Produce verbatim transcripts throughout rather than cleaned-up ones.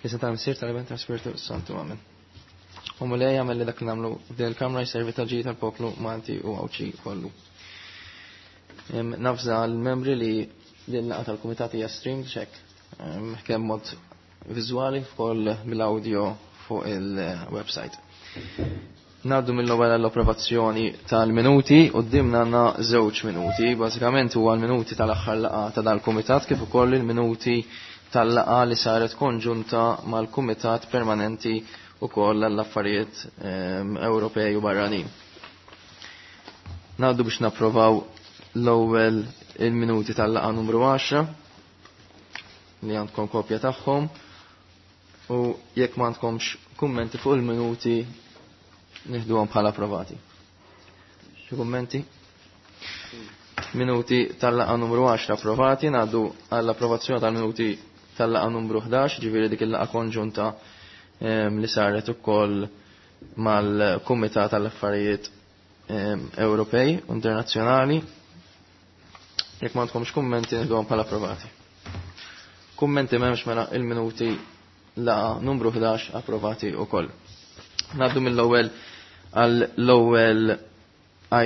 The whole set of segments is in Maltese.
Fl-isem tal-Missier, tal-Iben, tal-Spiritu Santu, amen. U Mulej jagħmel li dak li nagħmlu f'din il-kamra jservi tal-ġid tal-poplu Malti u Għawdxi kollu. Nafza l-membri li din laqgħa tal-kumitat hija streamed xek kemm mod viżwali wkoll bil-audio fuq il-website. Naddu mill-ewwel għall-approvazzjoni tal-minuti, qudiemna għandna żewġ minuti, bażikament huwa l-minuti tal-aħħar laqgħa ta' dal-kumitat kif ukoll il-minuti tal-laqgħa li saret konġunta mal-Kumitat Permanenti ukoll għall-affarijiet Ewropej u barranin. Naddu biex napprovaw l-ewwel il-minuti tal-laqgħa numru għaxra li għandkom kopja tagħhom u jekk ma għandkomx kummenti fuq il-minuti nieħduhom bħala approvati. Xi kummenti? Minuti tal-laqgħa numru għaxra approvati, ngħaddu għall-approvazzjoni tal-minuti tal-laqgħa numru ħdax, ġifieri dik il-laqgħa konġunta li saret ukoll mal-Kumitat tal-Affarijiet Ewropej u Internazzjonali. Jekk ma għandkomx kummenti nieħduhom bħala approvati. Kummenti m'hemmx, mela il-minuti laqgħa numru ħdax approvati ukoll. Ngħaddu mill-ewwel għall-ewwel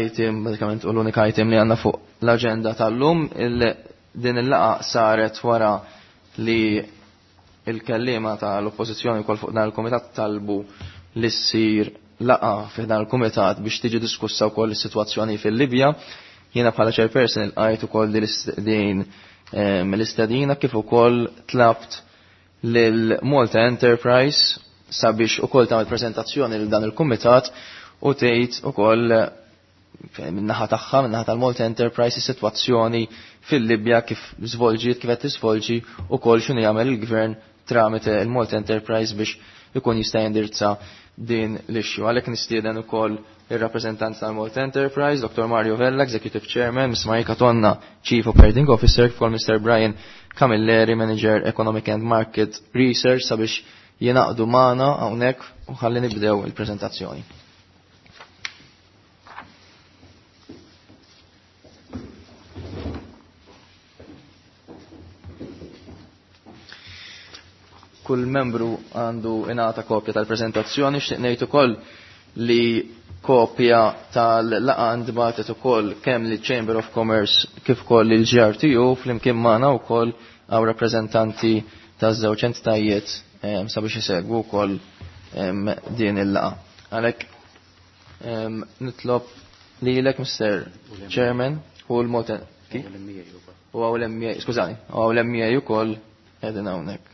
item, bażikament u l-unika item li għandna fuq l-aġenda tal-lum. Din il-laqgħa saret wara li il-kellima tal-oppożizzjoni wkoll fuq dan il-kumitat talbu li ssir laqgħa fi dan il-kumitat biex tiġi diskussa wkoll is-sitwazzjoni fil-Libja. Jiena bħala chairperson ilqajt ukoll din l-istedina kif ukoll tlabt lil Malta Enterprise sabiex ukoll tagħmel prezentazzjoni lil dan il-kumitat u tgħid ukoll min-naħa tagħha, min-naħa tal-Malta Enterprise, is-sitwazzjoni fil-Libja kif żvolġiet, kif qed tiżvolġi ukoll x'inhu jagħmel il-gvern tramite il-Malta Enterprise biex ikun jista' jindirizza din l-issue. Għalhekk nistieden ukoll ir-rappreżentant tal-Malta Enterprise, Doctor Mario Vella, Executive Chairman, Miss Marika Tonna, Chief Operating Officer, kif ukoll Mister Brian Camilleri, Manager Economic and Market Research, sabiex jingħaqdu magħna hawnhekk u ħalli nibdew il-preżentazzjoni. Kull membru għandu ingħata kopja tal-preżentazzjoni. Xtieq ngħid ukoll li kopja tal-laqgħa ntbagħtet ukoll kemm liċ Chamber of Commerce kif ukoll lil G R T U flimkien magħna wkoll hawn rappreżentanti taż-żewġ entitajiet sabiex isegwu wkoll din il-laqgħa. Għalhekk nitlob lilek, Mister Chairman, u l-Malta u għaw l-M A, skużani, u għaw l-M A ukoll qegħdin hawnhekk.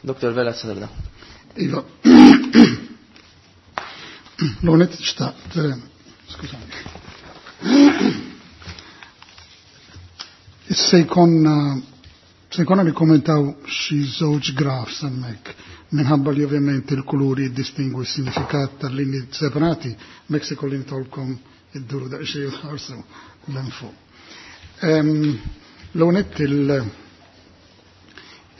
Doktor Vella, tibda. Iva. L-għonet xtaqt, skużani. Se jkollna, se jkollna nikkommentaw xi żewġ grafs hemmhekk, minħabba li ovvjament il-kuluri jiddistingwu s-sinifikat tal-linji separati, mek se kolli nitolbkom idduru daqsxejn u tħarsu l-info. L-għonet il-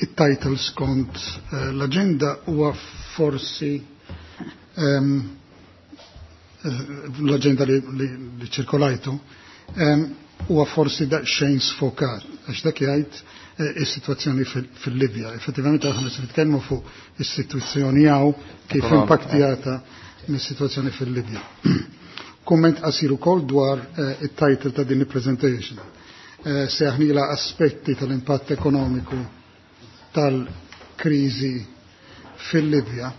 il-title skont, eh, l-agenda huwa forsi, ehm, eh, l-agenda li, li, li ċirkolajtu, ehm, huwa forsi daqsxejn sfokat, għax dak jgħid, eh, is-sitwazzjoni fil-, fil-Libja. Effettivament aħna se nitkellmu fuq is-sitwazzjoni hawn kif Ekonomika. impattjata mis-sitwazzjoni fil-Libja. Kumment qasir ukoll dwar, eh, it-title ta' din il-presentation. Eh, se aħnila aspetti tal-impatt ekonomiku tal-kriżi fil-Libja.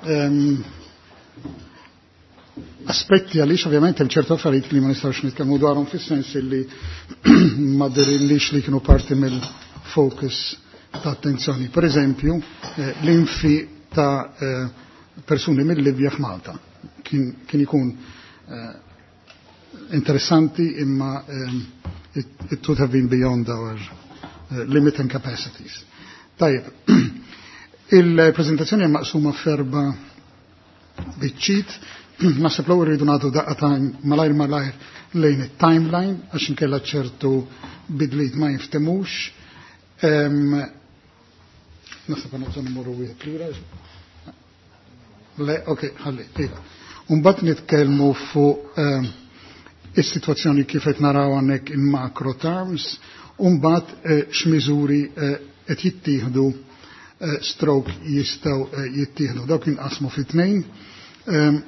Ehm, aspetti għaliex ovvjament hemm ċertu affarijiet li ma nistgħux nitkellmu dwarhom fis-sens li ma dirillix li kienu parti mill-focus ta' attenzjoni. Per eżempju, eh, l-infi ta', eh, persuni mill-Libja f'Malta kien, kien ikun, eh, interessanti imma, ehm, it, it would have been beyond our, eh, limit and capacities. Tajjeb, il-prezentazzjoni hija maqsuma f'erba' biċċiet. Naħseb l-ewwel rridu nagħtu daqqa ta' malajr malajr lejn it-timeline għax inkella ċertu bidliet ma jiftemux. Ehm, naħseb għandna bżonn immorru wieħed lura. Le, ok, ħalli, iva. Mbagħad nitkellmu fuq, ehm, Is-sitwazzjoni kif qed naraw hawnhekk in macro terms, u mbagħad eh, x'miżuri eh, qed jittieħdu eh, stroke jistgħu eh, jittieħdu. Dawk inqasmu fi tnejn, ehm,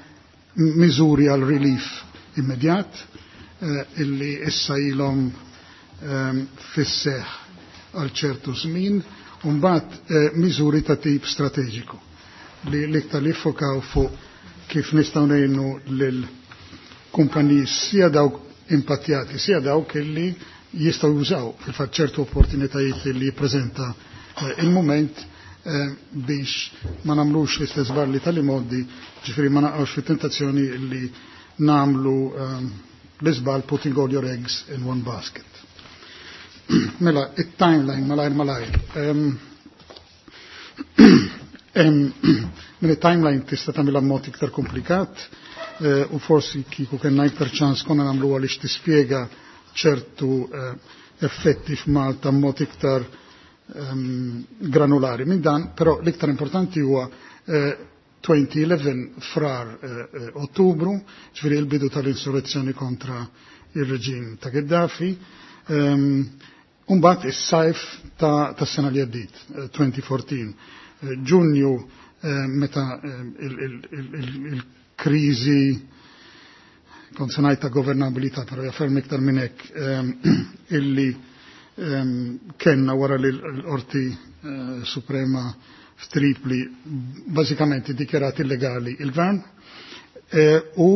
miżuri għal relief immedjat eh, illi issa ilhom ehm, fis-seħħ għal ċertu żmien, u mbagħad eh, miżuri ta' tip strateġiku li l-iktar li fokaw fuq kif nistgħu ngħinu lil kumpaniji sia dawk impattjati, sia dawk illi jistgħu jużaw fil-fatt ċertu opportunitajiet li jippreżenta eh, il-moment eh, biex ma nagħmlux l-istess barli tal-imoddi, ġifieri ma naqgħux fit-tentazzjoni li nagħmlu eh, l-iżbal putting all your eggs in one basket. Mela, it-timeline malajr malajr. Em, em, Mela timeline tista' tagħmilha mod iktar komplikat eh, u forsi kieku kellna iktar ċans konna nagħmlu għaliex tispjega ċertu eh, effetti f'Malta mod iktar ehm, granulari minn dan, però l-iktar importanti huwa eh, elfejn u għaxra frar eh, eh, Ottubru, ġifieri il-bidu tal-insurrezzjoni kontra il-reġim ta' Gheddafi. Um, Umbat is-sajf ta', ta sena li għaddit, eh, elfejn u erbatax. Eh, Ġunju eh, meta il-kriżi kont se ngħid ta' governabilità, però hija ferm iktar minn hekk illi kellna wara li l-Qorti Suprema f'Tripli bażikament iddikjarat illegali il-gvern u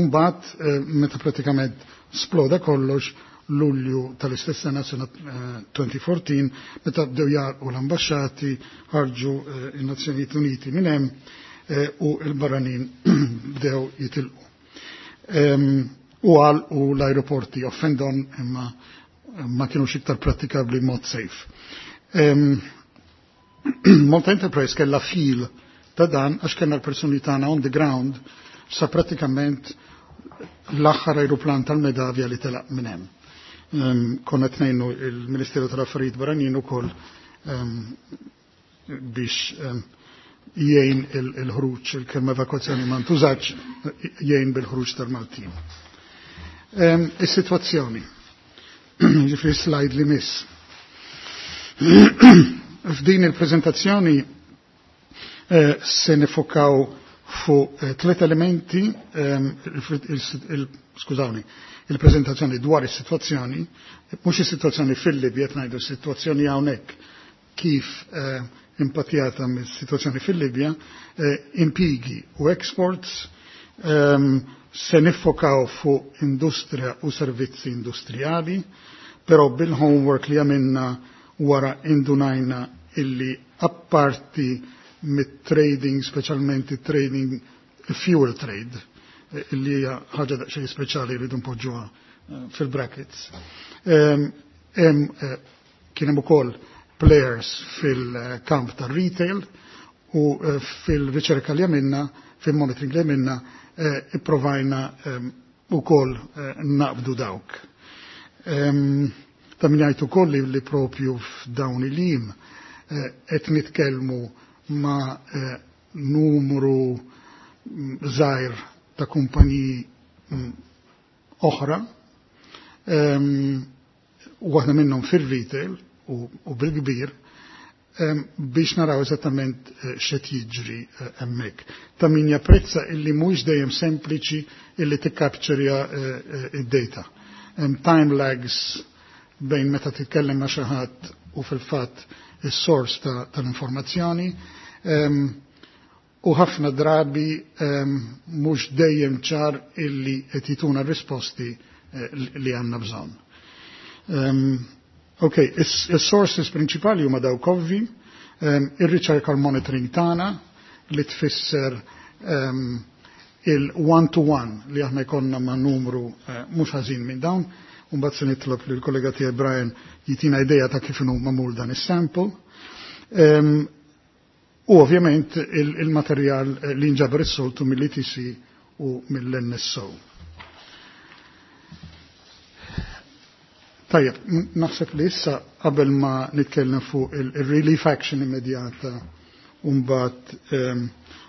mbagħad meta pratikament sploda kollox Lulju tal-istess sena, sena elfejn u erbatax, meta bdew jarqu l-ambasċati, ħarġu in-Nazzjonijiet Uniti minn hemm u l-barranin bdew jitilqu. U għal u l-aeroporti off and on imma ma kienux iktar pratikabli mod safe. Malta Enterprise kella fil ta' dan għax kellna l-persuni tagħna on the ground sa pratikament l-aħħar aeroplan tal-Medavia li telaq minn hemm. Konna tnejnu il-Ministeru tal-Affarijiet Barranin ukoll biex jgħin il-ħruġ, il-kelma evakwazzjoni ma ntużax, jgħin bil-ħruġ tal-Maltin. Is-sitwazzjoni, ġifieri slide li miss. F'din il-preżentazzjoni eh, se nifokaw fuq eh, tliet elementi, skużawni, il-prezentazzjoni dwar is-sitwazzjoni, mhux is-sitwazzjoni fil-Libja, qed ngħidu s-sitwazzjoni hawnhekk kif eh, impattjata mis-sitwazzjoni fil-Libja, impigi u exports, ehm, se nifokaw fuq industrija u servizzi industrijali, però bil-homework li għamilna wara indunajna illi apparti mit-trading, specialment trading fuel trade, illi hija ħaġa daqsxejn speċjali rridu npoġġuha eh, fil-brackets. Hemm eh, kien hemm ukoll players fil-kamp tar-retail u eh, fil-riċerka li għamilna, fil-monitoring li għamilna, ipprovajna ukoll naqbdu dawk. Ta' min jgħid ukoll li propju f'dawn il-jiem qed nitkellmu ma' numru mm, żgħir ta' kumpaniji mm, oħra, u waħda minnhom fir-retail u bil-kbir, biex naraw eżattament eh, x'qed jiġri eh, hemmhekk. Ta' min japprezza illi mhuwiex dejjem sempliċi illi tikkapċerja eh, id-data. Hemm time lags bejn meta titkellem ma' xi ħadd u fil-fatt is-sors tal-informazzjoni. U ħafna drabi mhux dejjem ċar illi qed jituna risposti li għandna bżonn. Ok, is-sources prinċipali huma dawk ovvi, ir-riċerka l-monitoring tagħna li tfisser il-one-to-one li aħna jkollna ma' numru eh, mhux ħażin minn dawn, u mbagħad se nitlob lill kollega tiegħi Brian jitina idea ta' kif inhu magħmul dan is-sample. U ovvjament il-materjal li nġabar is-soltu mill-E T C u mill-N S O. Tajjeb, naħseb li issa qabel ma nitkellem fuq il-relief action immedjata u mbagħad ehm,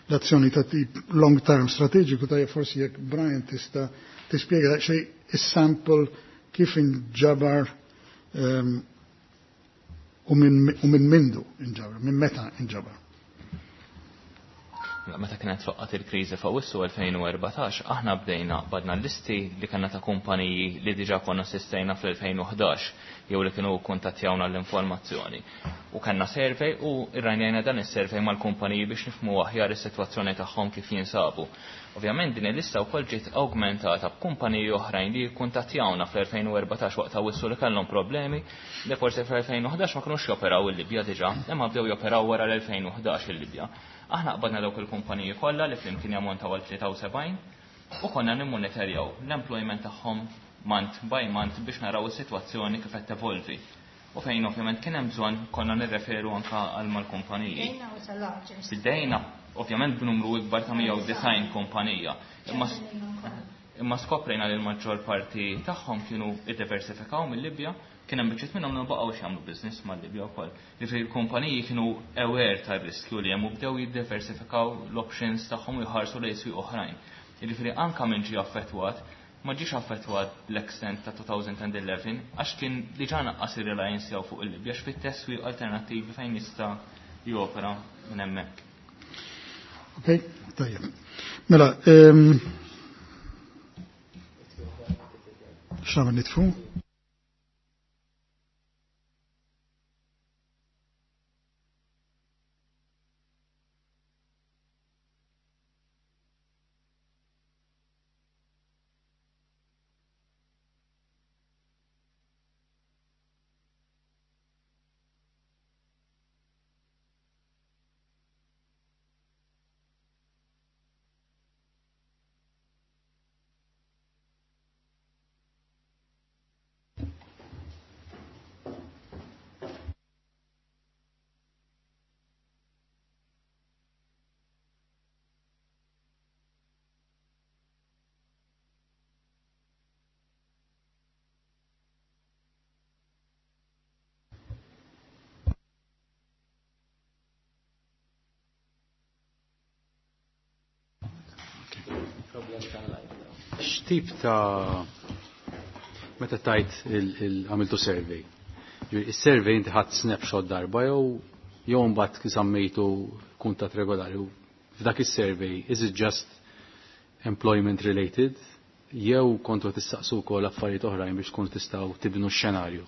l-azzjoni ta' tip long term strateġiku, tajjeb forsi jekk Brian tista' tispjega daqsxejn is-sample kif inġabar um, u minn mindu inġabar, minn meta inġabar. Meta kienet faqqat il-kriżi f'Awwissu elfejn u erbatax, aħna bdejna badna listi li kellna ta' kumpaniji li diġà konna assistejna fl-elfejn u ħdax jew li kienu kuntattjawna l-informazzjoni. U kellna survey u rranjajna dan is-survey mal-kumpaniji biex nifhmu aħjar is-sitwazzjoni tagħhom kif jinsabu. Ovvjament din il-lista wkoll ġiet augmentata b'kumpaniji oħrajn li kuntattjawna fl-elfejn u erbatax waqt Awwissu li kellhom problemi li forsi fl-elfejn u ħdax ma kinux joperaw il-Libja diġà, imma bdew joperaw wara l-elfejn u ħdax il-Libja. Aħna qbadna dawk il-kumpaniji kollha li flimkien jammontaw għal tlieta u sebgħin u konna nimmonitorjaw l-employment tagħhom month by month biex naraw is-sitwazzjoni kif qed tevolvi. U fejn ovvjament kien hemm bżonn konna nirreferu anka għal mal-kumpaniji. Bdejna ovvjament b'numru ikbar ta' mija u disgħin kumpanija. Imma imma skoprejna li l-maġġor parti tagħhom kienu iddiversifikaw mill-Libja, kien hemm biċċiet minnhom li baqgħux jagħmlu business mal-Libja wkoll. Jiġifieri l-kumpaniji kienu aware tar-riskju li hemm u bdew jiddiversifikaw l-options tagħhom u jħarsu lejn swieq oħrajn. Jiġifieri anka min ġie affettwat, ma ġiex affettwat l-extent ta' elfejn u ħdax għax kien diġà naqqas ir-reliance tiegħu fuq il-Libja x'fittex swieq alternattivi fejn jista' jopera minn hemmhekk. Ok, tajjeb. Mela, um, x'nagħmel, nitfu? X'tip ta' meta tajt għamiltu survey? Is-survey inti ħadd snapshot darba jew jew mbagħad żammejtu kuntatt regolari? F'dak is-survey, is it just employment related jew kontu tistaqsu wkoll affarijiet oħrajn biex tkunu tistgħu tibnu x-xenarju?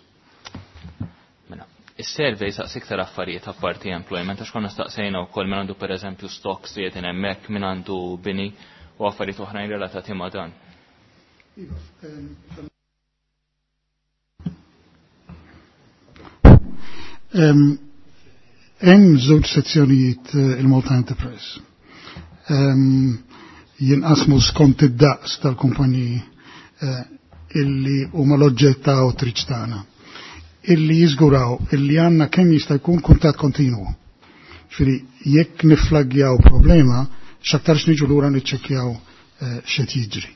Mela, is-survey saqs iktar affarijiet apparti employment, għax konna staqsejna wkoll min għandu, pereżempju, stocks li qegħdin hemmhekk, min għandu bini u affarijiet oħrajn relatati ma' dan. Iva, ehm, Hemm żewġ sezzjonijiet eh, il-Malta Enterprise. Ehm, jinqasmu skont id-daqs tal-kumpaniji eh, illi huma l-oġġett ta' outreach tagħna. Illi jiżguraw illi għandna kemm jista' jkun kuntatt kontinwu. Ġifieri jekk niflaggjaw problema, x'aktarx niġu lura niċċekkjaw eh, x'qed jiġri.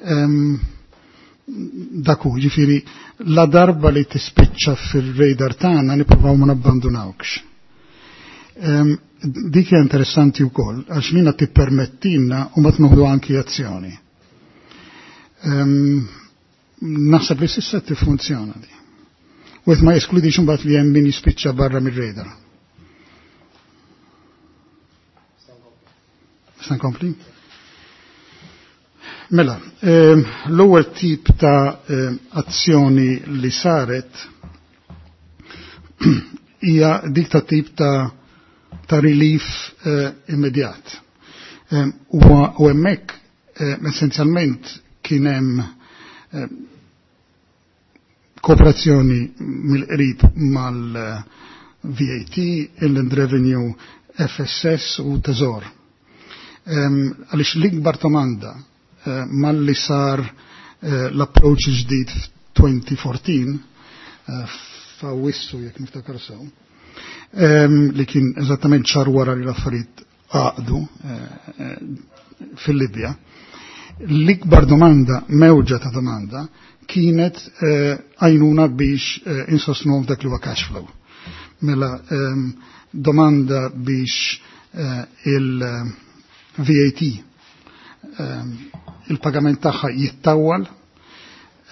Ehm, Dak hu, ġifieri, la darba li tispiċċa fil-radar tagħna nippruvaw ma nabbandunawkx. Ehm, dik hija interessanti wkoll għax lina tippermettilna u ma tnoħdu anki azzjoni. Ehm, naħseb li s'issa tiffunzjona di. U ma jeskludix imbagħad li hemm min jispiċċa barra mir-radar. Nista' nkompli? Mela, ehm, l-ewwel tip ta' ehm, azzjoni li saret hija dik ta' tip ta' ta' relief eh, immedjat. Ehm, u hemmhekk eh, essenzjalment kien hemm kooperazzjoni mill-qrib mal-V A T, Inland Revenue, F S S u Teżor. Għaliex l-ikbar domanda eh, malli sar eh, l-approach ġdid f'elfejn u erbatax, eh, f'Awwissu jekk niftakar sew, li kien eżattament xahar wara li l-affarijiet għaqdu fil-Libja, l-ikbar domanda, mewġa ta' domanda, kienet għajnuna biex insostnu dak li huwa cash flow. Mela domanda biex il-V A T il-pagament tagħha jittawwal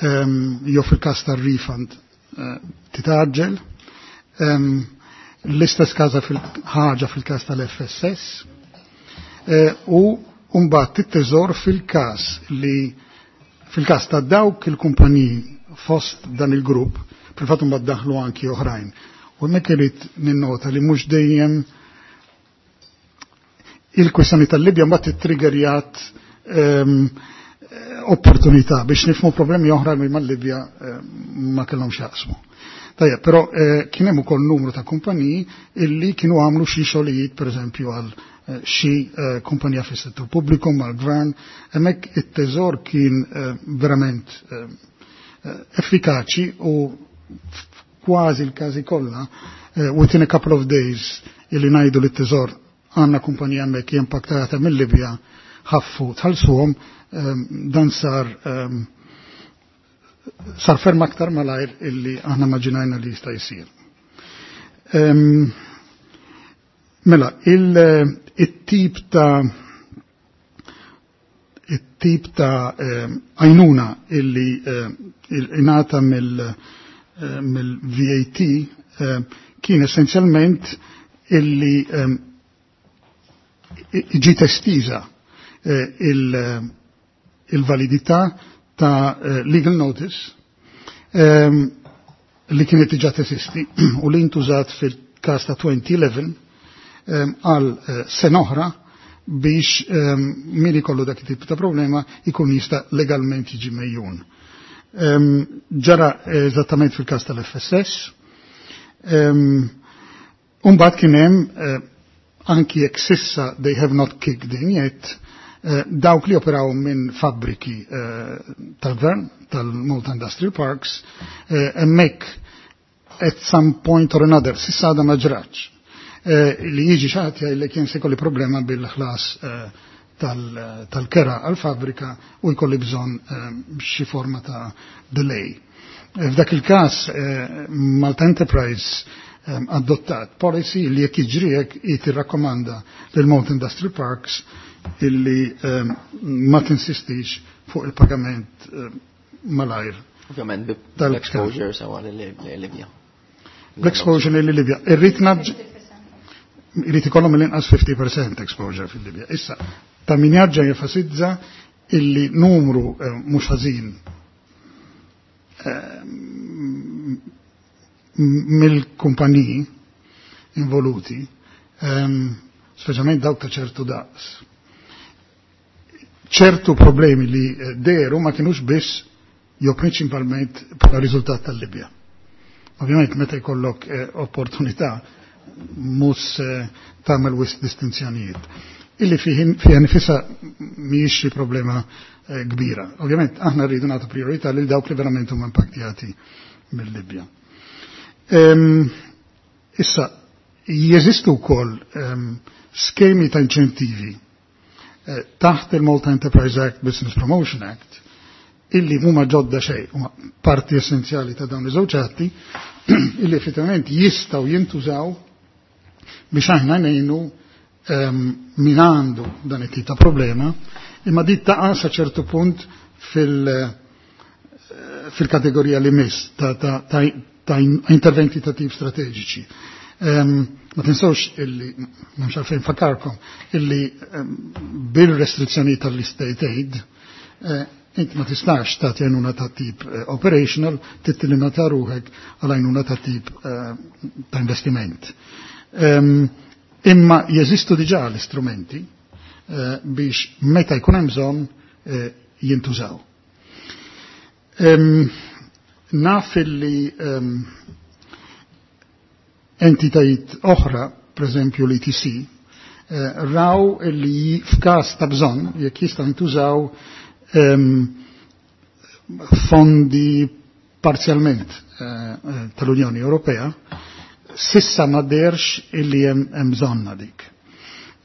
jew fil-każ tar-refund titgħaġġel. L-istess każ fil-ħaġa fil-każ tal-F S S u mbagħad it-teżor fil-każ li fil-każ ta' dawk il-kumpaniji fost dan il-grupp, fil-fatt mbagħad daħlu anki oħrajn. U hemmhekk irid ninnota li mhux dejjem il-kwistjoni tal-Libja mbagħad ittriggerjat um, opportunità biex nifhmu problemi oħra li mal-Libja ma kellhom x'jaqsmu. Tajjeb, però eh, kien hemm ukoll numru ta' kumpaniji illi kienu għamlu xi xogħlijiet, pereżempju, għal eh, xi eh, kumpanija fis-settur pubbliku mal-gvern, hemmhekk it-teżor kien verament effikaċi u kważi l-każi kollha, within a couple of days illi ngħidu li t-teżor għandna kumpanija hemmhekk impattata mill-Libja, ħaffu tħallsuhom, dan sar um, sar ferm aktar malajr illi aħna immaġinajna li jista' jsir. Um, mela, il-tip ta' it-tip ta' għajnuna illi ingħata mill-V A T kien essenzjalment illi ġiet estiża il-validità ta' legal notice li kienet diġà teżisti u li intużat fil-każ ta' elfejn u ħdax għal sena oħra biex min ikollu dak tip ta' problema ikun jista' legalment jiġi megħjun. Ġara eżattament fil-każ tal-F S S. Umbagħad kien hemm, anki jekk s'issa they have not kicked in yet, dawk li operaw minn fabbriki tal-gvern, tal-Malta Industrial Parks, hemmhekk at some point or another, s'issa għadha ma ġratx, li jiġi xi ħadd li kien se jkolli problema bil-ħlas tal-kera għal-fabrika u jkolli bżonn xi forma ta' delay. F'dak il-każ Malta Enterprise adottat policy li jekk jiġri hekk tirrakkomanda lil Malta Industrial Parks illi ma tinsistix fuq il-pagament malajr. Ovvjament bl-exposure sewa l-Libja. L-exposure l-Libja. Irrid irrid ikollhom l-inqas fifty percent exposure fil-Libja. Issa, ta' min jarġa' jenfasizza illi numru eh, mhux ħażin eh, mill-kumpaniji involuti, ehm, speċjalment dawk ta' ċertu daqs, ċertu problemi li eh, dehru ma kienux biss jew prinċipalment bħala riżultat tal-Libja. Ovvjament meta jkollok eh, opportunità mhux eh, tagħmel wisq distinzjonijiet. Illi fiha nifisha mhijiex xi problema eh, kbira. Ovvjament aħna rridu nagħtu priorità lil dawk li verament huma impattjati mill-Libja. Um, issa, jeżistu wkoll um, skemi ta' inċentivi eh, taħt il-Malta Enterprise Act, Business Promotion Act, illi huma ġodda xejn, huma parti essenzjali ta' dawn iż-żewġ atti, illi effettivament jistgħu jintużaw biex aħna ngħinu um, min għandu dan it-tip ta' problema, imma dit taqa' sa ċertu punt fil- fil-kategorija li miss ta', ta, ta, ta interventi ta' tip strateġiċi. Um, ma tinsewx illi, m'hemmx għalfejn infakkarkom, illi um, bil-restrizzjoni tal-state aid, uh, inti ma tistax tagħti għajnuna ta' tip uh, operational, tittilimita ruħek għal għajnuna ta' tip uh, ta' investiment. Um, imma jeżistu diġà l-istrumenti uh, biex meta jkun hemm bżonn uh, jintużaw. Um, naf illi um, entitajiet oħra, per eżempju l-E T C, eh, raw li f'każ ta' bżonn, jekk jistgħu jintużaw um, fondi parzjalment eh, tal-Unjoni Ewropea, s'issa ma deherx illi hemm bżonna dik.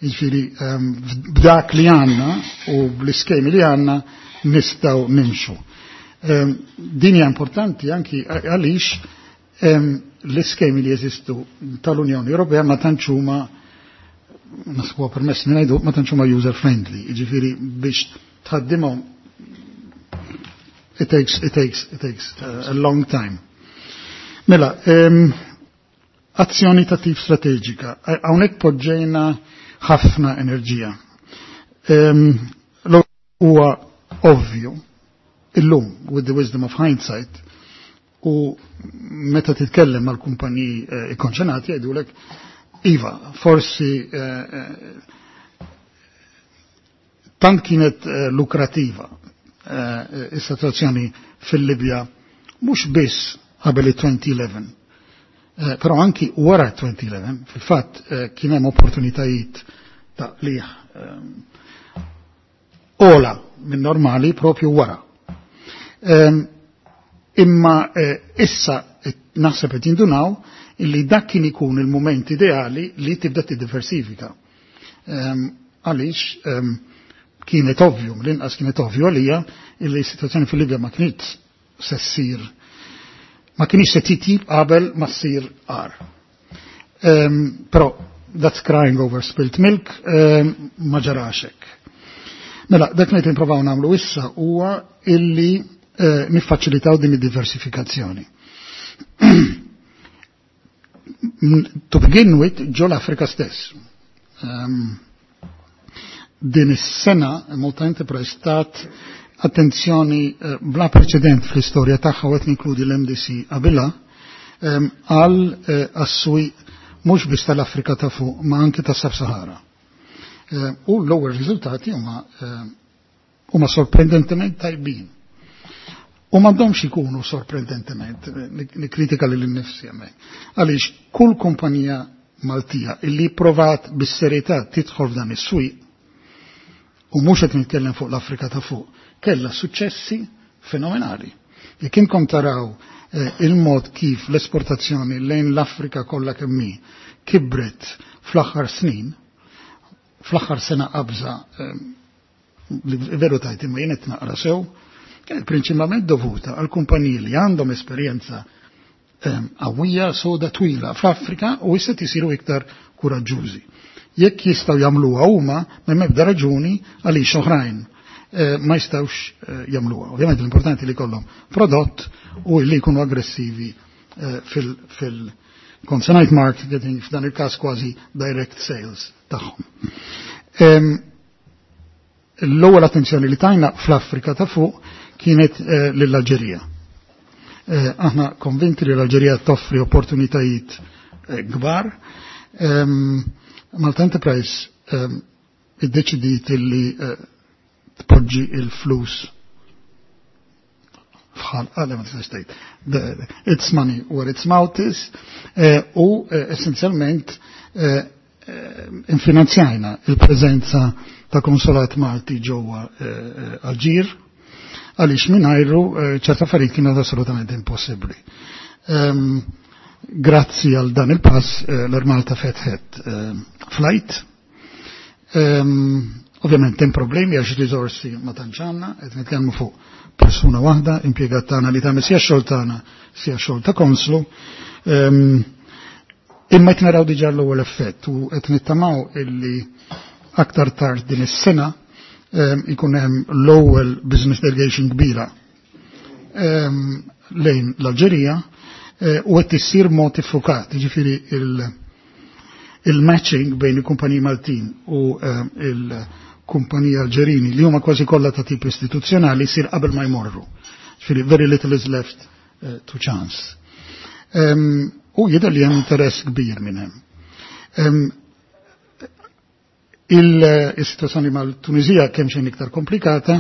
Jiġifieri um, b'dak li għandna u bl-iskemi li għandna nistgħu nimxu. Um, din hija importanti anki għaliex um, l-iskemi li jeżistu tal-Unjoni Ewropea ma tantx huma Naħseb huwa permess li ngħidu, ma tantx huma user friendly, jiġifieri biex tħaddimhom it takes it takes it takes uh, a long time. Mela, um, azzjoni ta' tip strateġika. Hawnhekk poġġejna ħafna enerġija. Um, huwa ovvju illum, with the wisdom of hindsight, u meta titkellem mal-kumpaniji eh, ikkonċernati jgħidulek iva, forsi eh, eh, tant kienet eh, lukrativa eh, is-sitwazzjoni fil-Libja mhux biss qabel il-elfejn u ħdax, eh, però anki wara elfejn u ħdax, fil-fatt eh, kien hemm opportunitajiet ta' liħ eh, ola minn normali propju wara. Um, imma eh, issa naħseb qed jindunaw illi dak kien ikun il-moment ideali li tibda tiddiversifika. Um, għaliex um, kienet ovvju, l-inqas kienet ovvju għalija illi s-situazzjoni fil-Libja ma kienet se ssir, ma kienx se titjib qabel ma ssir agħar. Um, però that's crying over spilt milk, um, ma ġarax hekk. Mela, dak li nipprovaw nagħmlu issa huwa illi eh, niffaċilitaw din id-diversifikazzjoni. To begin with, ġo l-Afrika stess. Um, din is-sena Malta Enterprise tat attenzjoni eh, bla preċedent fl-istorja tagħha, u qed ninkludi l-M D C qabilha, um, għal eh, għas-swieq mhux biss tal-Afrika ta' fuq ma anki ta' Sub-Sahara. Eh, u l-ewwel riżultati huma eh, huma sorprendentement tajbin. U m'għandhomx ikunu sorprendentement, nikkritika lil innifsi hemmhekk. Għaliex kull kumpanija Maltija illi provat bis-serjetà tidħol f'dan is-swieq, u mhux qed nitkellem fuq l-Afrika ta' fuq, kellha suċċessi fenomenali. Jekk inkom taraw eh, il-mod kif l-esportazzjoni lejn l-Afrika kollha kemm hi kibret fl-aħħar snin, fl-aħħar sena qabża eh, li veru tajt imma jien qed naqra sew, kienet prinċipalment dovuta għal kumpaniji li għandhom esperjenza qawwija soda twila fl-Afrika u issa jisiru iktar kuraġġużi. Jekk jistgħu jagħmluha huma, m'hemm ebda raġuni għaliex oħrajn eh, ma jistgħux eh, jagħmluha. Ovvjament l-importanti li jkollhom prodott u li jkunu aggressivi eh, fil- fil consignment marketing, f'dan il-każ kważi direct sales tagħhom. L-ewwel attenzjoni li tajna fl-Afrika ta' fuq kienet lill-Alġerija. Aħna konvinti li l-Alġerija toffri opportunitajiet kbar. Malta Enterprise iddeċidiet li tpoġġi il-flus fħal, għalli ma tistax tgħid. It's money where its mouth is, u essenzjalment infinanzjajna il-preżenza ta' konsolat Malti ġewwa Alġir, għaliex mingħajru ċerta affarijiet kienet assolutament impossibbli. Grazzi għal dan il-pass l-Air Malta fetħet flight. Ovvjament hemm problemi għax risorsi ma tantx għandna, qed nitkellmu fuq persuna waħda, impjegat tagħna li tagħmel sia xogħol tagħna sia xogħol ta' konslu. Imma qed naraw diġà l-ewwel effett u qed nittamaw illi aktar tard din is-sena ikun hemm l-ewwel business delegation kbira lejn l-Alġerija u qed issir mod iffukat, jiġifieri il-matching bejn il-kumpaniji Maltin u il-kumpaniji Alġerini li huma kważi kollha ta' tip istituzzjonali jsir qabel ma jmorru. Ġifieri very little is left uh, to chance. Um, u jidher li hemm interess kbir minn hemm. Um, Il-situazzjoni mal-Tunizija kemm xejn iktar komplikata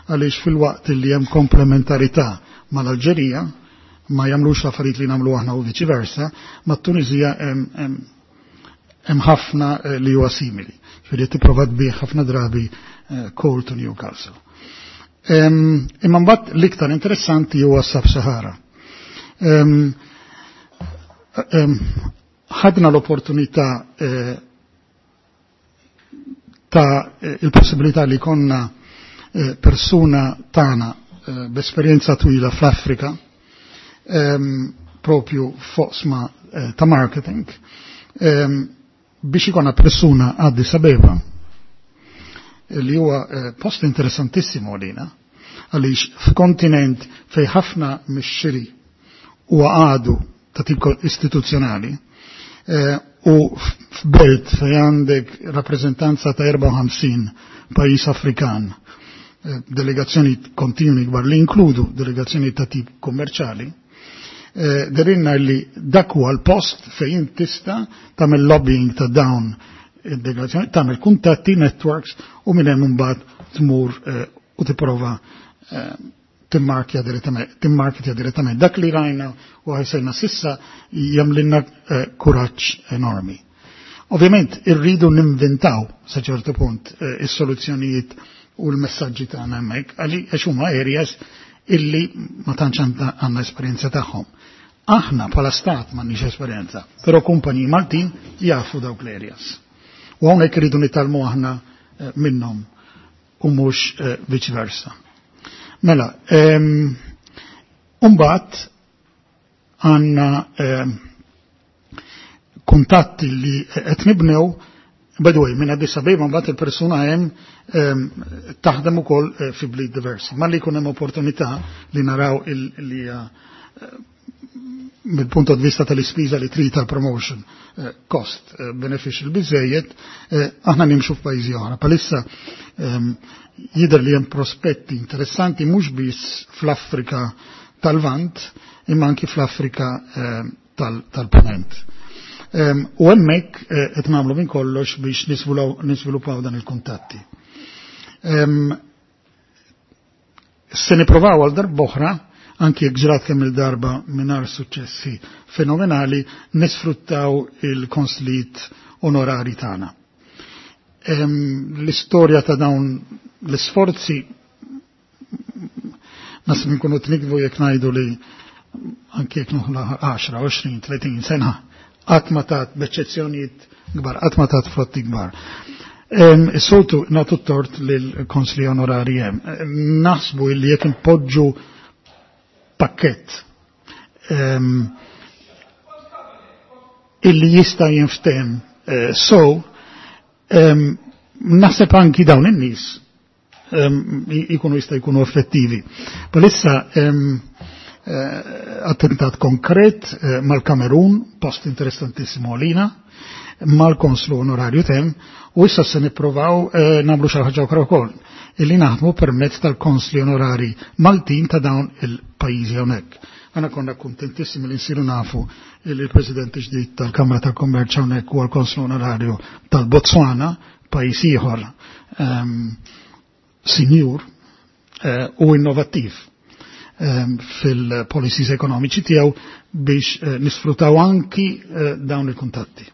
għaliex fil-waqt li hemm komplementarità mal-Alġerija, ma jagħmlux l-affarijiet li nagħmlu aħna u viċi versa, mat-Tunizija hemm ħafna li huwa simili. Ġifieri tipprova tbigħ ħafna drabi coal to Newcastle. Imma mbagħad l-iktar interessanti huwa Sub-Sahara. Ħadna l-opportunità ta' il-possibilità li konna persuna tagħna b'esperjenza twila fl-Afrika, propju f'oqsma ta' marketing, Biex ikona persuna Addis Abeba, li huwa eh, post interessantissimo għalina, għaliex f'kontinent fej ħafna mix-xiri huwa għadu ta' tip istituzzjonali, eh, u f'belt fej għandek rappreżentanza ta' erbgħa u ħamsin pajjiż Afrikan, eh, delegazzjoni kontinwi kbar li inkludu delegazzjoni ta' tip kommerċali, eh, derinna li dak huwa l-post fejn tista' tagħmel lobbying ta' dawn id-delegazzjoni, tagħmel kuntatti, networks u minn hemm imbagħad tmur eh, u tipprova eh, timmarkja direttament, timmarketja direttament. Dak li rajna u ħajsejna sissa jagħmlilna eh, kuraġġ enormi. Ovvjament irridu ninventaw sa ċertu punt eh, is-soluzzjonijiet u l-messaġġi tagħna hemmhekk għaliex huma areas illi ma tantx għandna esperjenza tagħhom. Aħna bħala stat m'għandniex esperjenza, però kumpaniji Maltin jafu dawk l-areas. U hawnhekk irridu nitgħallmu aħna eh, minnhom u mhux eh, vice versa. Mela, mbagħad għandna kuntatti li qed nibnew. By the way, minn Addis Abeba mbagħad il-persuna hemm taħdem ukoll eh, fi bliet diversi. Ma li jkun hemm opportunità li naraw li eh, mill-punto di vista tal-ispiża li trid tal-promotion eh, cost beneficial biżejjed, aħna nimxu f'pajjiżi oħra. Palissa ehm, jidher li hemm prospetti interessanti mhux biss fl-Afrika tal-Lvant imma anki fl-Afrika tal-Ponent. U hemmhekk eh, qed nagħmlu minn kollox biex nisviluppaw dan il-kuntatti. Se niprovaw għal darb'oħra, anki jekk ġrat kemm il-darba mingħajr suċċessi fenomenali, nisfruttaw il-konslijiet onorari tagħna. L-istorja ta' dawn l-isforzi nasib nkunu tnikbu jekk ngħidu li anki jekk noħla għaxra, għoxrin, tletin sena qatt ma tat, b'eċċezzjonijiet kbar, qatt ma tat frotti kbar. Is-soltu nagħtu tort lill-konsli onorari hemm. Naħsbu li jekk impoġġu pakkett illi jista' jinftem eh, so naħseb anki dawn in-nies jikunu jista' jkunu effettivi. Palissa Eh, attentat konkret eh, mal-Kamerun, post interessantissimo għalina, mal-konslu onorarju tem, u issa se nipprovaw eh, nagħmlu xi ħaġa oħra wkoll, illi naħdmu permezz tal-konsli onorari Maltin ta' dawn il-pajjiżi hawnhekk. Għana konna kontentissimi li nsiru nafu li l-President ġdid tal-Kamra tal-Kommerċ hawnhekk huwa l-konslu onorarju tal-Botswana, pajjiż ieħor um, sinjur uh, u innovattiv um, fil-policies ekonomiċi tiegħu biex uh, nisfrutaw anki uh, dawn il-kuntatti.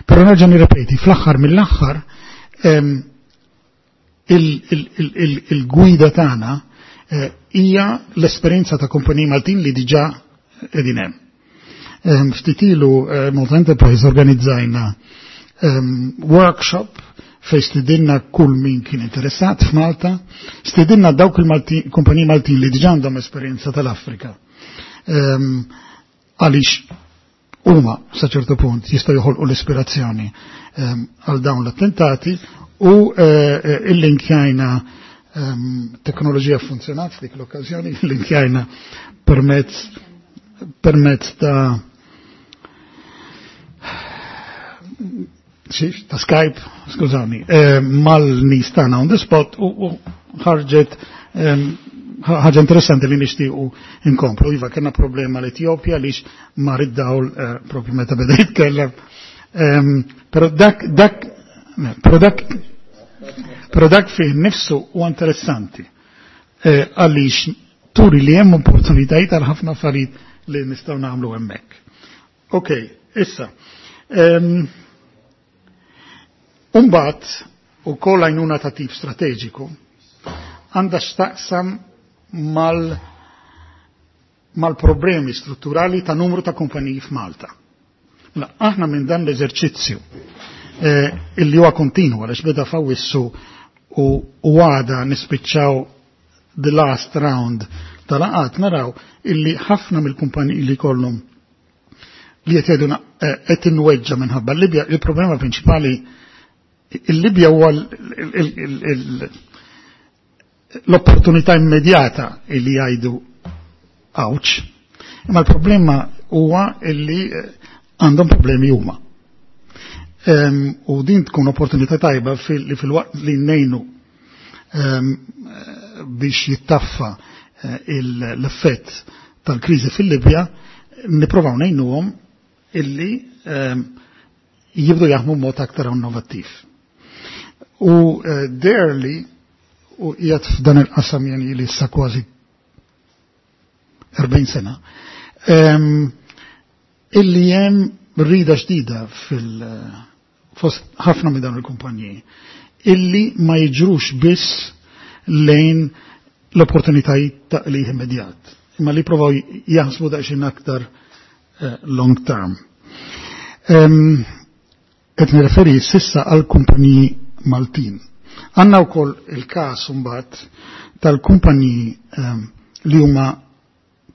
Però nerġa' nirrepeti, fl-aħħar mill-aħħar um, il-gwida tagħna eh, hija l-esperjenza ta' kumpaniji Maltin li diġà qegħdin hemm. Ehm, ftit ilu eh, Malta Enterprise organizzajna ehm, workshop fej stidinna kull min kien interessat f'Malta, stidinna dawk il-kumpaniji Maltin li diġà għandhom esperjenza tal-Afrika. Ehm, għaliex huma sa ċertu punt jistgħu joħolqu l-ispirazzjoni għal dawn l-attentati u eh, il-linkjajna ehm, teknoloġija funzjonat f'dik l-okkażjoni, il-linkjajna permezz permezz ta' xiex, ta' Skype, skużani, eh, mal-nies tagħna on the spot u ħarġet ehm, ħaġa interessanti li nixtiequ inkomplu. Iva, kellna problema l-Etjopja lix mar id-dawl eh, propju meta beda jitkellem. Ehm, però dak, dak, però dak, però dak fih nifsu u interessanti. Eh, għaliex turi li hemm opportunitajiet għal ħafna affarijiet li nistgħu nagħmlu hemmhekk. Ok, issa. Um, Umbagħad, ukoll għajnuna ta' tip strateġiku, għandha x'taqsam mal mal-problemi strutturali ta' numru ta' kumpaniji f'Malta. Mela, aħna minn dan l-eżerċizzju eh, illi huwa kontinu għaliex beda f'Awwissu u għada nispiċċaw the last round tal-laqgħat, naraw illi ħafna mill-kumpaniji li kollhom li qed jgħiduna qed inweġġa minħabba l-Libja, il-problema prinċipali il-Libja huwa l-opportunità immedjata li jgħidu ouch, imma l-problema huwa illi għandhom problemi huma. U din tkun opportunità tajba li fil-waqt li nejnu biex jittaffa l-effett tal-kriżi fil-Libja, niprovaw ngħinuhom illi jibdu jaħdmu mod aktar innovattiv. U derli u qiegħed f'dan il-qasam jani li issa kważi erbgħin sena, illi hemm rida ġdida fil fost ħafna minn dawn il-kumpaniji illi ma jiġrux biss lejn l-opportunitajiet ta' qligħ immedjat, imma li provaw jaħsbu daqsxejn aktar long term. Qed nirreferi sissa għal kumpaniji Maltin. Għandna wkoll il-każ imbagħad tal-kumpaniji li huma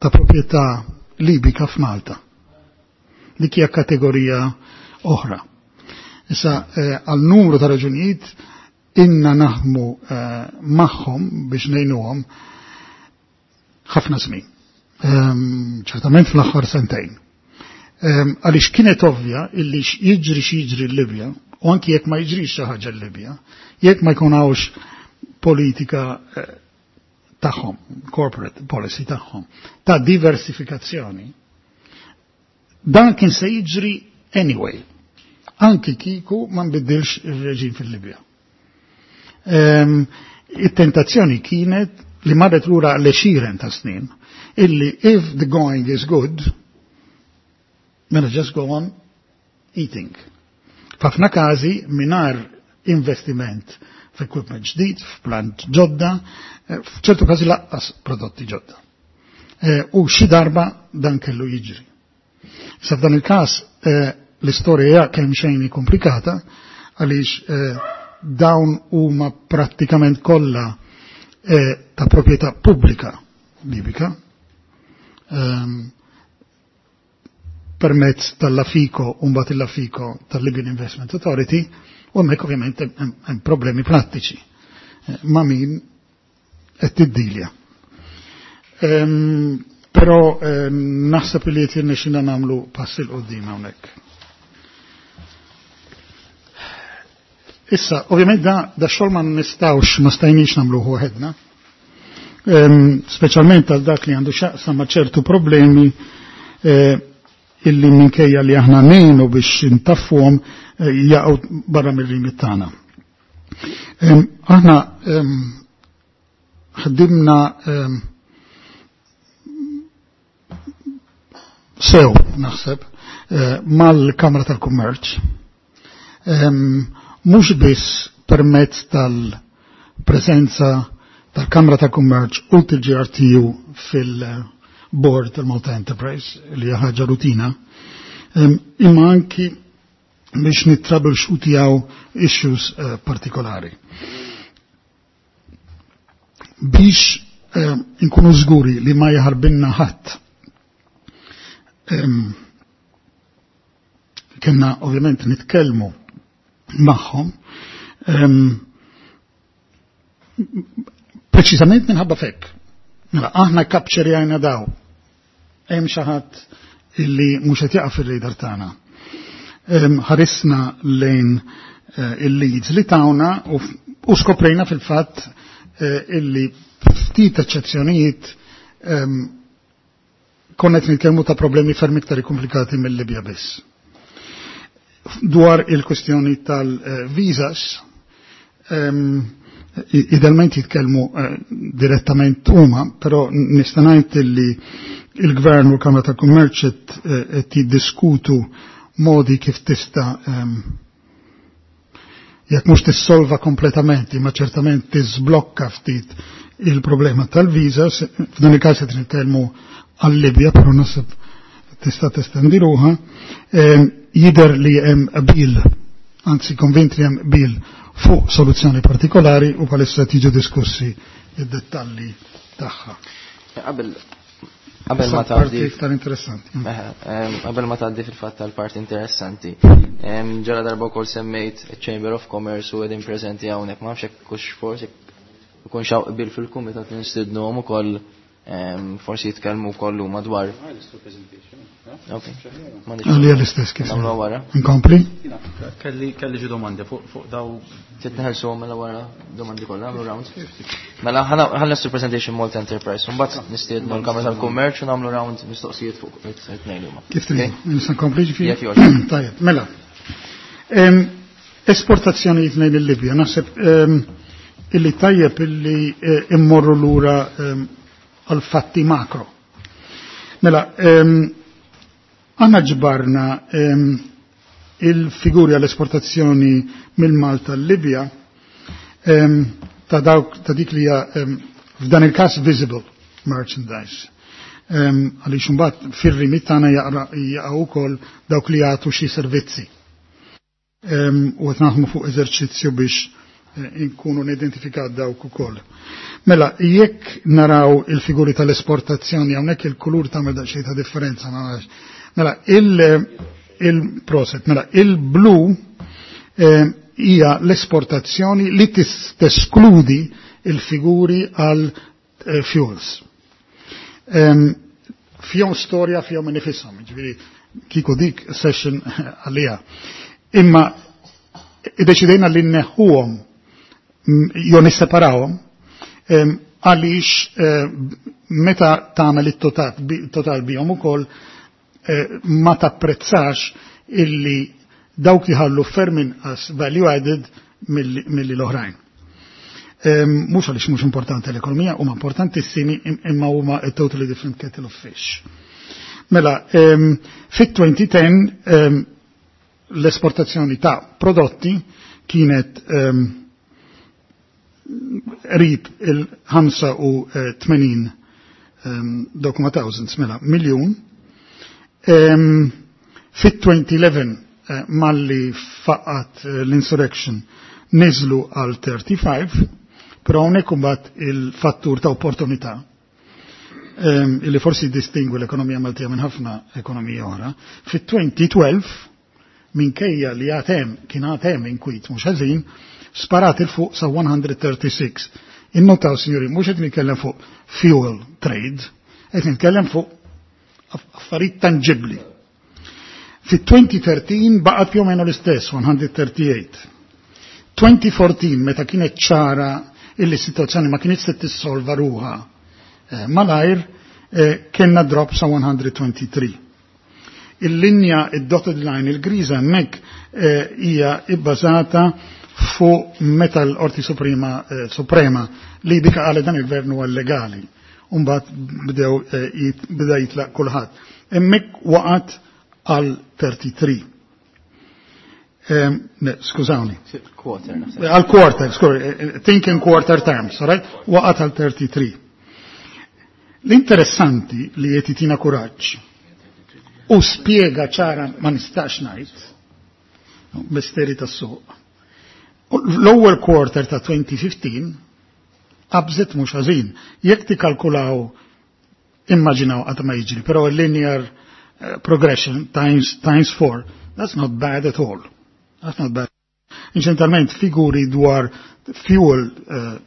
ta' proprjetà Libika f'Malta. Dik hija kategorija oħra. Issa għal numru ta' raġunijiet inna naħdmu magħhom biex ngħinuhom ħafna żmien. Ċertament fl-aħħar sentejn. Għaliex kienet ovvja illi jiġri xi jiġri l-Libja, u anki jekk ma jiġrix xi ħaġa l-Libja, jekk ma jkun hawnx politika tagħhom, corporate policy tagħhom, ta' diversifikazzjoni, dan kien se jiġri anyway, anki kieku ma nbiddilx ir-reġim fil-Libja. It-tentazzjoni kienet li marret lura l-għexieren ta' snin, illi if the going is good, mela just go on eating. F'ħafna każi mingħajr investiment f'equipment ġdid, f'plant ġodda, f'ċertu każi laqqas prodotti ġodda. U xi darba dan kellu jiġri. Sa f'dan il-każ l-istorja hija kemm xejn komplikata għaliex dawn huma prattikament kollha ta' proprjetà pubblika Libika, permezz tal-Lafico, u mbagħad il-Lafico tal-Libyan Investment Authority, u hemmhekk ovvjament hemm problemi prattiċi ma' min qed tiddilja. Però naħseb li qed jirnexxina nagħmlu pass il quddiem hawnhekk. Issa, ovvjament da, da xogħol ma nistgħux, ma stajniex nagħmluh waħedna, speċjalment għal dak li għandu x'jaqsam ma' ċertu problemi illi minkejja li aħna ngħinu biex intaffuhom jaqgħu barra mir-rimit tagħna. Aħna ħdimna sew, naħseb, mal-Kamra tal-Kummerċ, mhux biss permezz tal-preżenza tal-Kamra tal-Kummerċ u tal-G R T U fil-board tal-Malta Enterprise, li hija ħaġa rutina, imma anki biex nittrableshootjaw issues partikolari. Biex inkunu żguri li ma jaħarbinna ħadd. Kenna ovvjament nitkellmu magħhom preċiżament minħabba fekk. Mela aħna kapċerjajna daw. Hemm xi ħadd illi mhux qed jaqa' fir-radar tagħna. Ħarisna lejn il-leads li tawna u skoprejna fil-fatt illi ftit eċċezzjonijiet konna qed nitkellmu ta' problemi ferm iktar komplikati mill-Libja biss. Dwar il-kwestjoni tal-visas, idealment jitkellmu direttament huma, però nista' ngħid illi il-Gvern u l-Kamra tal-Kummerċ qed jiddiskutu modi kif tista' jekk mhux tissolva kompletament, imma ċertament tiżblokka ftit il-problema tal-visas, f'dan il-każ qed nitkellmu għal-Libja, però naħseb tista' testendi ruħha, jidher li hemm qbil, anzi konvint li hemm qbil fuq soluzzjoni partikolari u bħalissa tiġu diskussi id-dettalli tagħha. Qabel Qabel ma tgħaddi iktar interessanti. Qabel ma tgħaddi fil-fatt tal-parti interessanti. Ġara darba wkoll semmejt Chamber of Commerce u qegħdin preżenti hawnhekk, ma nafx hekk hux forsi ikun xaw qbil fil-kumitat li nistidnuhom ukoll forsi jitkellmu wkoll huma dwar. Ok. Għalija l-istess kif. Nagħmlu wara. Nkompli? Kelli kelli xi domandi fuq fuq daw. Trid neħelsuhom mela wara domandi kollha nagħmlu round. Mela ħa nlestu presentation Malta Enterprise, u mbagħad nistiednu l-Kamra tal-Kummerċ u nagħmlu round mistoqsijiet fuq it-tnejn huma. Kif trid? Nista' nkompli ġifieri? Jekk jogħġbok. Tajjeb, mela. Esportazzjonijiet lejn il-Libja, naħseb illi tajjeb illi immorru lura għal fatti makro. Mela, għanna ġbarna il-figuri għall-esportazzjoni mill-Malta l-Libja ta' dawk ta' dik li hija f'dan il-każ visible merchandise. Għaliex imbagħad fir-rimit tagħna jaqgħu wkoll dawk li jagħtu xi servizzi. U qed naħdmu fuq eżerċizzju biex inkunu nidentifikat dawk ukoll. Mela, jekk naraw il-figuri tal-esportazzjoni hawnhekk il-kulur tagħmel daqsxejn ta' differenza, ma nafx. Mela, il-proset, mela, il-blu hija l-esportazzjoni li teskludi il-figuri għal fuels. Fihom storja, fihom nifishom, ġifieri kieku dik session għalija. Imma iddeċidejna li nneħħuhom jew nisseparawhom għaliex meta tagħmel it-total bihom ukoll ma tapprezzax illi dawk jħallu ferm inqas value added milli l-oħrajn. Mhux għaliex mhux importanti l-ekonomija, huma importantissimi imma huma a totally different kettle of fish. Mela, fit-twenty ten l-esportazzjoni ta' prodotti kienet rib il-ħamsa u tmenin dokuma thousands, mela, miljun. Fit-twenty eleven malli faqat l-insurrection niżlu għal thirty-five, però hawnhekk imbagħad il-fattur ta' opportunità illi forsi distingwi l-ekonomija Maltija minn ħafna ekonomija oħra. Fit-twenty twelve minkejja li għatem kien għatem inkwit mhux ħażin, sparat il fuq sa one hundred thirty-six. Innotaw, signori, mhux qed nitkellem fuq fuel trade, qed nitkellem fuq affarijiet tangibbli. Fit-twenty thirteen baqgħet più o meno l-istess, one hundred thirty-eight. twenty fourteen, meta kienet ċara illi s-sitwazzjoni ma kienx se tissolva ruha malajr, kellna drop sa one hundred twenty-three. Il-linja, id-dotted line, il-griża hemmhekk hija ibbażata fuq meta l-Qorti Suprema, Suprema li bika qalet dan il-gvern huwa illegali. Umbagħad bdew beda jitlaq kulħadd. Hemmhekk waqgħet għal thirty-three. Ne, skużawni. Quarter, naħseb. Għal quarter, skużawni, think in quarter terms, all right? Waqgħet għal thirty-three. L-interessanti li qed jitina kuraġġ u spjega ċara ma nistax ngħid, misteri tas-suq. L-ewwel quarter ta' twenty fifteen qabżet mhux ħażin. Jekk tikkalkulaw, immaġinaw qatt ma jiġri, però linear progression times, times four, that's not bad at all. That's not bad. Inċentalment figuri dwar fuel uh,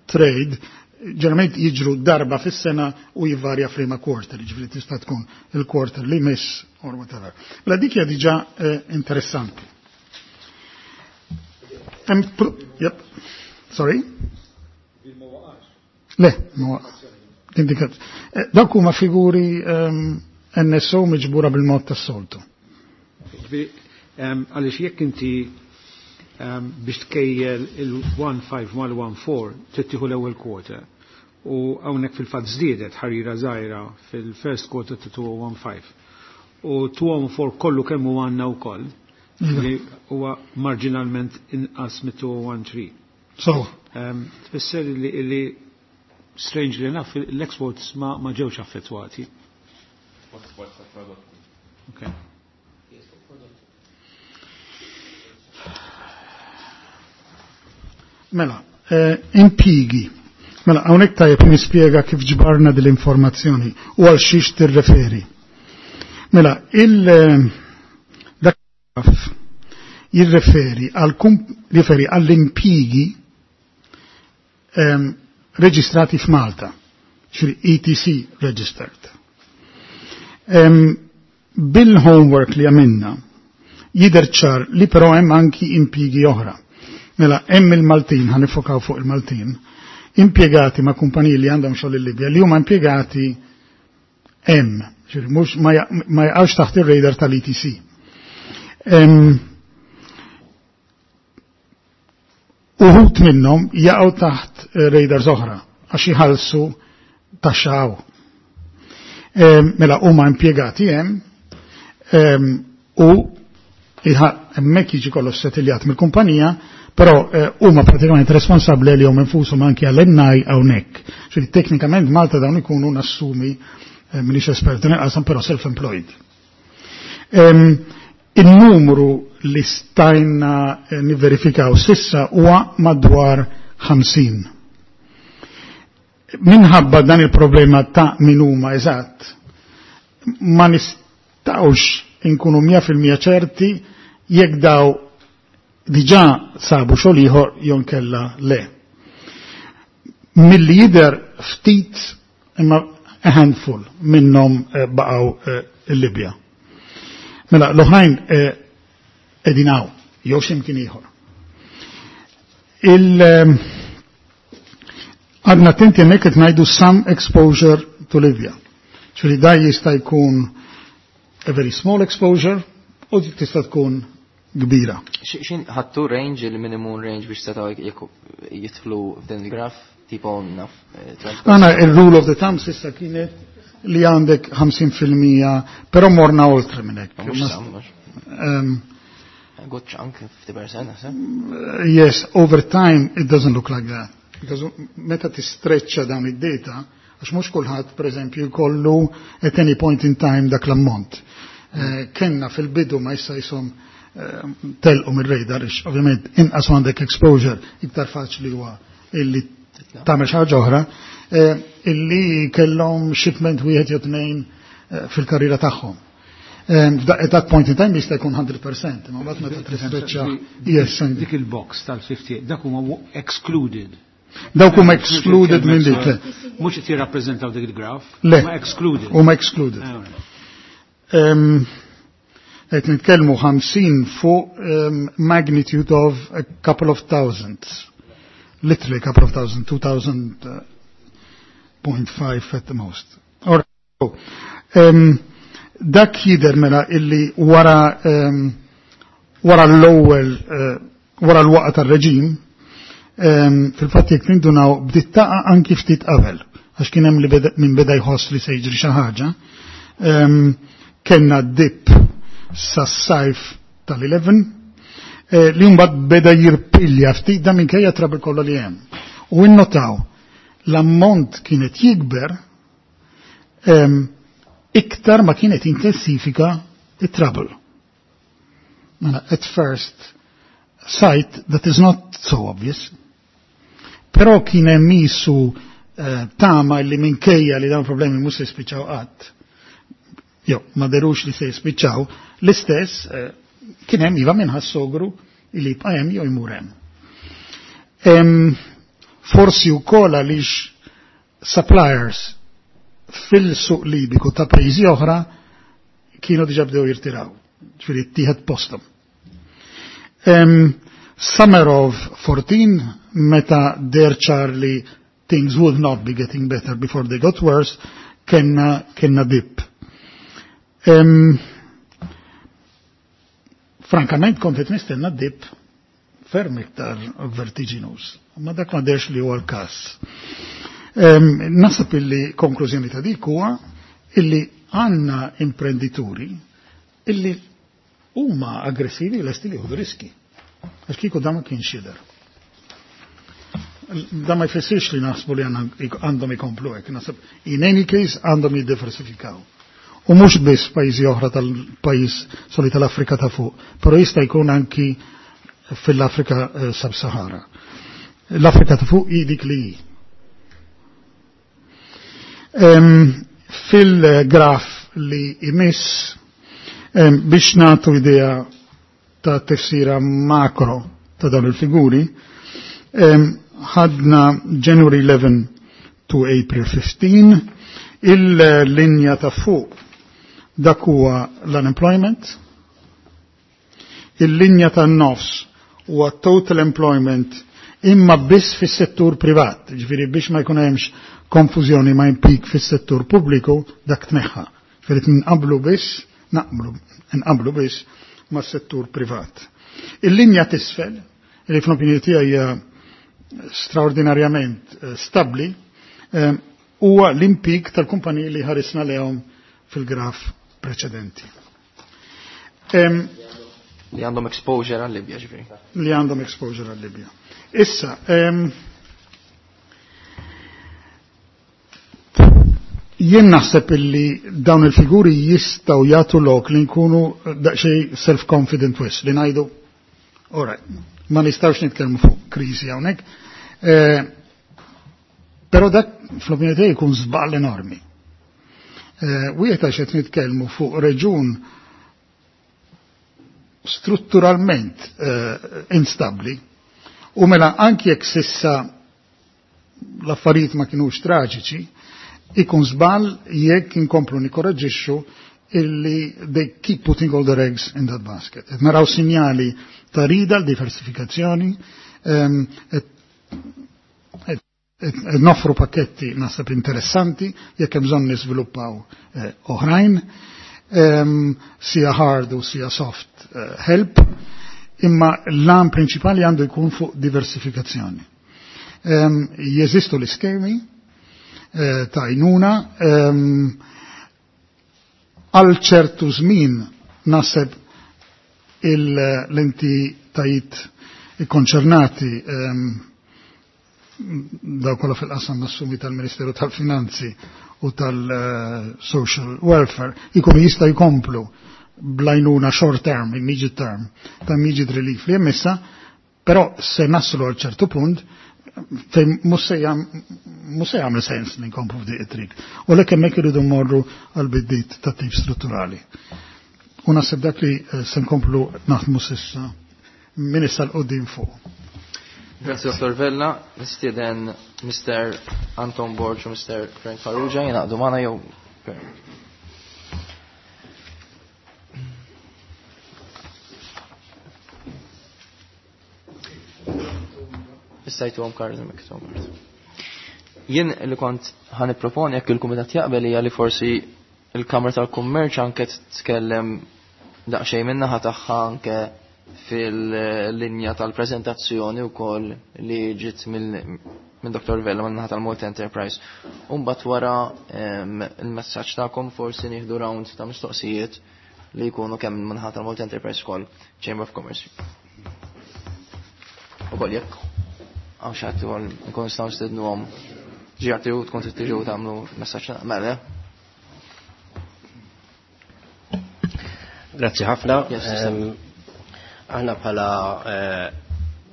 trade ġeneralment jiġru darba fis-sena u jivarja f'liema quarter, jiġifieri tista' tkun il-quarter li miss or whatever. Mela dik hija diġà interessanti. Yep. Sorry? Le, ma waqax. Dawk huma figuri N S O miġbura bil-mod tas-soltu. Għaliex jekk inti biex tkejjel il-one five mal one four trid tieħu l-ewwel quarter u hawnhekk fil-fatt żdiedet ħarira żgħira fil-first quarter ta' two oh one five u two oh four kollu kemm hu għandna wkoll li huwa marġinalment inqas mit two oh one three. So. Tfisser li, li strangely enough l-exports ma, ma ġewx affettwati. Exports ta' prodotti. Okay. Mela, eh, impigi. Mela, hawnhekk tajjeb nispjega kif ġbarna dil-informazzjoni u għal xiex tirreferi. Mela, il dak jirreferi għal referi għall-impjigi ehm, reġistrati f'Malta, ċri E T C registered. Ehm, bil-homework li għamilna, jidher ċar li però hemm anki impjigi oħra. Mela, hemm il-Maltin, ħa niffokaw fuq il-Maltin, impjegati ma' kumpaniji li għandhom xogħol il-Libja, li huma impjegati hemm, ġifieri mhux ma jaqgħux taħt ir-radar tal-E T C. Em, Uħud minnhom jaqgħu taħt eh, radars oħra għax jħallsu taxxa hawn. Mela huma impjegati hemm em, u hemmhekk jiġi kollox settiljat mill-kumpanija, però eh, huma pratikament responsabbli li hum infushom anki għall-N I hawnhekk. Ġifieri teknikament Malta dawn ikunu nassumi, eh, m'iniex espert nilqasam, però self-employed. Em, Il-numru li stajna eh, niverifikaw s'issa huwa madwar ħamsin. Minħabba dan il-problema ta' min huma eżatt, ma nistawx inkunu mija fil-mija ċerti jekk daw diġà sabu xogħol ieħor jew kella le. Milli jidher ftit, imma a handful minnhom eh, baqgħu eh, il-Libja. Mela l-oħrajn qegħdin hawn jew x'imkien ieħor. Il għadna attenti, hemmhekk qed ngħidu some exposure to Libya. Ċuri da jista' jkun a very small exposure u tista' tkun kbira. Xin ħattu range, il-minimum range biex setaw jidħlu f'din il-graf, tipo naf? eh, Għana il-rule of the thumb s'issa kienet li għandek ħamsin fil-mija, però morna oltre minn hekk. Mhux some, mhux. Um, Good chunk, fifty percent, naħseb. Yes, over time it doesn't look like that. Because meta tistreċċa dawn id-data, għax mhux kulħadd pereżempju jkollu at any point in time dak l-ammont. Eh, Kenna fil-bidu, ma issa jisom eh, telqu mir-radar, ix ovvjament inqas għandek exposure, iktar faċli huwa illi tagħmel xi ħaġa oħra, eh, illi kellhom shipment wieħed jew tnejn eh, fil-karriera tagħhom. Um, at that point in time jista' jkun mija fil-mija, imma mbagħad meta tistreċċa, yes. Dik il-box tal-ħamsa u ħamsin, dak huma excluded. Dawk huma excluded minn dik. Le. Mhux qed jirrappreżentaw dik il-graph. Le. Huma excluded. Huma excluded. Ah, Um, Qed nitkellmu ħamsin fuq um, magnitude of a couple of thousands. Literally a couple of thousand, two thousand point five at the most. All right. Um, dak jidher mela illi wara um, wara l-ewwel uh, wara l-waqgħa tar-reġim, um, fil-fatt jekk nindunaw bdiet taqa' anki ftit qabel, għax kien hemm li beda, min beda jħoss li se jiġri xi ħaġa. Um, kellna dip sas-sajf tal-għoxra eh, li mbagħad beda jirpilja ftit, da minkejja trouble kollha li hemm. U innotaw l-ammont kienet jikber um, iktar ma kienet intensifika it-trouble. Mela, at first sight, that is not so obvious. Però kien hemm isu eh, tama li minkejja li dawn problemi mhux se jispiċċaw qatt. Jo, ma derux li se jispiċċaw, l-istess eh, kien hemm iva min ħass sogru li jibqa' hemm jew jmur hemm. Em, Forsi wkoll għaliex suppliers fil-suq Libiku ta' pajjiżi oħra kienu diġa bdew jirtiraw, ġifieri ttieħed postom. Um, summer of fourteen, meta deher ċar li things would not be getting better before they got worse, kenna, kenna dip. Um, frankament kont qed nistenna dip ferm iktar vertiginous, ma dak ma derx li huwa l-każ. Um, Naħseb illi konklużjoni ta' dik huwa illi għandna imprendituri illi huma aggressivi u lesti li jieħdu riski. Għax kieku dan ma kienx jidher. Da ma jfissirx li naħsbu li għandhom ikomplu hekk, naħseb in any case għandhom jiddiversifikaw. U mhux biss pajjiżi oħra tal-pajjiż soli tal-Afrika ta' fuq, però jista' jkun anki fil-Afrika eh, sub-Sahara. L-Afrika ta' fuq hi dik li hi. Fil-graf li jmiss, biex nagħtu idea ta' tifsira makro ta' dawn il-figuri, ħadna January eleven to April fifteen, il-linja ta' fuq dak huwa l-unemployment, il-linja ta' nofs huwa total employment imma biss fis-settur privat, ġifieri biex ma jkun hemmx konfużjoni ma' impik fis-settur pubbliku dak tneħħa. Ġifieri nqablu biss, naqblu, nqablu biss mas-settur privat. Il-linja t'isfel, li fl-opinjoni tiegħi hija straordinarjament stabbli, huwa l-impik tal-kumpaniji li ħarisna lehom fil-graf preċedenti. Li għandhom exposure għal-Libja, ġifieri. Li għandhom exposure għal-Libja. Issa, jien naħseb illi dawn il-figuri jistgħu jagħtu lok li nkunu daqsxejn self-confident wis, li ngħidu, all right, ma nistgħux nitkellmu fuq kriżi hawnhekk. Però dak fl-opinjoni tiegħi jkun żball enormi. Wieħed għax qed nitkellmu fuq reġun strutturalment instabbli u mela anki jekk sissa l-affarijiet ma kinux traġiċi, ikun żball jekk inkomplu nikkoraġġixxu illi they keep putting all their eggs in that basket. Qed naraw sinjali ta' rida l-diversifikazzjoni, qed noffru pakketti naħseb interessanti jekk hemm bżonn niżviluppaw oħrajn, sija hard u sija soft help, imma l-għan prinċipali għandu jkun fuq diversifikazzjoni. Jeżistu l-iskemi ta' għajnuna, għal ċertu żmien naħseb l-entitajiet ikkonċernati daw kollha fil-qasam nassumi tal-Ministeru tal-Finanzi u tal-Social Welfare ikunu jista' jkomplu blajnuna short term, immediate term, ta' immediate relief li hemm issa, però se naslu għal ċertu punt fejn mhux se jagħmel sens li nkomplu f'dik it-triq. U lek hemmhekk iridu mmorru għal biddiet ta' tip strutturali. U naħseb dak li se nkomplu naħdmu s'issa minn issa l qudiem fuq. Grazie Dottor Vella, nistieden Mister Anton Borg u Mister Frank Farrugia jingħaqdu magħna jew Issajtuhom kardu miktub. Jien li kont ħan nipproponi jekk il-kumitat jaqbel hija li forsi il-Kamra tal-Kummerċ anke tkellem daqsxejn min-naħa tagħha anke fil-linja tal-prezentazzjoni wkoll li ġiet minn Dottor Vella min-naħa tal-Malta Enterprise. U mbagħad wara il-messaġġ tagħkom forsi nieħdu round ta' mistoqsijiet li jkunu kemm min-naħa tal-Malta Enterprise ukoll Chamber of Commerce. Ukoll jekk għaw xaħti għal nkun nistaw nistednu għom ġiħati u tkun tiġu tagħmlu messaġġ mela. Grazzi ħafna. Aħna bħala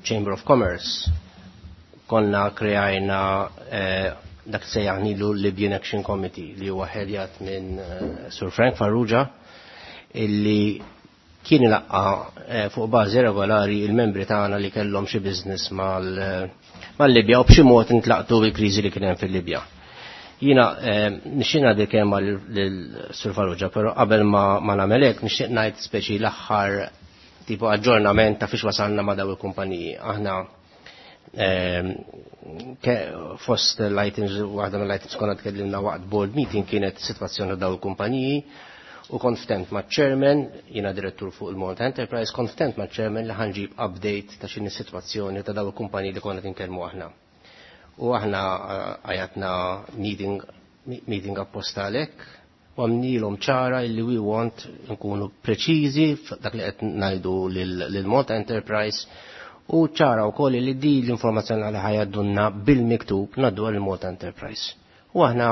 Chamber of Commerce konna kreajna dak sejjaħnilu Libyan Action Committee li huwa ħedjat minn Sir Frank Farrugia illi kien ilaqqa fuq bażi regolari il-membri tagħna li kellhom xi business mal-Libja u b'xi mod intlaqtu bil-kriżi li kien hemm fil-Libja. Jiena nixtieq ngħaddi kelma lil Sur Farrugia, però qabel ma nagħmel hekk nixtieq ngħid speċi l-aħħar tipo aġġornament ta' fiex wasalna ma' daw il-kumpaniji. Aħna fost l-items, waħda mill-items konna tkellimna waqt board meeting kienet sitwazzjoni daw il-kumpaniji u kont ftemt ma' chairman, jiena direttur fuq il-Malta Enterprise, kont ftemt ma' chairman li ħanġib update ta' x'inhi sitwazzjoni ta' daw il-kumpaniji li konna tinkellmu aħna. U aħna għajatna meeting, meeting apposta għalhekk u għamnilhom ċara illi we want nkunu preċiżi dak li qed ngħidu lil Malta Enterprise u ċara wkoll li di l-informazzjoni li ħajaddunna bil-miktub ngħaddu għal Malta Enterprise. U aħna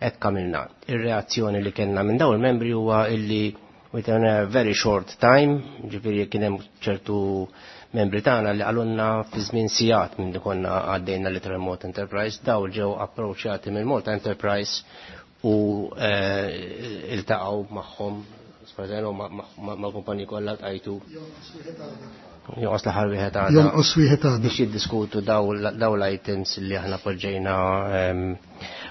hekk għamilna. Ir-reazzjoni li kellna minn dawn il-membri huwa illi within a very short time, ġifieri kien hemm ċertu Membri tagħna li qalulna fi żmien sigħat minn konna għaddejna l Malta Enterprise, daw ġew approċċjati minn Malta Enterprise u eh, iltaqgħu magħhom, mal-kumpaniji kollha tqajtu. Jonqos l-aħħar wieħed għadha. Jonqos wieħed għadha. Biex jiddiskutu daw l-items li aħna poġġejna ehm,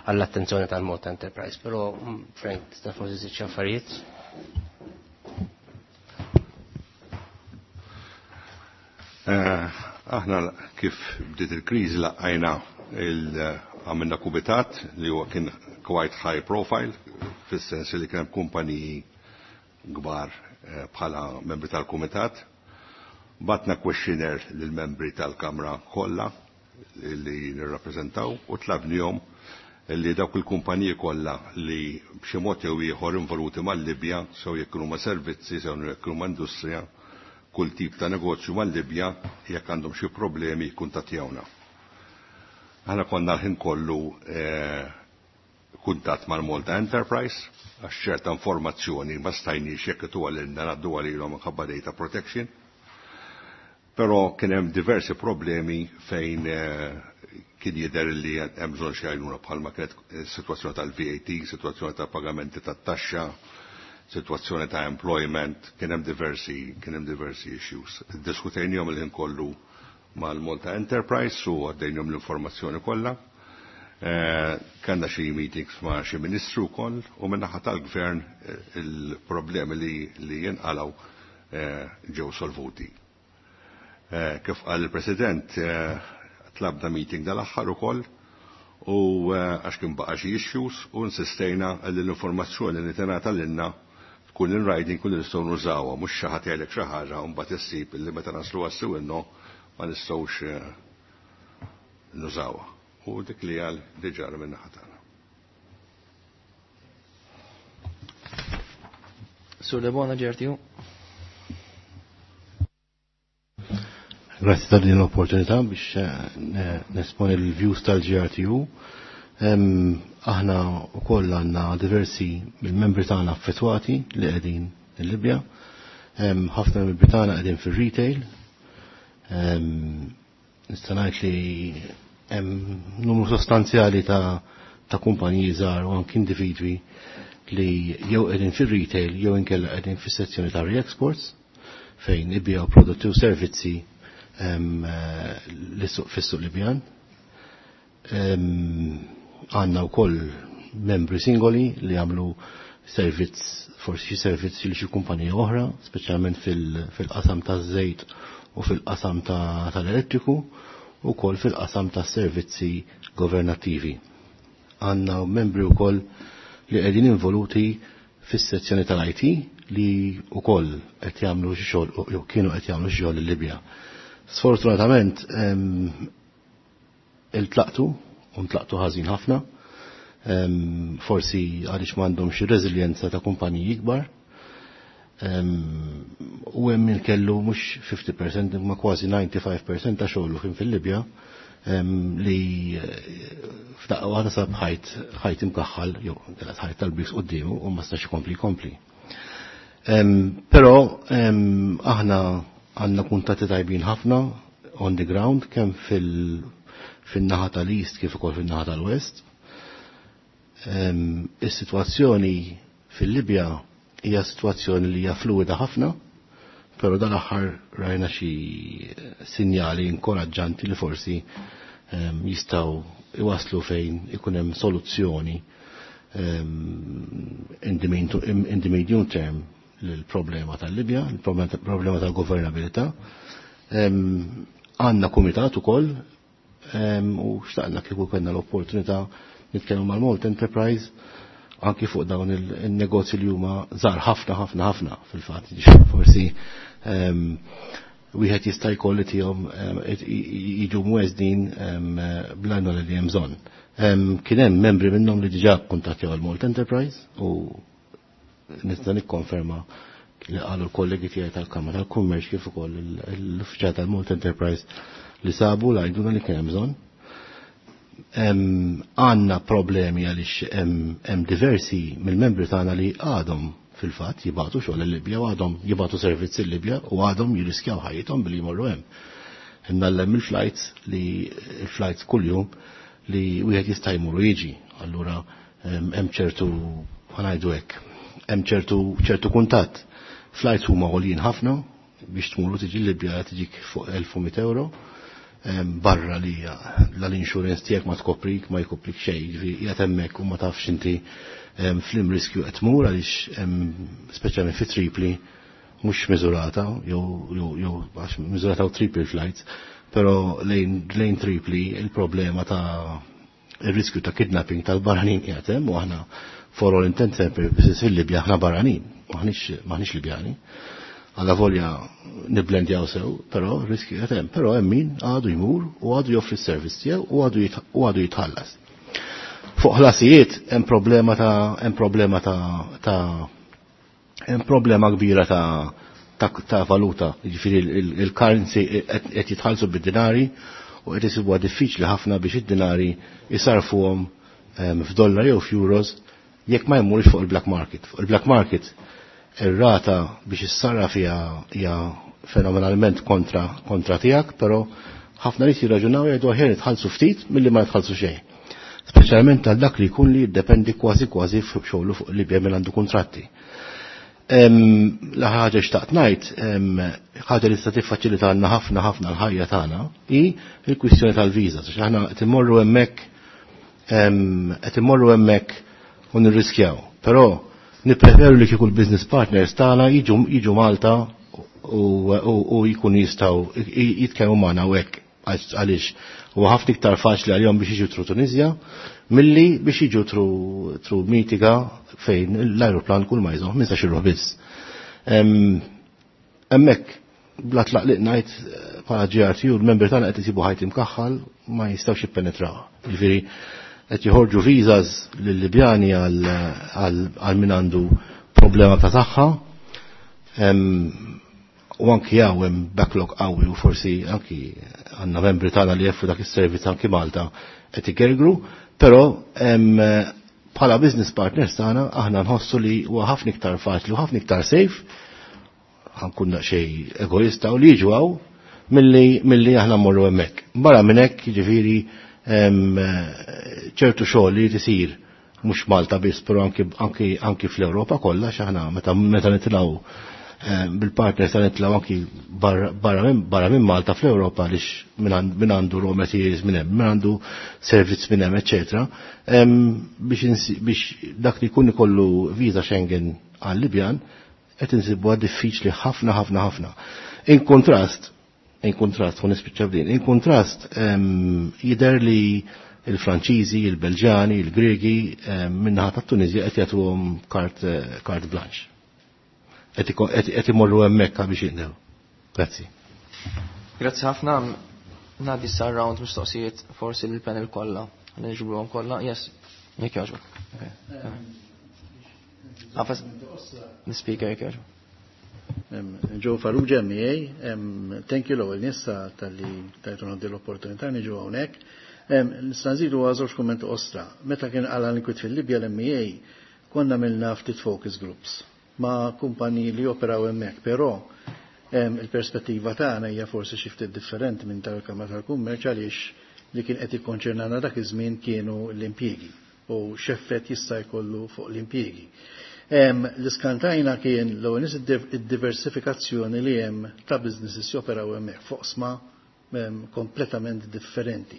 għall-attenzjoni tal-Malta Enterprise. Però mm, Frank, tista' forsi żid xi affarijiet? Eh, aħna kif bdiet il-kriżi laqajna għamilna kumitat li huwa kien quite high profile, fis-sens li kien hemm kumpaniji kbar eh, bħala membri tal-kumitat. Batna questionnaire lill-membri tal-Kamra kollha li nirrappreżentaw u tlabnihom li dawk il-kumpaniji kollha li b'xi mod jew ieħor involuti mal-Libja, sew jekk huma servizzi, sew jekk huma industrija, kull tip ta' negozju mal-Libja, jekk għandhom xi problemi jikkuntattjawna. Aħna konna l-ħin kollu eh, kuntatt mal-Malta Enterprise għax ċerta informazzjoni ma stajniex jekk ituha lilna ngħaddu għalihom minħabba data protection. Però kien hemm diversi problemi fejn eh, kien jidher li hemm bżonn xi għajnuna bħalma kienet sitwazzjoni tal-V A T, sitwazzjoni ta' pagamenti tat-taxxa, sitwazzjoni ta' employment, kien hemm diversi, kien hemm diversi issues. Diskutejnihom il-ħin kollu mal-Malta Enterprise u għaddejnihom l-informazzjoni kollha. Eh, kellna xi meetings ma' xi ministru wkoll u min-naħa tal-gvern, eh, il-problemi li, li jinqalgħu, eh, ġew solvuti. Eh, kif qal il-President, eh, tlabna meeting dal-aħħar ukoll u, eh, għax kien baqa' xi issues u insistejna li l-informazzjoni li tingħata lilna tkun in writing kun nistgħu nużawha, mhux xi ħadd jgħidlek xi ħaġa u mbagħad issib li meta naslu għas-siwinno ma nistgħux, eh, nużawha. U dik li għal diġà minn naħa tagħna. Sur Debona, G R T U. Grazie ta' din l-opportunità biex, eh, nesponi l-views tal-G R T U. Em, aħna wkoll għandna diversi mill-membri tagħna affettwati li qegħdin il-Libja. Em, ħafna mill-membri tagħna qegħdin fir-retail. Em, nista' ngħid li hemm numru sostanzjali ta', ta' kumpaniji żgħar u anki individwi li jew qegħdin fir-retail jew inkella qegħdin fis-sezzjoni ta' re-exports fejn ibbijaw prodotti u servizzi, em, eh, lis-suq fis-suq Libjan. Em, għandna wkoll membri singoli li jagħmlu servizz, forsi xi servizz li xi kumpanija oħra, speċjalment fil-, fil-qasam taż-żejt u fil-qasam ta-, tal-elettriku, u wkoll fil-qasam tas-servizzi governattivi. Għandna membri wkoll li qegħdin involuti fis-sezzjoni tal-I T li wkoll qed jagħmlu xi xogħol jew kienu qed jagħmlu xi xogħol il-Libja. Sfortunatament, em, iltlaqtu, u ntlaqtu ħażin ħafna, em, forsi għaliex m'għandhomx xi reżiljenza ta' kumpaniji ikbar. Em, u hemm min kellu mhux fifty percent imma kważi ninety-five percent ta' xogħlu kien fil-Libja, em, li, eh, f'daqqa waħda sab ħajt, ħajt imkaħħal jew kellha ħajt tal-briks quddiemu u ma stax ikompli jkompli. Em, però, em, aħna għandna kuntatti tajbin ħafna on the ground kemm fil-, fin-naħa tal-East kif ukoll fin-naħa tal-West. Em, is-sitwazzjoni fil-Libja hija sitwazzjoni li hija fluida ħafna, però dal-aħħar rajna xi sinjali inkoraġġanti li forsi, em, jistgħu iwaslu fejn ikun hemm soluzzjoni, em, in the mean to, in the medium term lill-problema tal-Libja, il-problema tal-governabilità. Em, għandna kumitat ukoll, em, u xtaqna kieku kellna l-opportunità nitkellmu mal-Malta Enterprise anki fuq dawn il-, il-negozji li huma żgħar ħafna ħafna ħafna fil-fatt, forsi, em, wieħed jista' jkolli tihom, em, it-, i-, i-, jiġu mweżdin, em, bl-għajnuna li hemm bżonn. Em, kien hemm membri minnhom li diġà kkuntattjaw il-Malta Enterprise u nista' nikkonferma li qalu l-kollegi tiegħi tal-Kamra tal-Kummerċ kif ukoll il-, l-uffiċjal tal-Malta Enterprise li sabu l-għajnuna li kien hemm bżonn. Em, għandna problemi għaliex hemm, hemm diversi mill-membri tagħna li għadhom fil-fatt jibagħtu xogħol il-Libja u għadhom jibagħtu servizzi l-Libja u għadhom jirriskjaw ħajjithom billi jmorru hemm. Imnallem il-flights li il-flights kuljum li wieħed jista' jmur u jiġi. Allura hemm ċertu, ħa ngħidu hekk, hemm ċertu ċertu kuntatt. Flights huma għoljin ħafna biex tmur u tiġi Libja, tiġik fuq elf u mitt euro barra li l-insurance tiegħek ma tkoprik, ma jkoprik xejn, ġifieri qiegħed hemmhekk u ma tafx inti f'liema riskju qed tmur, għaliex speċjalment fi Tripli, mhux Misurata, jew jew għax Misurata u Tripli flights, però lejn lejn Tripli il-problema ta' il-riskju ta' kidnapping tal-barranin qiegħed hemm u aħna for all intents and purposes fil-Libja aħna barranin, maħniex maħniex Libjani. Għalla volja niblendjaw sew, però riskju qed hemm, però hemm min għadu jmur u għadu joffri s-servizz tiegħu u għadu u għadu jitħallas. Fuq ħlasijiet hemm problema ta' hemm problema ta' ta' hemm problema kbira ta' ta', ta valuta, jiġifieri il-currency qed jitħallsu bid-dinari u qed isibuha diffiċli ħafna biex id-dinari jisarfuhom f'dollar jew f'euros jekk ma jmurx fuq il-black market. Fuq il-black market ir-rata biex issarraf hija hija fenomenalment kontra kontra tiegħek, però ħafna nies jirraġunaw, jgħidu aħjar nitħallsu ftit milli ma jitħallsu xejn. Speċjalment għal dak li jkun li jiddependi kważi kważi fuq xogħlu fuq Libja minn għandu kuntratti. La ħaġa xtaqt ngħid, ħaġa li tista' tiffaċilitalna ħafna ħafna l-ħajja tagħna hi l-kwistjoni tal-viża. Għax aħna qed immorru hemmhekk qed immorru hemmhekk u nirriskjaw. Però nippreferu li kieku l-business partners tagħna jiġu jiġu Malta u jkun jistgħu jitkellmu magħna u hekk, għaliex huwa ħafna iktar faċli għalihom biex jiġu through Tunisia milli biex jiġu through through Mitiga, fejn l-aeroplan kull ma jżomm ħmistax ruħ biss. Hemmhekk bla tlaqliq ngħid, bħala G R T U l-membri tagħna qed isibu ħajt imkaħħal, ma jistgħux jippenetraw. Jiġifieri qed joħorġu visas lill-Libjani għal min għandu problema ta' saħħa u anki hawn hemm backlog qawwi u forsi anki għandna membri tagħna li joffru dak is-servizz anki Malta qed igergru, però bħala business partners tagħna aħna nħossu li huwa ħafna iktar faċli u ħafna iktar safe, ħa nkun xejn egoista, u li jiġu hawn milli milli aħna mmorru hemmhekk. Barra minn hekk, jiġifieri, ċertu xogħol li tisir mhux Malta biss, però anki anki anki fl-Ewropa kollha, x'aħna meta meta nitilgħu bil-partners ta' nitilgħu anki barra minn barra minn Malta fl-Ewropa, għaliex min għandu raw materials minn hemm, min għandu servizz minn hemm, eċetera. Biex biex dak li jkun ikollu viża Schengen għal-Libjan qed insibuha diffiċli ħafna ħafna ħafna. In kontrast, in kontrast, u nispiċċa b'din, in kontrast jidher li il-Franċiżi, il-Belġani, il-Gregi min-naħa tat-Tunizja qed jagħtuhom carte carte blanche. Qed imorru hemmhekk biex jindew. Grazzi. Grazzi ħafna. Ngħaddi sa round mistoqsijiet forsi lill-panel kollha. Niġbruhom kollha. Yes, jekk jogħġbok. Għafas, l-speaker jekk jogħġbok. Joe Farrugia, M E A, thank you l-ewwel nista talli tajtuna l-opportunità niġu hawnhekk. Nista' nżidu żewġ kummenti qosra. Meta kien qala l-inkwit fil-Libja, l-M E A konna għamilna ftit focus groups ma' kumpaniji li operaw hemmhekk, però il-perspettiva tagħna hija forsi xi ftit differenti minn tal-Kamra tal-Kummerċ, għaliex li kien qed ikkonċernana dak iż-żmien kienu l-impjiegi u x'effett jista' jkollu fuq l-impjiegi. L-iskantajna kien l nies id-diversifikazzjoni li hemm ta' businesses joperaw hemmhekk fuq oqsma kompletament differenti.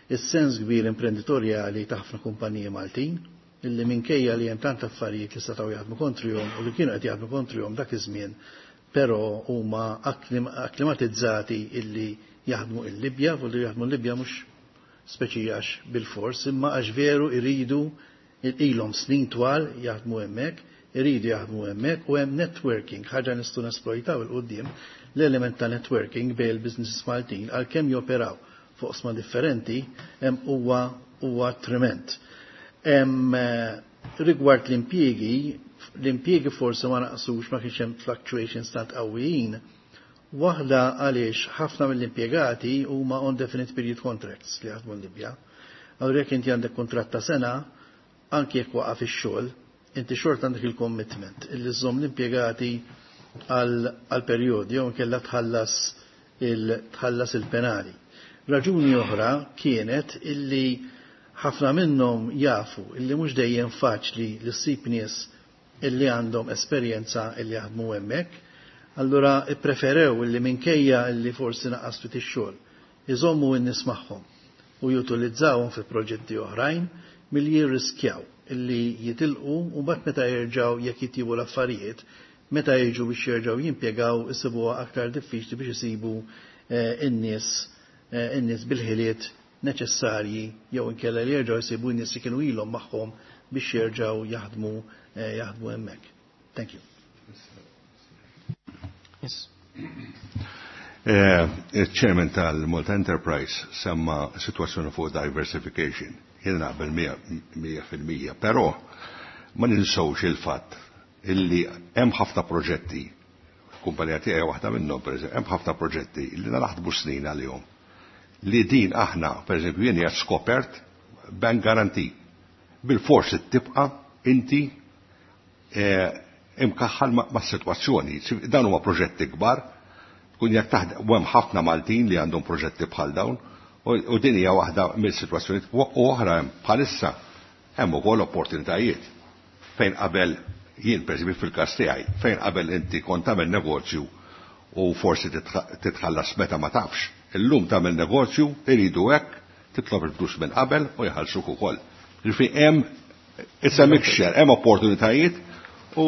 Is-sens kbir imprenditorjali ta' ħafna kumpaniji Maltin illi minkejja li hemm tant affarijiet li setgħu jaħdmu kontrihom u li kienu qed jaħdmu kontrihom dak iż-żmien, però huma akklimatizzati illi jaħdmu il-Libja, u li jaħdmu l-Libja mhux speċi għax bil-fors, imma għax veru iridu, ilhom snin twal jaħdmu hemmhekk, iridu jaħdmu hemmhekk u hemm networking, ħaġa nistgħu nesploitaw 'il quddiem, l-element ta' networking bejn il-businesses Maltin għalkemm joperaw fuq oqsma differenti hemm huwa huwa trement. Hemm rigward l-impjiegi, l-impjiegi forsi ma naqsux, ma kienx hemm fluctuations tant qawwijin. Waħda għaliex ħafna mill-impjegati huma on definite period contracts li jaħdmu l-Libja. Allura jekk inti għandek kontratt ta' sena, anki jekk waqaf ix-xogħol, inti xorta għandek il-commitment illi żżomm l-impjegati għal perjodi jew inkella tħallas il-tħallas il-penali. Raġuni oħra kienet illi ħafna minnhom jafu illi mhux dejjem faċli li ssib nies illi għandhom esperjenza illi jaħdmu hemmhekk, allura ippreferew illi minkejja illi forsi naqqas ftit ix-xogħol iżommu n-nies magħhom u jutilizzawhom fi proġetti oħrajn milli jirriskjaw illi jitilqu u mbagħad meta jerġgħu jekk jitjibu l-affarijiet, meta jiġu biex jerġgħu jimpjegaw isibuha aktar diffiċli biex isibu in-nies in-nies bil-ħiliet neċessarji jew inkella li jerġgħu jsibu n-nies li kienu ilhom magħhom biex jerġgħu jaħdmu jaħdmu hemmhekk. Thank you. Yes. Il-chairman tal-Malta Enterprise semma situazzjoni fuq diversification. Jien naqbel mija fil-mija, però ma ninsewx il-fatt illi hemm ħafna proġetti, kumpanija tiegħi waħda minnhom pereżempju, hemm ħafna proġetti illi naħdmu snin għalihom. Li din aħna, pereżempju, jien qed skopert bank guarantee. Bil-forsi tibqa' inti imkaħħal ma' sitwazzjoni. Dan huma proġetti kbar, tkun jekk taħdem u hemm ħafna Maltin li għandhom proġetti bħal dawn, u din hija waħda mill-sitwazzjonijiet u oħra hemm bħalissa hemm ukoll opportunitajiet fejn qabel jien pereżempju fil-każ tiegħi, fejn qabel inti kont tagħmel negozju u forsi titħallas meta ma tafx. Illum tagħmel negozju, iridu hekk, titlob il-flus minn qabel u jħallsuk ukoll. Ġifieri hemm it's a mixture, hemm opportunitajiet u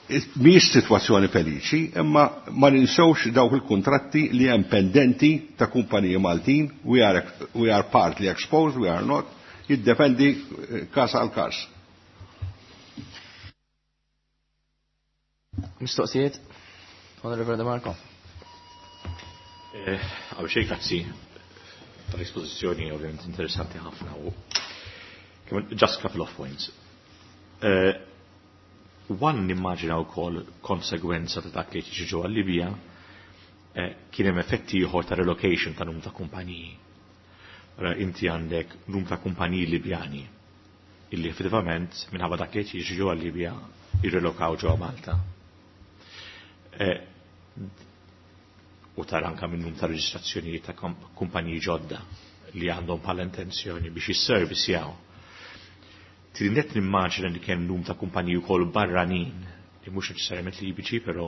mhijiex sitwazzjoni feliċi, imma ma ninsewx dawk il-kontratti li hemm pendenti ta' kumpaniji Maltin, we are, we are partly exposed, we are not, jiddependi każ għal każ. Mistoqsijiet? Honorable De Marco. Għaw xej, grazzi tal-espożizzjoni, ovvjament interessanti ħafna u just couple of points. Uh, one nimmaġina wkoll konsegwenza ta' dak li jiġi ġewwa Libja kien hemm effetti ieħor ta' relocation ta' numru ta' kumpaniji. Allora inti għandek numru ta' kumpaniji Libjani illi effettivament minħabba dak li jiġi ġewwa Libja jirrelokaw ġewwa Malta. U tara anka minn numru ta' reġistrazzjonijiet ta' kumpaniji ġodda li għandhom bħala intenzjoni biex jisservisjaw. Trinet nimmaġina li kien numru ta' kumpaniji wkoll barranin li mhux neċessarjament Libiċi, però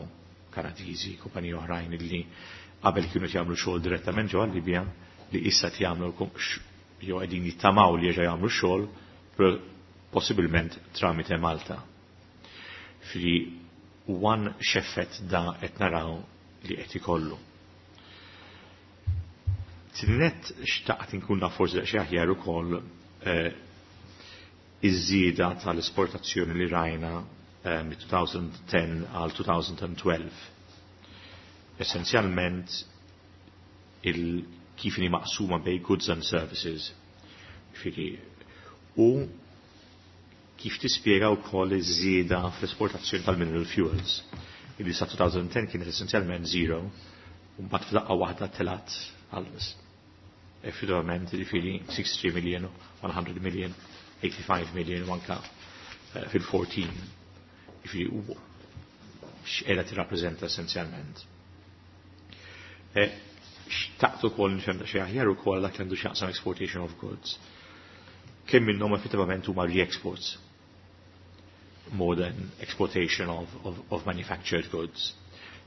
Kanadiżi, kumpaniji oħrajn li qabel kienu jagħmlu xogħol direttament ġewwa Libja li issa jagħmlu jew qegħdin jittamaw li jerġgħu jagħmlu xogħol, però possibilment tramite Malta. Fri one x'effett da qed naraw li qed ikollu. Tinet xtaqt inkun naf forsi daqsxejn aħjar ukoll iż-żieda tal-esportazzjoni li rajna mit-twenty ten għal twenty twelve. Essenzjalment il kif inhi maqsuma bej goods and services. Ġifieri, u kif tispjega wkoll iż-żieda fl-esportazzjoni tal-mineral fuels. Illi sa twenty ten kienet essenzjalment zero, u mbagħad f'daqqa waħda telat għal effettivament ġifieri sixty-three million, one hundred million, eighty-five million u anka fil-fourteen. Ġifieri, x'qiegħda tirrappreżenta essenzjalment. Xtaqt ukoll nifhem xi aħjar ukoll dak li għandu x'jaqsam exportation of goods. Kemm minnhom effettivament huma re-exports more than exportation of, of, of manufactured goods?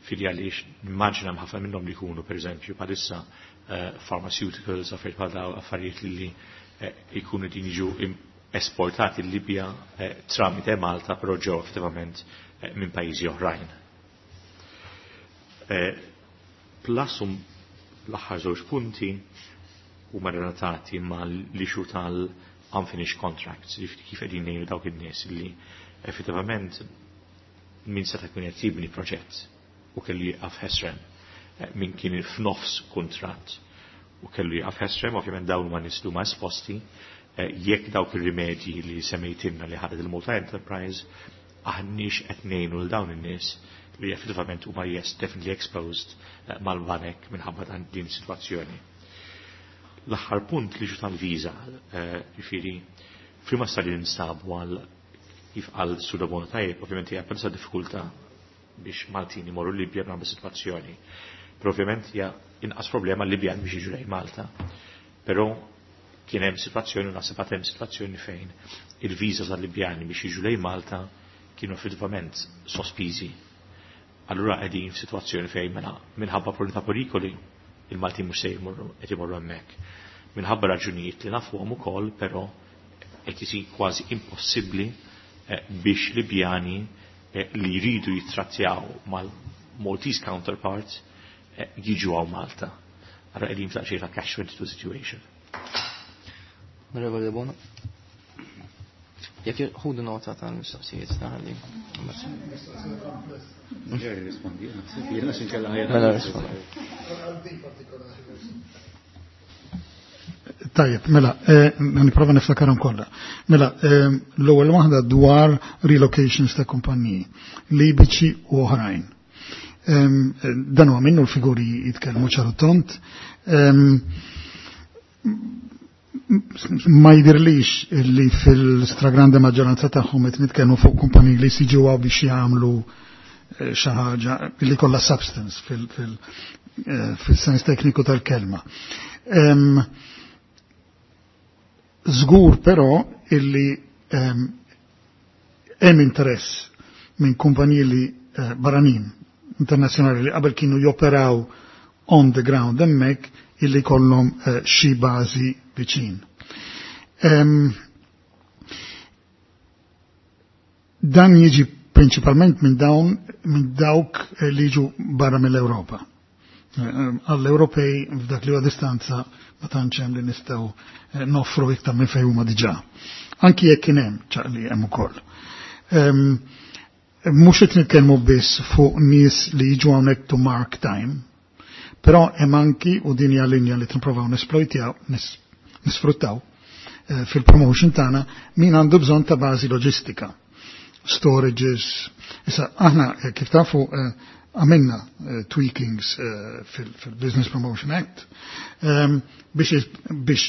Fili għaliex nimmaġina ħafna minnhom li jkunu pereżempju bħalissa uh, pharmaceuticals, affarijiet bħal daw, affarijiet li jkunu uh, din jiġu esportati l-Libja uh, tramite Malta, però ġew effettivament uh, minn pajjiżi oħrajn. Uh, plus um, l-aħħar żewġ punti huma relatati mal-issue tal-unfinished contracts, ġifieri kif qegħdin ngħinu dawk in-nies li effettivament min seta' jkun qed jibni proġett u kellu jieqaf ħesrem, min kien f'nofs kuntratt u kellu jieqaf ħesrem, ovvjament dawn huma nies li huma esposti, jekk dawk ir-rimedji li semmejtilna li ħadet il-Malta Enterprise aħniex qed ngħinu lil dawn in-nies li effettivament huma, yes, definitely exposed mal-banek minħabba dan din is-sitwazzjoni. L-aħħar punt li ġu tal-viża, ġifieri F'liema stadju ninsabu għal kif għal Sudabona tajjeb, ovvjament hija pensa diffikultà biex Maltin imorru Libja b'nagħmel sitwazzjoni. Però ovvjament hija inqas problema Libjan biex jiġu lejn Malta. Però kien hemm sitwazzjoni u naħseb hemm sitwazzjoni fejn il-viża tal-Libjani biex jiġu lejn Malta kienu effettivament sospiżi. Allura qegħdin f'sitwazzjoni fejn mela minħabba problemi ta' perikoli il-Maltin mhux se jmorru qed imorru hemmhekk. Minħabba raġunijiet li nafuhom ukoll, però qed isir kważi impossibbli eh, biex Libjani eh, li jridu jittrattjaw mal-Maltese counterparts eh, jiġu hawn Malta. Allura qegħdin f'daqsxejn ta' catch twenty-two situation. Onorevole Bono. Jekk ħudu nota tal-mistoqsijiet taħalli. Rispondi, jiena xinkella ħajja. Mela rispondi. Tajjeb, mela, eh, nipprova niftakarhom kollha. Mela, eh, l-ewwel waħda dwar relocations ta' kumpaniji, Libiċi u oħrajn. Dan huwa minnu l-figuri jitkellmu ċaru tont. Ma jidirlix li fil-stragrande maġġoranza tagħhom qed nitkellmu fuq kumpaniji li siġu biex jagħmlu xi ħaġa li kollha substance fil-sens tekniku tal-kelma. Żgur però illi hemm interess minn kumpaniji li barranin internazzjonali li qabel kienu joperaw on the ground hemmhekk illi kollhom xi bażi viċin. Dan jiġi prinċipalment minn dawn minn dawk li jiġu barra mill-Ewropa. Għall-Ewropej f'dak li huwa distanza ma tantx hemm li nistgħu noffru iktar minn fejn huma diġà. Anki jekk kien hemm ċaqli hemm ukoll. Mhux qed nitkellmu biss fuq nies li jiġu hawnhekk to mark time, però hemm anki u din hija linja li tinprovaw nesploitjaw, nisfruttaw fil-promotion tagħna min għandu bżonn ta' bażi loġistika, storages. Issa aħna kif tafu għamilna tweakings fil-Business Promotion Act biex biex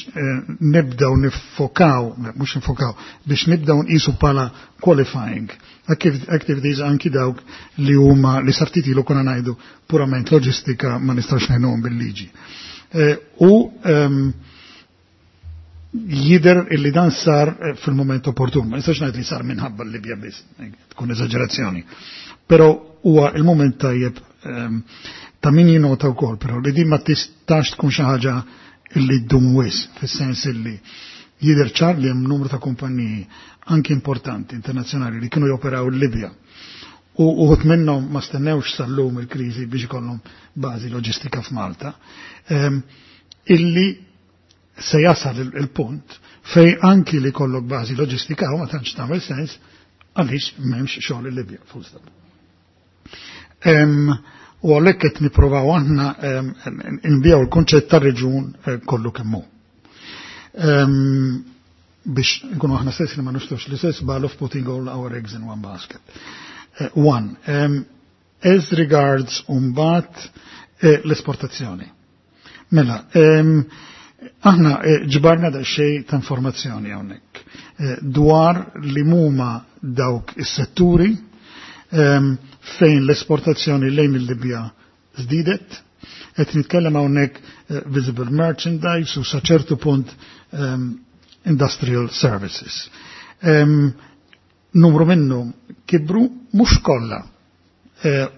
nibdew nifokaw, mhux nifokaw, biex nibdew nqisu bħala qualifying activities anki dawk li huma li sartiti lu konna ngħidu purament loġistika ma nistax ngħinuhom bil-liġi. U jider illi dan sar fil-moment opportun, ma nistax ngħid li sar minħabba l-Libja biss, tkun eżaġerazzjoni. Però huwa il-moment tajjeb ta' min jinota wkoll, però li din ma tistax tkun xi ħaġa illi ddum wis, fis-sens illi jidher ċar li hemm numru ta' kumpaniji anki importanti internazzjonali li kienu joperaw l-Libja. U uħut minnhom ma stennewx sal-lum il-kriżi biex ikollhom bażi loġistika f'Malta, illi se jasal il-punt fej anki li kollok bażi loġistika u ma tantx tagħmel sens għaliex m'hemmx xogħol il-Libja, full stop. U għalhekk qed nippruvaw aħna nbijaw il-konċett tar-reġun kollu kemm hu. Biex nkunu aħna stess li ma nistgħux l-istess ball of putting all our eggs in one basket. One, as regards mbagħad l-esportazzjoni. Mela, aħna ġbarna daqsxejn ta' informazzjoni hawnhekk dwar li huma dawk is-setturi fejn l-esportazzjoni lejn il-Libja żdiedet, qed nitkellem hawnhekk visible merchandise u sa ċertu punt industrial services. Numru minnhom kibru mhux kollha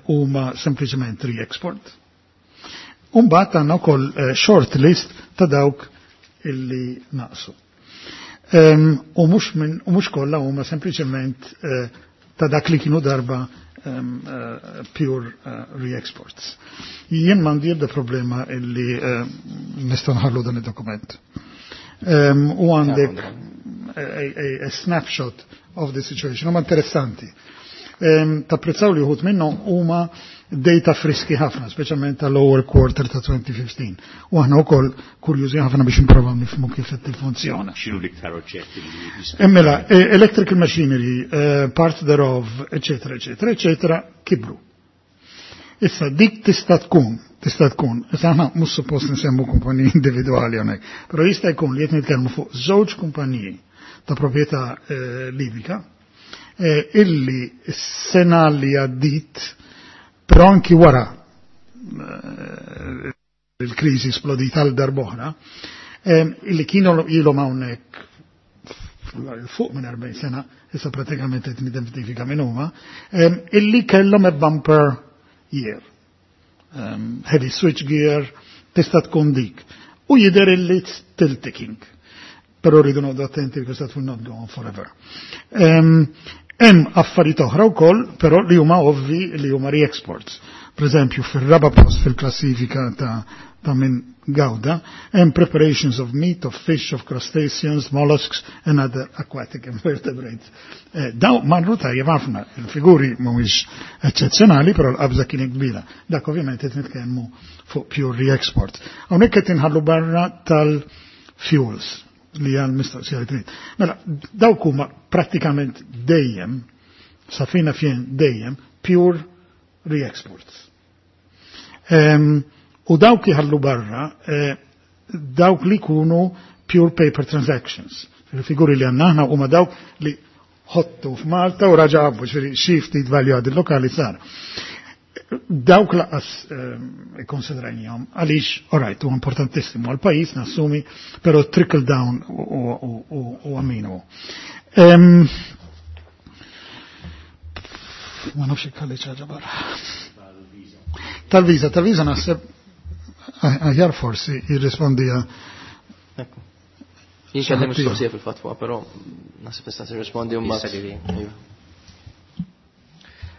huma sempliċement re-export. Umbagħad għandna wkoll short list ta' dawk illi naqsu. U mhux minn u mhux kollha huma sempliċement ta' dak li kienu darba um, uh, pure uh, re-exports. Jien m'għandi ebda problema illi uh, nistgħu nħallu dan id-dokument. Um, u għandek a, a, a snapshot of the situation, huma interessanti. Um, tapprezzaw li uħud minnhom huma data friski ħafna, speċjalment tal-lower quarter ta' twenty fifteen. U aħna wkoll kurjużi ħafna biex nipprovaw nifhmu kif qed tiffunzjona. X'inhu l-iktar oġġetti li jistgħu? Mela, electrical machinery, part thereof, eccetera, eccetera, eccetera, kibru. Issa dik tista' tkun, tista' tkun, issa aħna mhux suppost nsemmu kumpaniji individwali hawnhekk, però jista' jkun li qed nitkellmu fuq żewġ kumpaniji ta' proprjetà eh, libika, eh, illi s-sena li għaddit, però anki wara eh, il-kriżi splodit għal darb'oħra, eh, illi kienu ilhom hawnhekk fuq minn erbgħin sena, issa pratikament qed nidentifika minn huma, eh, illi kellhom a bumper year. Um, heavy switch gear, tista' tkun dik. U jidher illi it's still ticking. Però rridu noqgħodu attenti because that will not go on forever. Um, Hemm affarijiet oħra wkoll, però li huma ovvi li huma re-exports. Per eżempju, fir-raba post fil-klassifika ta', ta' minn gawda, hemm preparations of meat, of fish, of crustaceans, mollusks and other aquatic invertebrates. Eh, daw marru tajjeb ħafna, il-figuri mhumiex eċċezzjonali, però l-qabża kien kbira. Dak ovvjament qed nitkellmu fuq pure re-export. Hawnhekk qed inħallu barra tal-fuels li għal mistoqsija li trid. Mela, dawk huma prattikament dejjem, safina fjen dejjem, pure re-exports. Um, u dawk jħallu barra, eh, dawk li kunu pure paper transactions. Il-figuri li għandna aħna huma dawk li ħottu f'Malta u raġabu, ġifieri xi ftit value added lokali sar. Dawk lanqas ikkonsidrajnihom għaliex, alright, u importantissimu għal-pajjiż nassumi, però trickle down u għaminu. Ma nafx ikkalli ħaġa barra. Tal-viża, tal-viża naħseb aħjar forsi jirrispondija. Jien kelli mistoqsija fil-fatwa, però naħseb tista' tirrispondi mbagħad.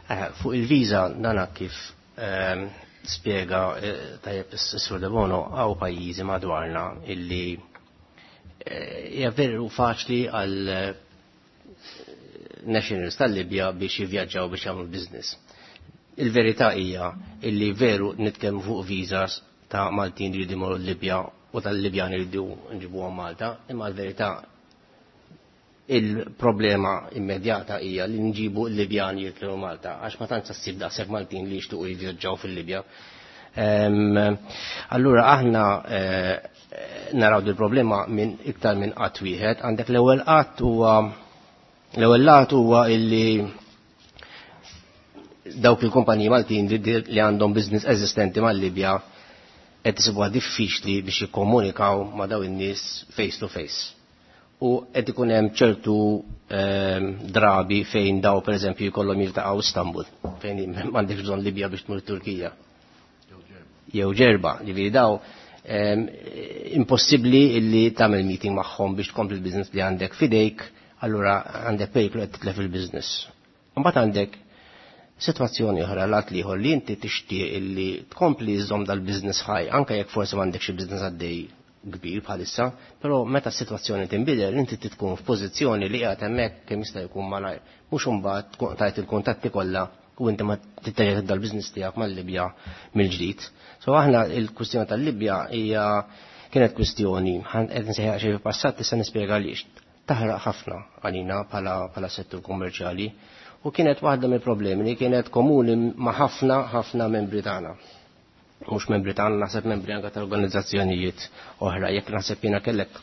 Eh, fuq il-viża dana kif ehm, spiega eh, tajjeb is-Sur Debono, hawn pajjiżi madwarna illi eh, hija veru faċli għal nationals tal-Libja biex jivvjaġġaw biex jagħmlu business. Il-verità hija illi veru nitkellmu fuq visas ta' Maltin li jridu l-Libja u tal-Libjani li jridu nġibuhom Malta, imma l-verità il-problema immedjata hija li nġibu l-Libjani jitlu Malta, għax ma tantx ssib daqshekk Maltin li jixtuqu jivvjaġġaw fil-Libja. Allura aħna eh, naraw dil-problema minn iktar minn qatt wieħed. Għandek l-ewwel qatt huwa l-ewwel lat huwa illi dawk il-kumpaniji Maltin li għandhom business eżistenti mal-Libja qed isibuha diffiċli biex jikkomunikaw ma' daw in-nies face to face. U qed ikun hemm ċertu ehm, drabi fejn daw pereżempju jkollhom jiltaqgħu Istanbul, fejn m'għandekx bżonn Libja biex tmur Turkija. Jew Ġerba, ġifieri daw ehm, impossibbli illi tagħmel meeting magħhom biex tkompli l-business li għandek fidejk, allura għandek periklu qed titlef il-business. Imbagħad għandek situazzjoni oħra lat liħor li inti tixtieq illi tkompli żżomm dal-business ħaj, anke jekk forsi m'għandek xi business għaddej kbir bħalissa, però meta s-sitwazzjoni tinbidel inti tkun f'pożizzjoni li qiegħed hemmhekk kemm jista' jkun malajr. Mhux imbagħad tkun tajt il-kuntatti kollha u inti ma titterġa' tibda l-business tiegħek mal-Libja mill-ġdid. So aħna il-kwistjoni tal-Libja hija kienet kwistjoni, qed nsejħa xi passat, issa nispjega għaliex. Taħraq ħafna għalina bħala settur kummerċjali u kienet waħda mill-problemi li kienet komuni ma' ħafna ħafna membri tagħna. Mhux membri tagħna, naħseb membri anke ta' organizzazzjonijiet oħra, jekk naħseb jiena kellek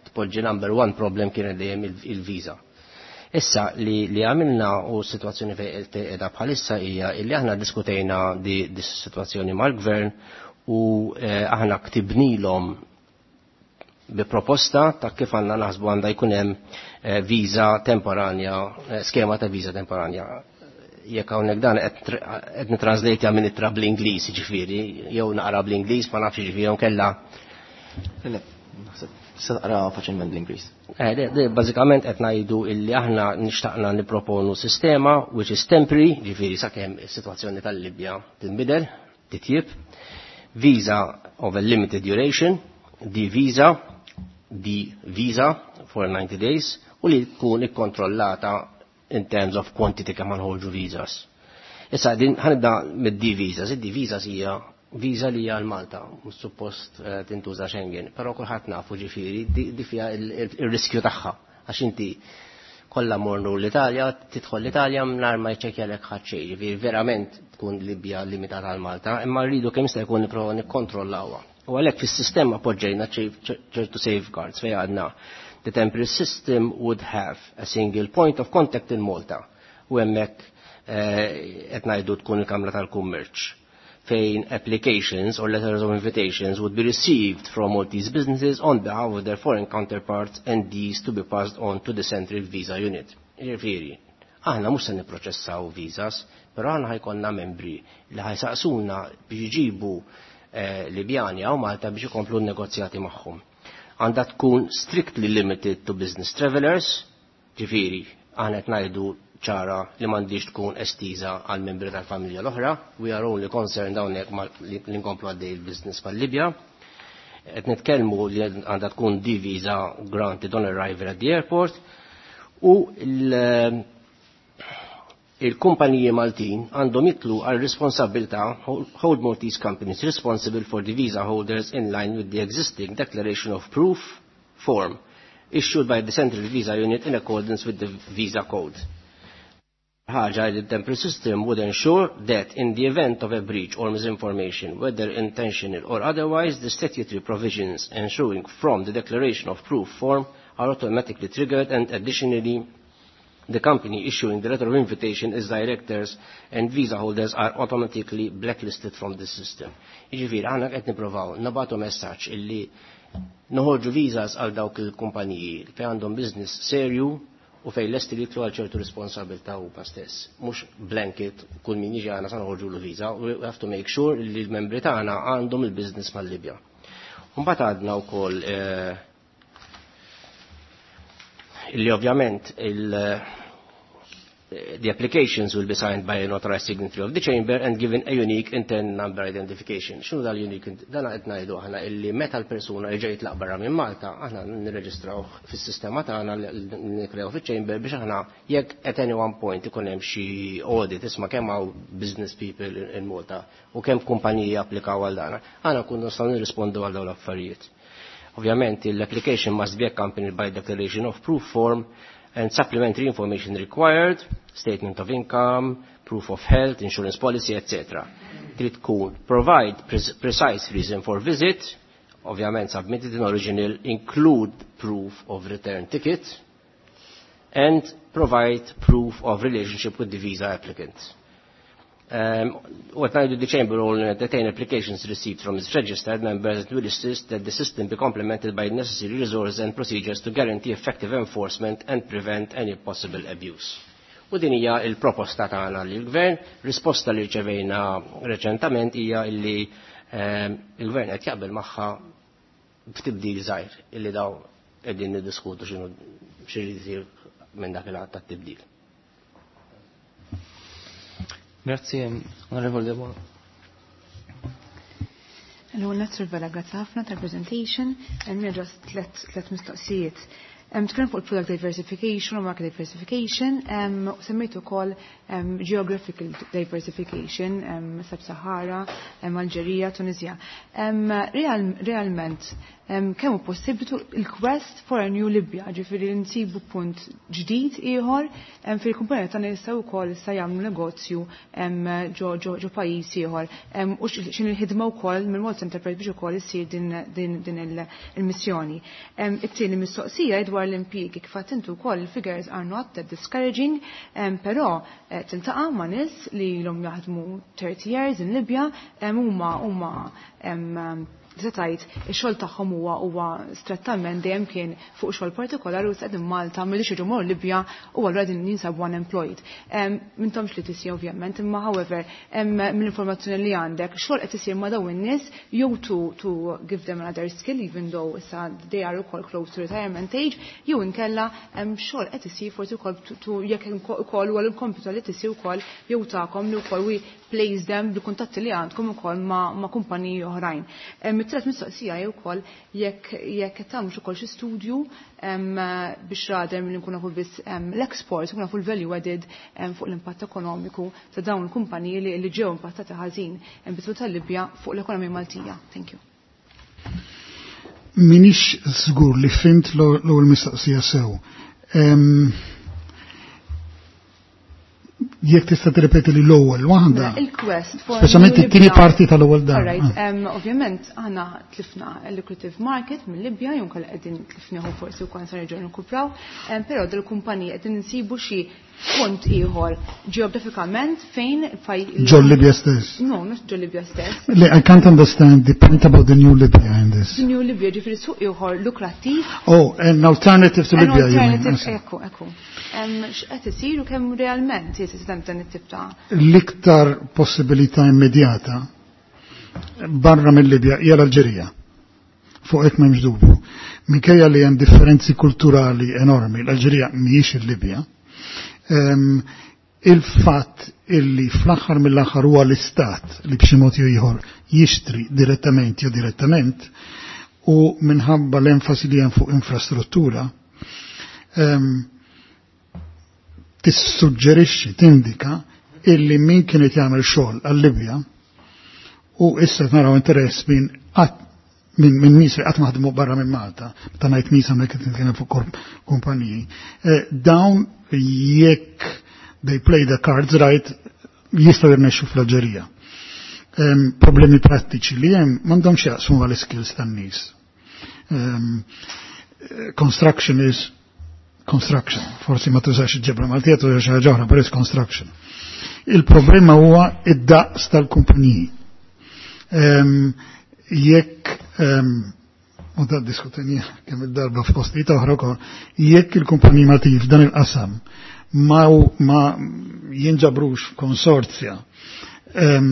tpoġġi number one problem kienet dejjem il-viża. Issa li, li għamilna u situazzjoni fejn qiegħda bħalissa hija illi aħna diskutejna di, di situazzjoni mal-gvern u eh, aħna ktibnilhom bi proposta ta' kif għandna naħsbu għandha jkun hemm eh, viża temporanja, eh, skema ta' viża temporanja. Jekk hawnhekk dan qed nitranslate minn ittra bl-Ingliż, ġifieri, jew naqra bl-Ingliż, ma nafx ġifieri kella. Le, naħseb se taqra faċilment bl-Ingliż. Eh, bażikament qed ngħidu illi aħna nixtaqna nipproponu sistema which is temporary, ġifieri sakemm is-sitwazzjoni tal-Libja tinbidel, titjib, visa of a limited duration, D visa, D visa for ninety days, u li tkun ikkontrollata in terms of quantity kemm nħorġu visas. Issa din ħanibda mid-D visas. Id-D visas hija visa li hija l-Malta, mhux suppost eh, tintuża Schengen, però kulħadd nafu ġifieri di fiha il-riskju tagħha għax inti kollha mornu l-Italja, tidħol l-Italja mingħajr ma jċekkjalek ħadd xejn, ġifieri verament tkun Libja limitata għal Malta, imma rridu kemm jista' jkun nipprova nikkontrollawha. U għalhekk fis-sistema poġġejna ċertu safeguards fejn għadna The temporary system would have a single point of contact in Malta. U hemmhekk eh, qed ngħidu tkun il-Kamra tal-Kummerċ fejn applications or letters of invitations would be received from Maltese businesses on behalf of their foreign counterparts and these to be passed on to the Central Visa Unit. Jiġifieri, aħna mhux se nipproċessaw visas, però aħna ħa jkollna membri li ħa jsaqsuna biex jġibu eh, Libjani hawn Malta biex ikomplu n-negozjati magħhom. Għandha tkun strictly limited to business travelers, ġifieri, aħna qed ngħidu ċara li m'għandix tkun estiża għal membri tal-familja l-oħra, we are only concerned hawnhekk li nkomplu għaddej il-business mal-Libja. Qed nitkellmu li għandha tkun D visa granted on arrival at the airport u l- il-kumpaniji Maltin għandhom jitlu għal responsabilità hold Maltese companies responsible for the visa holders in line with the existing declaration of proof form issued by the Central Visa Unit in accordance with the Visa Code. Ħaġa li the temporary system would ensure that in the event of a breach or misinformation, whether intentional or otherwise, the statutory provisions ensuring from the declaration of proof form are automatically triggered and additionally the company issuing the letter of invitation its directors and visa holders are automatically blacklisted from the system. Jiġifieri aħna qed nippruvaw nibagħtu messaġġ illi noħorġu visas għal dawk il-kumpaniji fejn għandhom business serju u fejn lesti li jitlu għal ċertu responsabilità huma stess. Mhux blanket kull min jiġi għandna sa noħorġu l visa, we have to make sure li l-membri tagħna għandhom il-business mal-Libja. Mbagħad għadna wkoll eh, illi ovvjament il- the applications will be signed by an authorized signatory of the chamber and given a unique internal number identification. X'inhu dal-unique? Dan qed ngħidu aħna illi meta l-persuna jerġa' jitlaq barra minn Malta, aħna nirreġistraw fis-sistema tagħna li nikkrew fiċ-chamber biex aħna jekk at any one point ikun hemm xi audit isma' kemm hawn business people in Malta u kemm kumpaniji applikaw għal dan, aħna nkunu nistgħu nirrispondu għal dawn l-affarijiet. Ovvjament l-application must be accompanied by declaration of proof form and supplementary information required, statement of income, proof of health, insurance policy, etc. Trid tkun provide precise reason for visit, ovvjament submitted in original, include proof of return ticket, and provide proof of relationship with the visa applicant. Um, what now the Chamber will entertain applications received from its registered members and will insist that the system be complemented by necessary resources and procedures to guarantee effective enforcement and prevent any possible abuse. U din hija il-proposta tagħna lill-Gvern, risposta li rċevejna reċentament hija illi um, il-Gvern qed jaqbel magħha b'tibdil żgħir illi daw qegħdin niddiskutu x'inhu x'irid isir minn dak il-għadd tat-tibdil. Grazie, Onorevole Debono. L-ewwel nett Vella, grazzi ħafna tal-presentation. Hemm just tlet mistoqsijiet. Tkellem fuq il-product diversification u market diversification, u semmejt ukoll geographical diversification, Sub-Sahara, Alġerija, Tunisia. Realment, kemm hu possibbli il-quest for a new Libya, ġifieri nsibu punt ġdid ieħor fil-kumpanija tagħna jistgħu wkoll issa jagħmlu negozju ġo ġo pajjiż ieħor. U x'in il-ħidma wkoll minn Malta Enterprise biex ukoll issir din din il-missjoni. It-tieni mistoqsija dwar l-impjiegi kif għedt intu wkoll il-figures are not that discouraging, però tiltaqa' ma' nies li ilhom jaħdmu thirty years in Libya, huma huma tgħid ix-xogħol tagħhom huwa huwa strettament dejjem kien fuq xogħol partikolari u qegħdin Malta m'ridux jiġu morru Libja u allura qegħdin jinsabu unemployed. M'intomx li tisja ovvjament, imma however mill-informazzjoni li għandek xogħol qed isir ma' dawn in-nies jew to to give them another skill even though issa they are ukoll close to retirement age, jew inkella xogħol qed isir forsi wkoll to jekk ukoll huwa l-kompitu li tisir ukoll jew tagħkom li wkoll we place them bil-kuntatti li għandkom ukoll ma' kumpaniji oħrajn. It-tielet mistoqsija hi wkoll jekk jekk qed tagħmlu ukoll xi studju biex rather milli nkunu nafu biss l-export, nkunu nafu l-value added fuq l-impatt ekonomiku ta' dawn il-kumpaniji li ġew impattati ħażin bitlu tal-Libja fuq l-ekonomija Maltija. Thank you. Minix żgur li fhimt l-ewwel mistoqsija sew. Jekk tista' tirrepeti li l-ewwel waħda. Mela, il-quest for Speċjalment New it-tieni Libya. Parti tal-ewwel darba. Alright, um, ovvjament aħna tlifna lucrative market mill-Libja, jew inkella qegħdin tlifnieh forsi wkoll se nerġgħu nirkupraw, um, però dil-kumpanija qegħdin insibu xi punt ieħor ġeografikament fejn faj Ġo Libja stess. No, mhux ġo Libja stess. Le, I can't understand the point about the new Libya in this. The New Libya, ġifieri suq ieħor lukrattiv. Oh, an alternative to An Libya, you mean? alternative, I see. Ekku, ekku. Em, X'qed isir u kemm realment jeżisti dan it-tip ta' L-iktar possibilità immedjata barra mill-Libja hija l-Alġerija. Fuq hekk m'hemmx dubju. Minkejja li hemm differenzi kulturali enormi, l-Alġerija mhijiex il-Libja. Em, Il-fatt illi fl-aħħar mill-aħħar huwa l-istat li b'xi mod jew ieħor jixtri direttament jew direttament u minħabba l-enfasi li hemm fuq infrastruttura em, tissuġġerixxi, tindika illi min kien qed jagħmel xogħol għal-Libja u issa naraw interess minn qatt minn min nies li qatt ma ħadmu barra minn Malta, meta ngħid nies hawnhekk qed nitkellem fuq korp kumpaniji. Eh, dawn jekk they play the cards right jistgħu jirnexxu fl-Alġerija. Em, problemi prattiċi li hemm m'għandhomx jaqsmu mal-skills tan-nies. Em, construction is construction. Forsi ma tużax il-ġebla Maltija, tużax ħaġa oħra, però is construction. Il-problema huwa id-daqs tal-kumpaniji. Em, Jekk em, u da diskutenija kemm il-darba f'postijiet oħra wkoll, jekk il-kumpaniji Maltin f'dan il-qasam ma, ma jinġabrux f'konsorzja, em,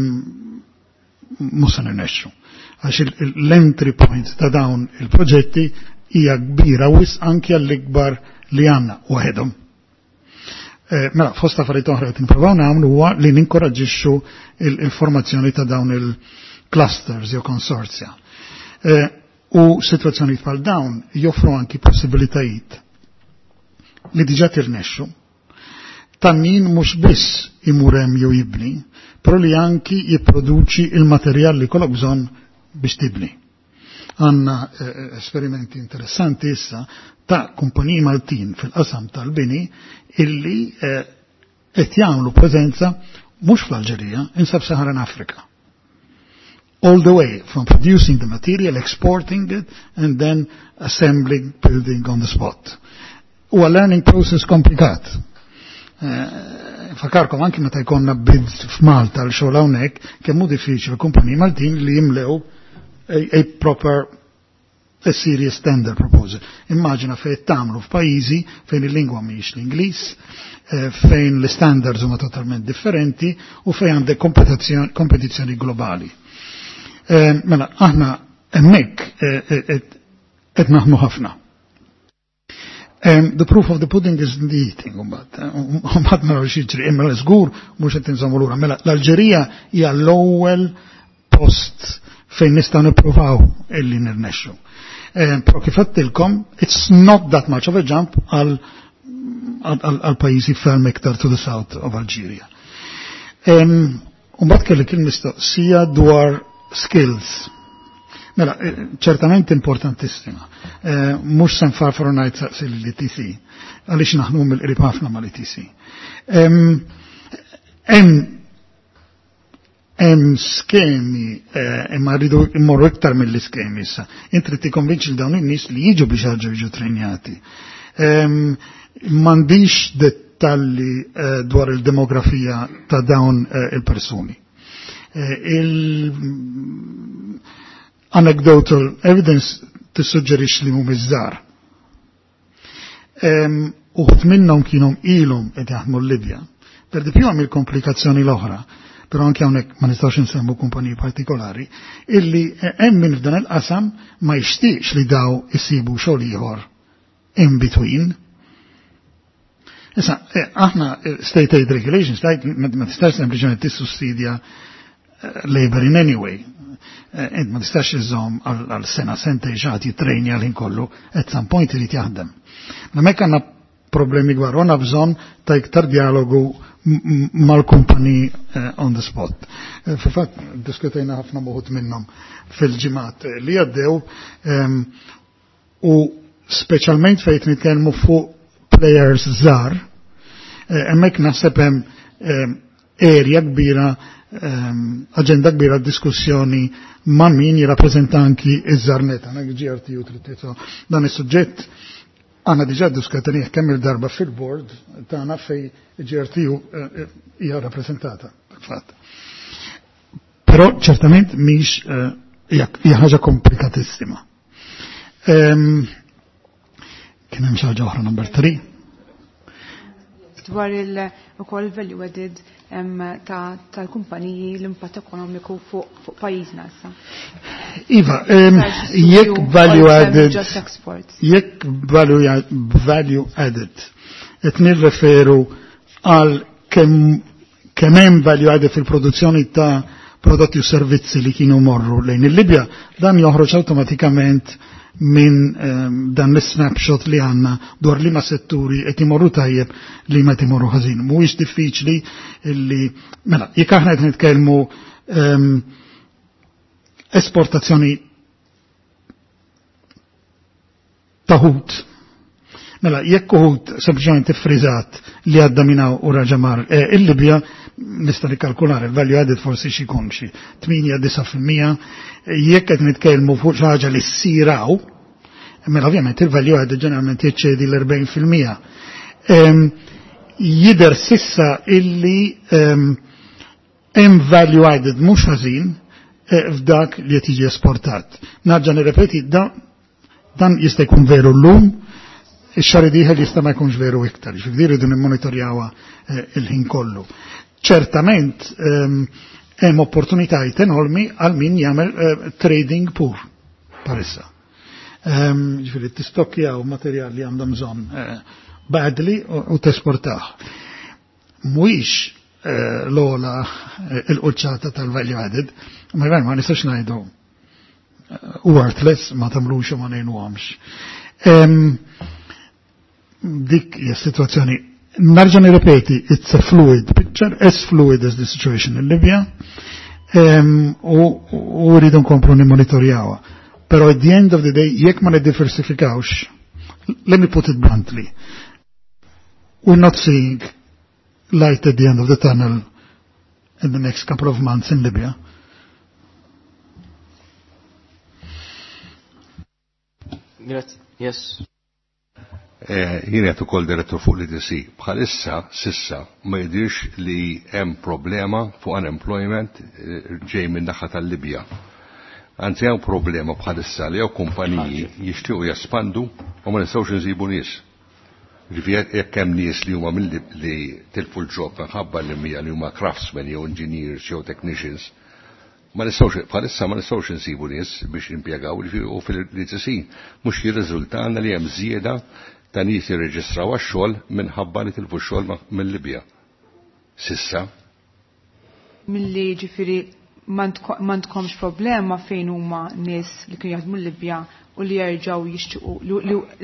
mhux se nirnexxu. Għax il- il- l-entry point ta' dawn il-proġetti hija kbira wisq anki għall-ikbar li għandna waħedhom. Eh, Mela, fost affarijiet oħra qed nippruvaw nagħmlu huwa li ninkoraġġixxu il- il-formazzjoni ta' dawn il-clusters jew konsorzja. Eh, U situazzjonijiet bħal dawn joffru anki possibilitajiet li diġà tirnexxu ta' min mhux biss imur hemm jew jibni, però li anki jipproduċi il-materjal li kollok bżonn biex tibni. Għanna eh, esperimenti interessanti issa ta' kumpaniji Maltin fil-qasam tal-bini illi eh, qed jagħmlu preżenza mhux fl-Alġerija, in Sub-Saharan Africa. All the way from producing the material, exporting it, and then assembling, building on the spot. Huwa learning process komplikat. Eh, Fakarkom anki meta jkollna bids f'Malta l xogħol hawnhekk, kemm hu diffiċli kumpaniji Maltin li jimlew a, a proper, a serious tender proposal. Immaġina fejn tagħmlu f'pajjiżi fejn il-lingwa mhijiex l-Ingliż, eh, fejn l-standards huma totalment differenti u fejn għandek kompetizzjoni kompetizzjoni globali. Eh, Mela, aħna hemmhekk eh, eh, qed naħdmu ħafna. Um, the proof of the pudding is in the eating, mbagħad. Mbagħad naraw x'jiġri, imma żgur mhux qed inżommu lura. Mela, l-Alġerija hija l-ewwel post fejn nistgħu nippruvaw illi nirnexxu. Um, Però kif għedtilkom, it's not that much of a jump għal għal pajjiżi ferm iktar to the south of Algeria. Um, Mbagħad kellek il-mistoqsija dwar skills. Mela, eh, ċertament importantissima. Eh, Mhux se nfarfar u ngħid saqsi l-E T C, għaliex naħdmu mill-qrib ħafna mal-E T C. Hemm hemm skemi, eh, imma rridu immorru iktar mill-iskemi issa. Inti trid tikkonvinċi dawn in-nies li jiġu biex jerġgħu jiġu trenjati. M'għandix dettalli eh, dwar il-demografija ta' dawn eh, il-persuni. Il anecdotal evidence tissuġġerix li mhumiex żgħar. Uħud minnhom kienu ilhom qed jaħdmu l-Libja. Per di più hemm il-komplikazzjoni l-oħra, però anke hawnhekk ma nistgħux insemmu kumpaniji partikolari, illi hemm min f'dan il-qasam ma jixtieqx li daw isibu xogħol ieħor in between. Issa, eh, aħna eh, state aid regulations, ma tistax sempliċement tissussidja eh, labor in any way. Int ma tistax iżżomm għal sena sentejn xi ħadd jitrejnja l kollu, at some point irid jaħdem. Ma hemmhekk għandna problemi kbar, għandna bżonn ta' iktar dialogu mal-kumpani on the spot. Fil-fatt, diskutejna ħafna m'uħud minnhom fil-ġimgħat li għaddew u speċjalment fejn nitkellmu fuq players żgħar, hemmhekk naħseb hemm area kbira, aġenda kbira diskussjoni ma' min jirrappreżenta anki iż-żarneta, G R T U trid. Dan is-suġġett għandna diġà ddiskutejnieh kemm il-darba fil-board tagħna fej G R T U eh, hija rappreżentata fil-fatt. Però ċertament mhix eh, hija ħaġa komplikatissima. Kien hemm xi ħaġa oħra, number three. Dwar il-ukoll value added tal-kumpaniji, l-impatt ekonomiku fuq pajjiżna issa. Iva, jekk value added, jekk value, value added, qed nirreferu għal kemm kemm hemm value added fil-produzzjoni ta' prodotti u servizzi li kienu morru lejn il-Libja, dan joħroġ awtomatikament minn um, dan l-snapshot li għanna dwar li ma setturi qed imorru tajjeb, li ma imorru ħażin. Mhuwiex diffiċli li, mela, jekk aħna qed nitkellmu um, esportazzjoni ta' ħut. Mela, jekk ħut sempliċement iffriżat li għadda minn hawn u raġa' mar eh, il-Libja, nista' nikkalkulare il-value added forsi xi jkun xi tmienja-disa fil-mija. Jekk qed nitkellmu fuq xi ħaġa li ssiraw, mela ovvjament il-value added ġeneralment jeċċedi l-erbgħin fil-mija. Jidher s'issa illi hemm value added mhux ħażin eh, f'dak li qed jiġi esportat. Nerġa' nirrepeti, dan jista' jkun veru llum, ix-xahar dieħel jista' ma jkunx veru iktar, ġifieri rridu nimmonitorjawha eh, il-ħin kollu. Ċertament hemm opportunitajiet enormi għal min jagħmel eh, trading pur parissa. Ġifieri tistokkjaw materjal li għandhom bżonn eh, badly u tesportah. Mhuwiex l-ogħla il-quċċata tal-value added, ma ma nistax ngħidu worthless, ma tagħmlux u ma ngħinuhomx. Dik hija situazzjoni. Nerġa' nirrepeti, it's a fluid picture, as fluid as the situation in Libya, u rridu nkomplu nimmonitorjawha. Però at the end of the day, jekk ma niddiversifikawx, let me put it bluntly, we're not seeing light at the end of the tunnel in the next couple of months in Libya. Grazie. Yes. Eh, jien qed ukoll direttur fuq l-E T C. Bħalissa, s'issa, ma jidirx li hemm problema fuq unemployment eh, ġej minn naħa tal-Libja. Anzi, hemm problema bħalissa li jew kumpaniji jixtiequ jespandu u ma nistgħux insibu nies. Ġifieri jekk hemm nies li huma li tilfu l-job minħabba li mija li huma craftsmen jew engineers jew technicians, ma nistgħux, bħalissa ma nistgħux insibu nies biex impjegaw, u fil-E T C mhux jirriżultana li hemm żieda ta' nies jirreġistraw għax-xogħol minħabba li tilfu x-xogħol mill-Libja. S'issa. Milli ġifieri m'għandkomx problema fejn huma nies li kienu jaħdmu l-Libja u li jerġgħu jixtiequ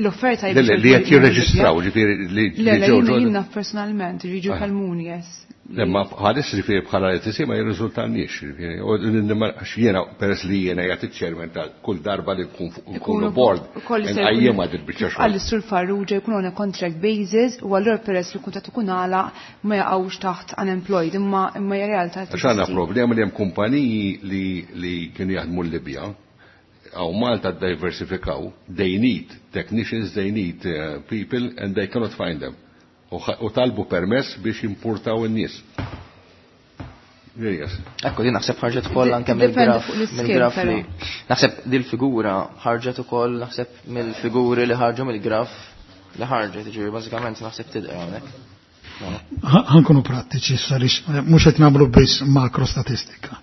l-offerta. Li qed jirreġistraw, ġifieri li ġew. Jiena personalment jiġu ah. jkellmuni, yes. Lemma bħalis, ġifieri bħala E T C ma jirriżultanniex, ġifieri għax jiena peress li jiena jagħti chairman ta' kull darba li nkunu board nqajjimha dil-biċċa xogħol. Għal Sur Farrugia jkun on a contract basis u allura peress li kuntratt ikun għalaq ma jaqgħux taħt unemployed, imma imma hija realtà. Għax għandna problema li hemm kumpaniji li li kienu jaħdmu l-Libja għaw Malta diversifikaw, they need technicians, they need uh, people and they cannot find them. U talbu permess biex importaw in-nies. Yes. Ekku, din naħseb ħarġet ukoll anke mill-graf mill-graf li naħseb dil-figura ħarġet ukoll, naħseb mill-figuri li ħarġu mill-graf li ħarġet, ġifieri bażikament naħseb tidher hawnhekk. Ħa nkunu prattiċi għaliex mhux qed nagħmlu biss makrostatistika.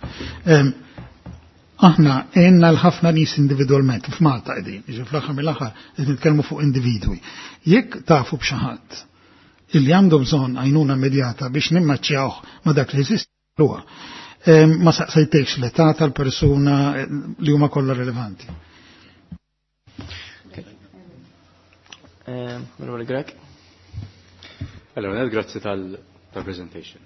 Aħna għenna l-ħafna nies individwalment f'Malta qegħdin, jiġi fl-aħħar mill-aħħar qed nitkellmu fuq individwi. Jekk tafu b'xi ħadd illi għandu bżonn għajnuna immedjata biex nimmaċċjawh ma dak li jeżisti huwa. Ma saqsejtekx l-età tal-persuna, eh, li huma kollha rilevanti. Onorevole Grech. Allora, grazzi tal-presentation.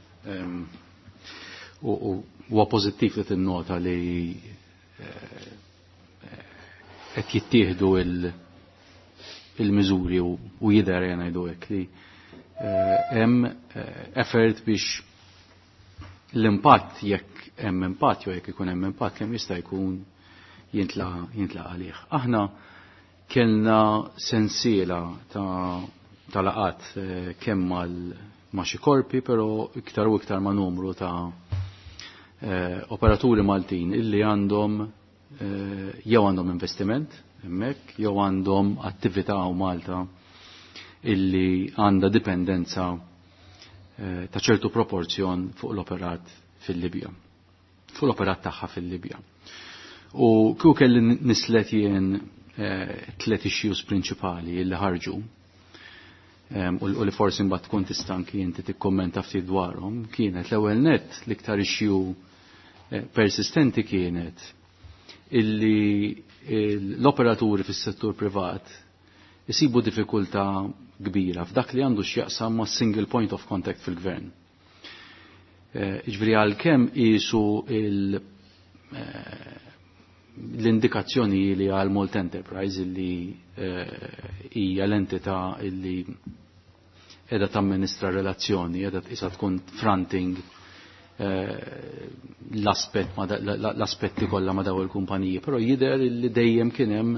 U huwa pożittiv li tinnota li eh, qed jittieħdu il-miżuri u jidher, ngħidu hekk, li eh, hemm eh, effort biex l-impatt jekk hemm impatt jew jekk ikun hemm impatt kemm jista' jkun jintlaqa' jintlaqa' għalih. Aħna kellna sensiela ta' ta' laqat eh, kemm mal ma' xi korpi, però iktar u iktar ma' numru ta' eh, operaturi Maltin illi għandhom eh, jew għandhom investiment hemmhekk, jew għandhom attività u Malta illi għandha dipendenza eh, ta' ċertu proporzjon fuq l-operat fil-Libja. Fuq l-operat tagħha fil-Libja. U kieku kelli nislet jien eh, tliet issues prinċipali illi ħarġu em, u u li forsi mbagħad tkun tista' anki inti tikkommenta ftit dwarhom, kienet l-ewwel nett l-iktar issue eh, persistenti kienet illi l-operaturi fis-settur privat isibu diffikultà kbira f'dak li għandu x'jaqsam ma' single point of contact fil-gvern. Eh, Jiġifieri għalkemm qisu il- eh, l-indikazzjoni li għal Malta Enterprise illi eh, hija l-entità illi qiegħda tamministra relazzjoni, qiegħda issa tkun fronting eh, l-aspett ma da- l-aspetti kollha ma daw il-kumpaniji, però jidher li dejjem kien hemm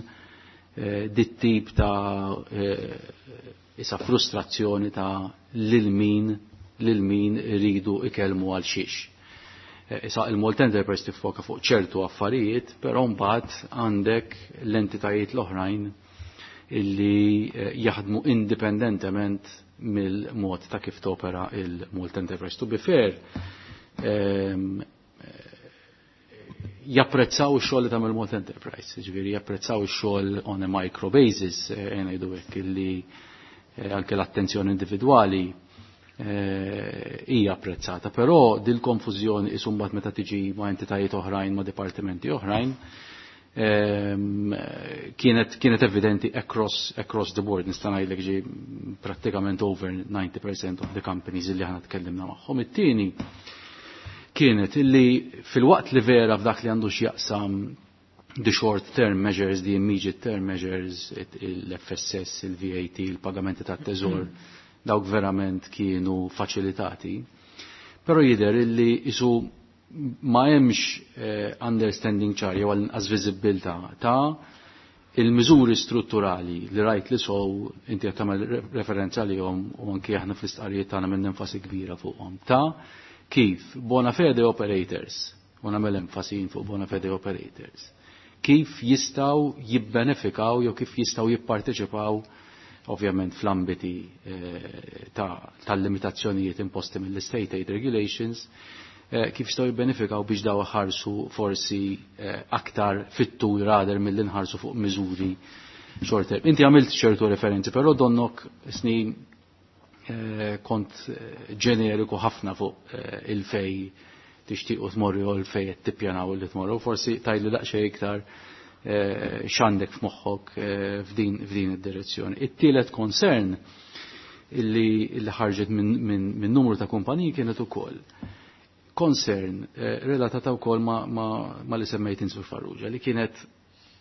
eh, dit tip ta' eh, issa frustrazzjoni ta' lil min lil min iridu ikellmu għal xiex. Eh, Issa il-Malta Enterprise tiffoka fuq ċertu affarijiet, però mbagħad għandek l-entitajiet l-oħrajn illi eh, jaħdmu indipendentement mill-mod ta' kif topera il-Malta Enterprise. To be fair, ehm, japprezzaw ix-xogħol li tagħmel Malta Enterprise, ġifieri japprezzaw ix-xogħol on a micro basis, eh, ngħidu hekk illi eh, anke l-attenzjoni individwali eh, hija apprezzata, però dil-konfużjoni isu mbagħad meta tiġi ma' entitajiet oħrajn, ma' dipartimenti oħrajn, ehm, kienet kienet evidenti across across the board nista' ngħidlek ġi prattikament over ninety percent of the companies illi aħna tkellimna magħhom. It-tieni kienet illi fil-waqt li vera f'dak li għandu x'jaqsam the short term measures, the immediate term measures, il-F S S, il-V A T, il-pagamenti tat-teżor, dawk verament kienu faċilitati. Però jidher illi isu ma hemmx eh, understanding ċar jew għal viżibilità ta' il-miżuri strutturali li rajt li sow inti qed tagħmel referenza lihom u anki aħna fl-istqarrijiet tagħna minn enfasi kbira fuqhom ta' kif bona fede operators, u nagħmel enfasi fuq bona fede operators, kif jistgħu jibbenefikaw jew kif jistgħu jipparteċipaw ovvjament fl-ambiti eh, tal-limitazzjonijiet imposti mill-State Aid Regulations, eh, kif jistgħu jibbenefikaw biex daw ħarsu forsi eh, aktar fit-tul rather milli nħarsu fuq miżuri short term. Inti għamilt ċertu referenzi, però donnok snin kont ġeneriku ħafna fuq il-fej tixtiequ tmorru u l-fej qed tippjanaw li tmorru. Forsi tgħidli daqsxejn iktar eh, x'għandek f'moħħok eh, f'din f'din id-direzzjoni. It-tielet concern illi, illi ħarġet minn min, min numru ta' kumpaniji kienet ukoll concern eh, relatata wkoll ma, ma, ma li semmejt Sur Farrugia li kienet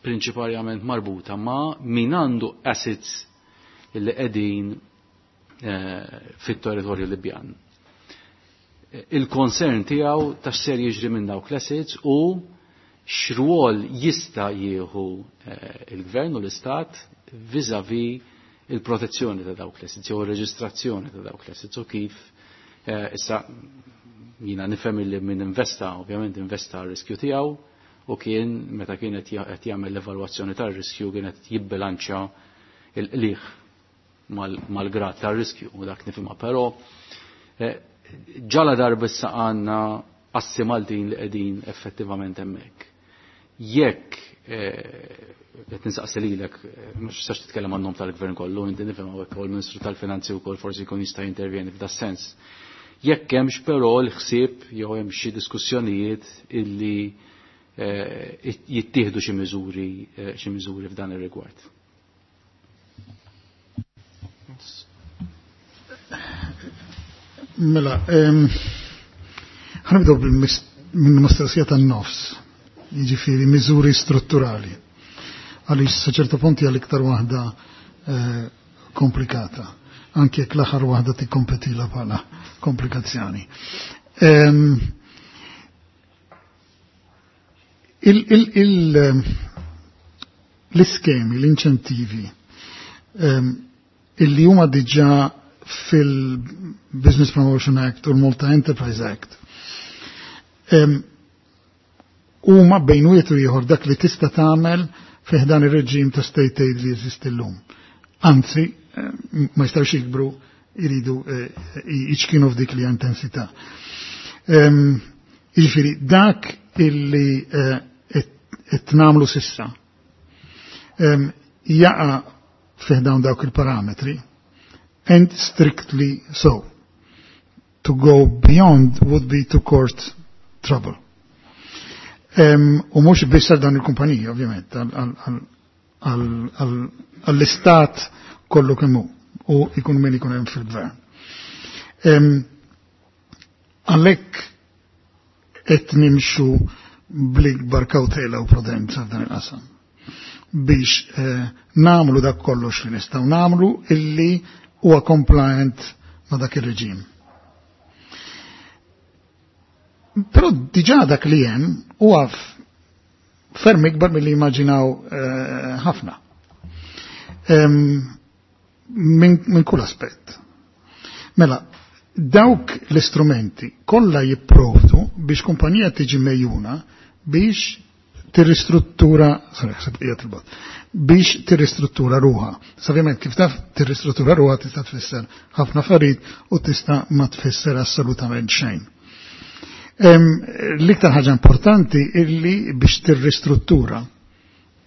prinċiparjament marbuta ma' min għandu assets illi qegħdin eh, fit-territorju Libjan. Il-concern tiegħu ta' x'ser jiġri minn dawk l-assets u x'rwol jista' jieħu eh, il-gvern u l-istat vis-a-vis il-protezzjoni ta' dawk l-assets jew ir-reġistrazzjoni ta' dawk l-assets u kif eh, issa jina nifhem li min investa ovvjament investa r-riskju tiegħu u kien meta kien qed jagħmel l-evalwazzjoni tar-riskju kienet jibbilanċja il-qliħ mal-grad tar-riskju u dak nifhimha, però eh, ġala darba issa għandna assi Maltin li qegħdin effettivament hemmhekk. Jekk eh, qed nistaqsi lilek, eh, mhux tistax titkellem għan-nom tal-gvern kollu, inti nifhem hawnhekk u l-Ministru tal-Finanzi wkoll forsi jkun jista' jintervjeni f'da sens. Jekk hemmx però l-ħsieb jew hemm xi diskussjonijiet illi eh, jittieħdu xi miżuri xi miżuri f'dan ir-rigward. Mela, ħa nibdew minn mistoqsija tan-nofs, jiġifieri miżuri strutturali. Għaliex sa ċertu punti għal iktar waħda eh, komplikata, anke jekk l-aħħar waħda tikkompetila bħala komplikazzjoni. Il, il, il, ehm, l-iskemi, l-inċentivi um, illi huma diġà fil-Business Promotion Act u l-Malta Enterprise Act um, huma bejn wieħed u ieħor dak li tista' tagħmel fih dan ir-reġim ta' state aid li jeżisti llum. Anzi, ma jistgħux jikbru, jridu jiċkinu f'dik li intensità. Jiġifieri dak illi qed nagħmlu s'issa jaqa' fih dawn dawk il-parametri and strictly so. To go beyond would be to court trouble. U mhux biss għal dan il-kumpaniji, ovvjament, għall-istat kollu kemm hu u ikun min ikun hemm fil-gvern. Għalhekk qed nimxu bl-ikbar kawtela u prudenza f'dan il-qasam biex eh, namlu dak kollox li nistgħu namlu illi huwa compliant ma' dak ir-reġim. Però diġà dak li hemm huwa ferm ikbar milli immaġinaw eh, ħafna. Minn min kull aspett. Mela, dawk l-istrumenti kollha jipprovdu biex kumpanija tiġi mejjuna biex tirristruttura, sorry, ħseb qiegħed il-bot, biex tirristruttura ruha. Ovvjament kif taf tirristruttura ruha tista' tfisser ħafna affarijiet u tista' ma tfisser assolutament xejn. L-iktar ħaġa importanti illi biex tirristruttura,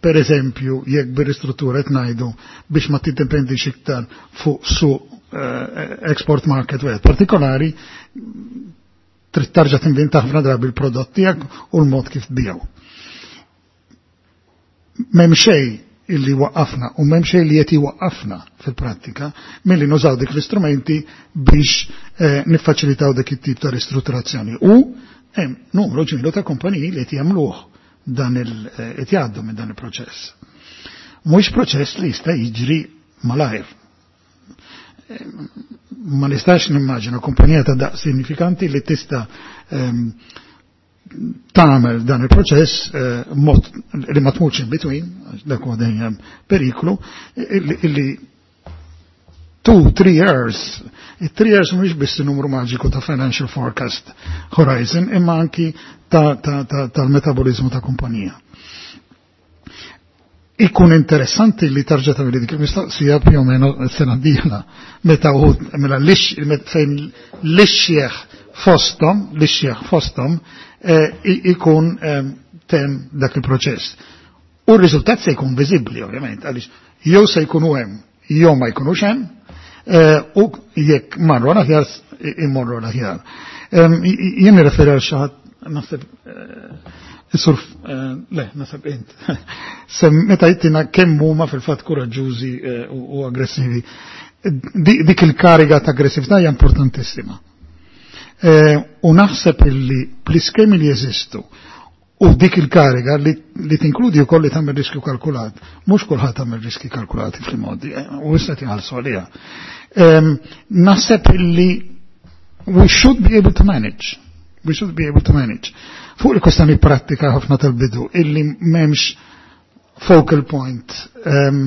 per eżempju, jekk bir-ristruttura qed ngħidu biex ma tiddependix iktar fuq suq eh, export market wieħed partikolari, trid tarġa' tinventa ħafna drabi l-prodott tiegħek u l-mod kif tbiegħu. M'hemm xejn illi waqqafna u m'hemm xejn li qed iwaqqafna fil-prattika milli nużaw dik l-istrumenti biex eh, niffaċilitaw dik it-tip ta' ristrutturazzjoni. U hemm numru ġmielu ta' kumpaniji li qed jagħmluh dan il eh, qed jgħaddu minn dan il-proċess. Mhux proċess li jista' jiġri malajr. Eh, Ma nistax nimmaġina kumpanija ta' daqs sinifikanti li tista' ehm, tagħmel dan il-proċess eh, mod li ma tmutx in between, dak huwa dejjem periklu, illi, illi two, three years, it-three years mhux biss numru maġiku ta' financial forecast horizon, imma anki ta' ta' ta' tal-metabolizmu ta' kumpanija. Ikun interessanti li tarġa' tagħmel dik il-mistoqsija più o meno sena d-dieħla, meta uħud mela fejn l-ixjeħ fosthom, l-ixjeħ fosthom eh, ikun eh, tem dak il-proċess. U r-riżultat se jkun viżibbli ovvjament, għaliex jew se jkunu hemm, jew ma jkunux hemm, eh, u jekk marru l-aħjar immorru l-aħjar. Jien nirreferi għal xi ħadd naħseb Sur, le, naħseb int. Sem meta jittina kemm huma fil-fatt kuraġġużi u aggressivi. Dik il-kariga ta' aggressività hija importantissima. U naħseb illi bl-iskemi li jeżistu u dik il-kariga li, li tinkludi wkoll li tagħmel riskju kalkulat, mhux kulħadd tagħmel riski kalkulati fil-modi, u issa tinħallsu għaliha. Naħseb illi we should be able to manage. We should be able to manage. Fuq il-kwestjoni pratika ħafna tal-bidu, illi m'hemmx focal point. Um,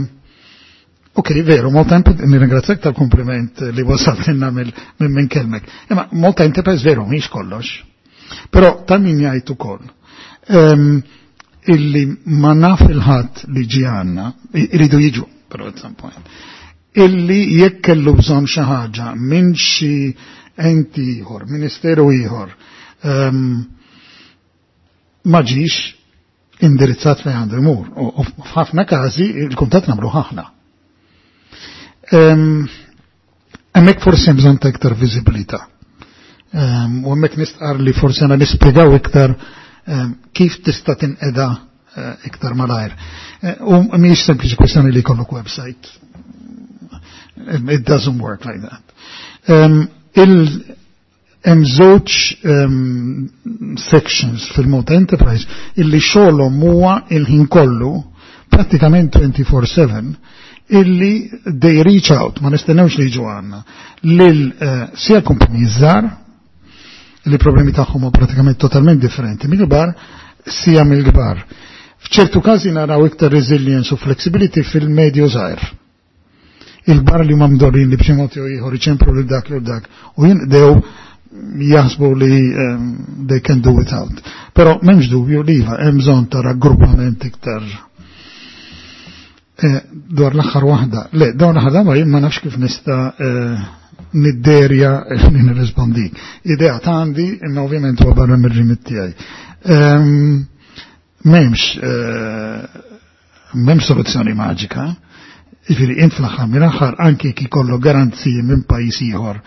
ok, veru, Malta Enterprise, nirringrazzjak tal-kompliment li wasaltinna minn min kelmek. Imma Malta Enterprise veru, mhix kollox. Però ta' min jgħid ukoll. Um, illi ma naf il-ħadd li ġi għandna, iridu jiġu, però at some point, illi jekk kellu bżonn xi ħaġa minn xi enti ieħor, ministeru ieħor, um, ma ġiex indirizzat fejn għandu jmur. U f'ħafna każi il-kuntatt nagħmlu ħafna. Hemmhekk forsi hemm bżonn ta' iktar viżibilità. U hemmhekk nistqar li forsi għandna nispjegaw iktar kif tista' tinqeda iktar malajr. U mhijiex sempliċi kwestjoni li jkollok website. It doesn't work like that. Um, il hemm żewġ um, sections fil-Malta Enterprise illi xogħolhom huwa il-ħin kollu pratikament twenty-four seven illi they reach out, ma nistennewx li jiġu għandna, lil uh, sia kumpaniji żgħar li problemi tagħhom huma pratikament totalment differenti mill-kbar, sija mill-kbar. F'ċertu każi naraw iktar resilience u flexibility fil-medju żgħir. Il-kbar li huma mdorrin li b'xi mod jew ieħor iċemplu lil dak lil dak u jinqdew jaħsbu li um, they can do without. Però m'hemmx dubju li iva hemm bżonn ta' raggruppament iktar eh, dwar l-aħħar waħda. Le, dawn l-aħħar darba jien ma nafx kif nista' eh, nidderja li nirrispondi. Idea ta' għandi, imma ovvjament huwa barra mir-rimit tiegħi. Ehm, M'hemmx eh, m'hemmx soluzzjoni maġika. Jiġifieri int fl-aħħar mill-aħħar anki kif ikollu garanziji minn pajjiż ieħor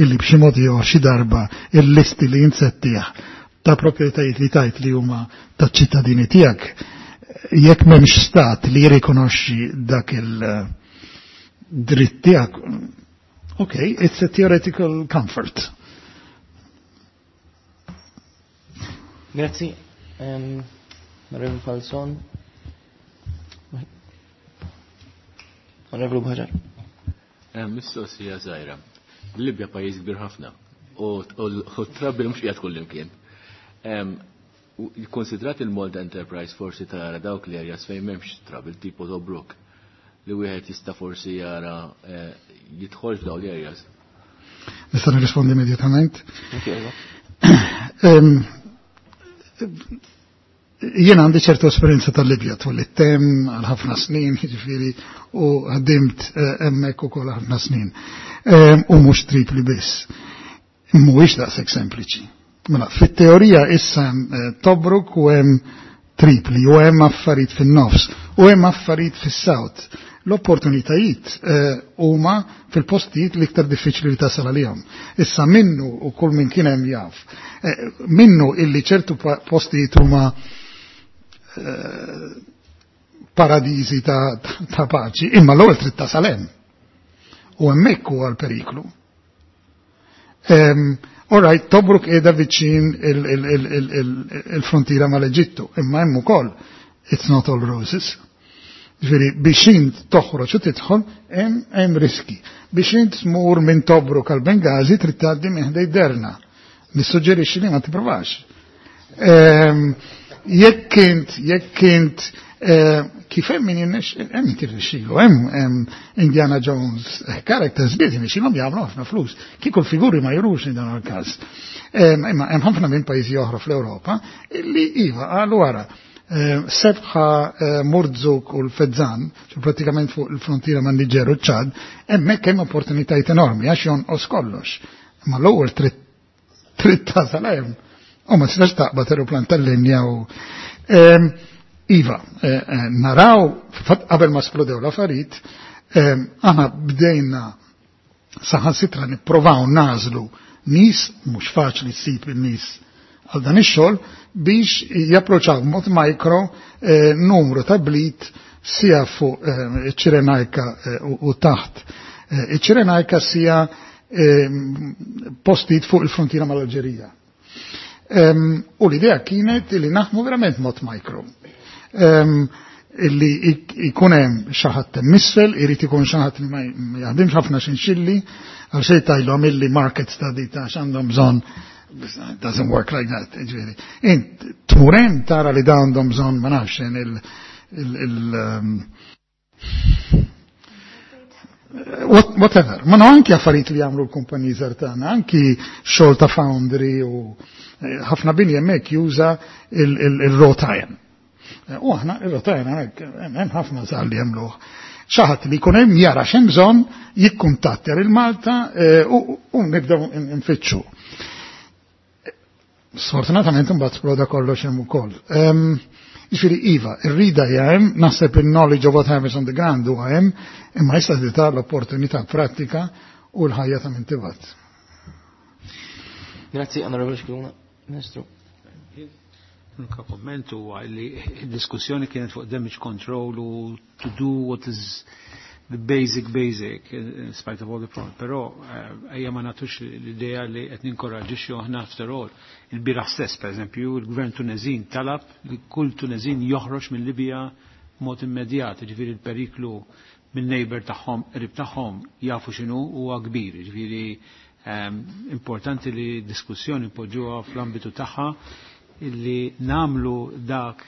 illi b'xi mod ieħor xi darba il-listi li int settieħ ta' proprjetajiet li tajt li huma taċ-ċittadini tiegħek jekk m'hemmx stat li jirrikonoxxi dak il-dritt tiegħek, okay, it's a theoretical comfort. Grazzi. Um, Onorevole Falzon. Onorevole Buhaġar. Mistoqsija żgħira. Libja pajjiż kbir ħafna u t-trouble mhux qiegħed kullimkien. Konsidrat il-Malta Enterprise forsi tara dawk l-areas fejn m'hemmx trouble tipo Tobruk li wieħed jista' forsi jara eh, jidħol f'dawn l-areas. Nista' nirrispondi immedjatament. Em, Jien għandi ċertu esperjenza tal-Libja twelidt hemm għal ħafna snin, jiġifieri, u ħdimt eh, hemmhekk ukoll ħafna snin. Em, U mhux Tripli biss. Mhuwiex daqshekk sempliċi. Mela, fit-teorija issa hemm eh, Tobruk u hemm Tripli u hemm affarijiet fin-nofs u hemm affarijiet fis-south. L-opportunitajiet eh, huma fil-postijiet l-iktar diffiċli li tasal għalihom. Issa minnu u kull min kien hemm jaf, eh, minnu illi ċertu pa- postijiet huma eh, paradisi ta', ta paċi, imma l-ewwel trid tasal hemm. U hemmhekk huwa l-periklu. Um, all right, Tobruk qiegħda viċin il-frontiera mal-Eġittu, imma hemm ukoll it's not all roses. Ġifieri biex int toħroġ u tidħol hemm hemm riski. Biex int tmur minn Tobruk għal Bengazi trid tgħaddi minn ħdej Derna. Nissuġġerixxi li ma tipprovax. Ehm, Jekk int, jekk int eh, kif hemm min jirnex, hemm tirnexxilu, hemm hemm Indiana Jones eh, characters biet jirnexxilhom jagħmlu ħafna flus. Kieku l-figuri ma jurux in dan il-każ. Ehm, Imma hemm ħafna minn pajjiżi oħra fl-Ewropa illi iva qalu wara eh, Sebħa eh, Murzuk u l-Fezzan, ċu pratikament fuq il-frontiera man Niġer u ċad, hemmhekk hemm opportunitajiet enormi għax jonqos kollox. Ma l-ewwel trid trid tasal hemm. U ma tistax taqbad aeroplan tal-linja u Ehm, Iva, eh, eh, naraw, fatt qabel ma splodew l-affarijiet, ehm, aħna bdejna saħansitra nipprovaw nażlu nies, mhux faċli ssib in-nies għal dan ix-xogħol biex japproċċaw b'mod micro eh, numru ta' bliet sia fuq eh, iċ-Ċirenajka eh, u, u taħt. Eh, Iċ-Ċirenajka sia eh, postijiet fuq il-frontiera mal-Alġerija. Um, u l-idea kienet li naħdmu verament mod micro. Um, illi ikun hemm xi ħadd misfel, irid ikun xi ħadd li ma jaħdimx ħafna xinxilli, għal xejn tajlu għamilli market study ta' x'għandhom bżonn. It doesn't work like that, ġifieri. Int tmur hemm tara li da għandhom bżonn ma nafx il, il, il um, what, whatever. Ma no anki affarijiet li jagħmlu l-kumpaniji żgħar tagħna, anki xogħol ta' foundry u eh, ħafna bini hemmhekk juża il-wrought iron. Eh, U aħna il-wrought iron hemmhekk hemm ħafna żgħar li jagħmluh. Xi ħadd li jkun hemm jara x'hemm bżonn jikkuntattja lil Malta eh, u u nibdew nfittxu. Sfortunatament imbagħad sploda kollox hemm ukoll. Ehm, Jiġifieri iva, ir-rida hija hemm, naħseb il-knowledge of what happens on the ground huwa hemm, imma issa tita l-opportunità pratika u l-ħajja ta' min tibgħat. Grazzi, Onorevole Scicluna. Ministru. L-unika komment huwa li d-diskussjoni kienet fuq damage control u to do what is the basic basic in spite of all the problems. Però eh, ejja ma nagħtux l-idea li qed ninkoraġġixxu aħna after all. Il-bieraħ stess, per eżempju, il-gvern Tunezin talab li kull Tunezin joħroġ minn Libja mod immedjat, ġifieri il-periklu minn neighbor tagħhom, qrib tagħhom jafu x'inhu huwa kbir, ġifieri ehm, importanti li diskussjoni poġġuha fl-ambitu tagħha. illi namlu dak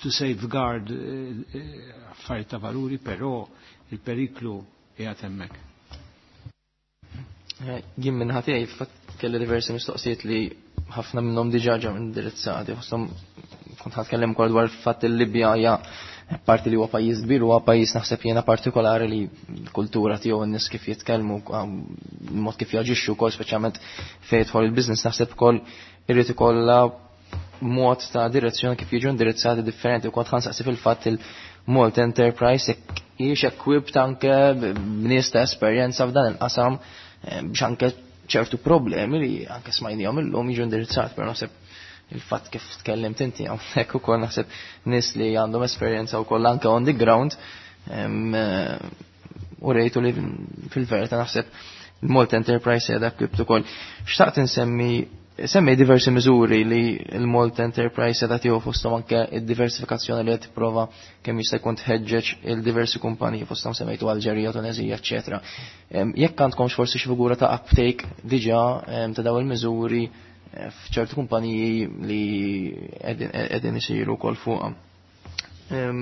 to safeguard eh, eh, affarijiet ta' valuri, però il-periklu qiegħed hemmhekk. Eh, jien minn ħatijaj fatt kelli diversi mistoqsijiet li ħafna minnhom diġà ġew indirizzati, fosthom kont ħatkellem ukoll dwar fatt il-Libja hija parti li huwa pajjiż kbir huwa pajjiż naħseb jiena partikolari li l-kultura tiegħu n-nies kif jitkellmu, mod kif jaġixxu wkoll speċjalment fejn jidħol il-business naħseb ukoll irid ikollha mod ta' direzzjoni kif jiġu indirizzati differenti u kont ħansaqsi fil-fatt il-Malta Enterprise jekk hijiex equipped anke b'nies ta' esperjenza f'dan il-qasam eh, biex anke ċertu problemi li anke smajnihom illum jiġu indirizzati, però naħseb il-fatt kif tkellimt inti hawnhekk ukoll naħseb nies li għandhom esperjenza wkoll anke on the ground eh, u rejtu li fil-verità naħseb il-Malta Enterprise qiegħda equipped ukoll. Xtaqt insemmi semmi diversi miżuri li l-Malta Enterprise qiegħda tieħu fosthom anke id-diversifikazzjoni li qed tipprova kemm jista' jkun tħeġġeġ il-diversi kumpaniji fosthom semmejtu Alġerija, Tunezija, eċċetera. Jekk għandkomx forsi xi figura ta' uptake diġà ta' dawn il-miżuri eh, f'ċertu kumpaniji li qegħdin isiru wkoll fuqha. Eh,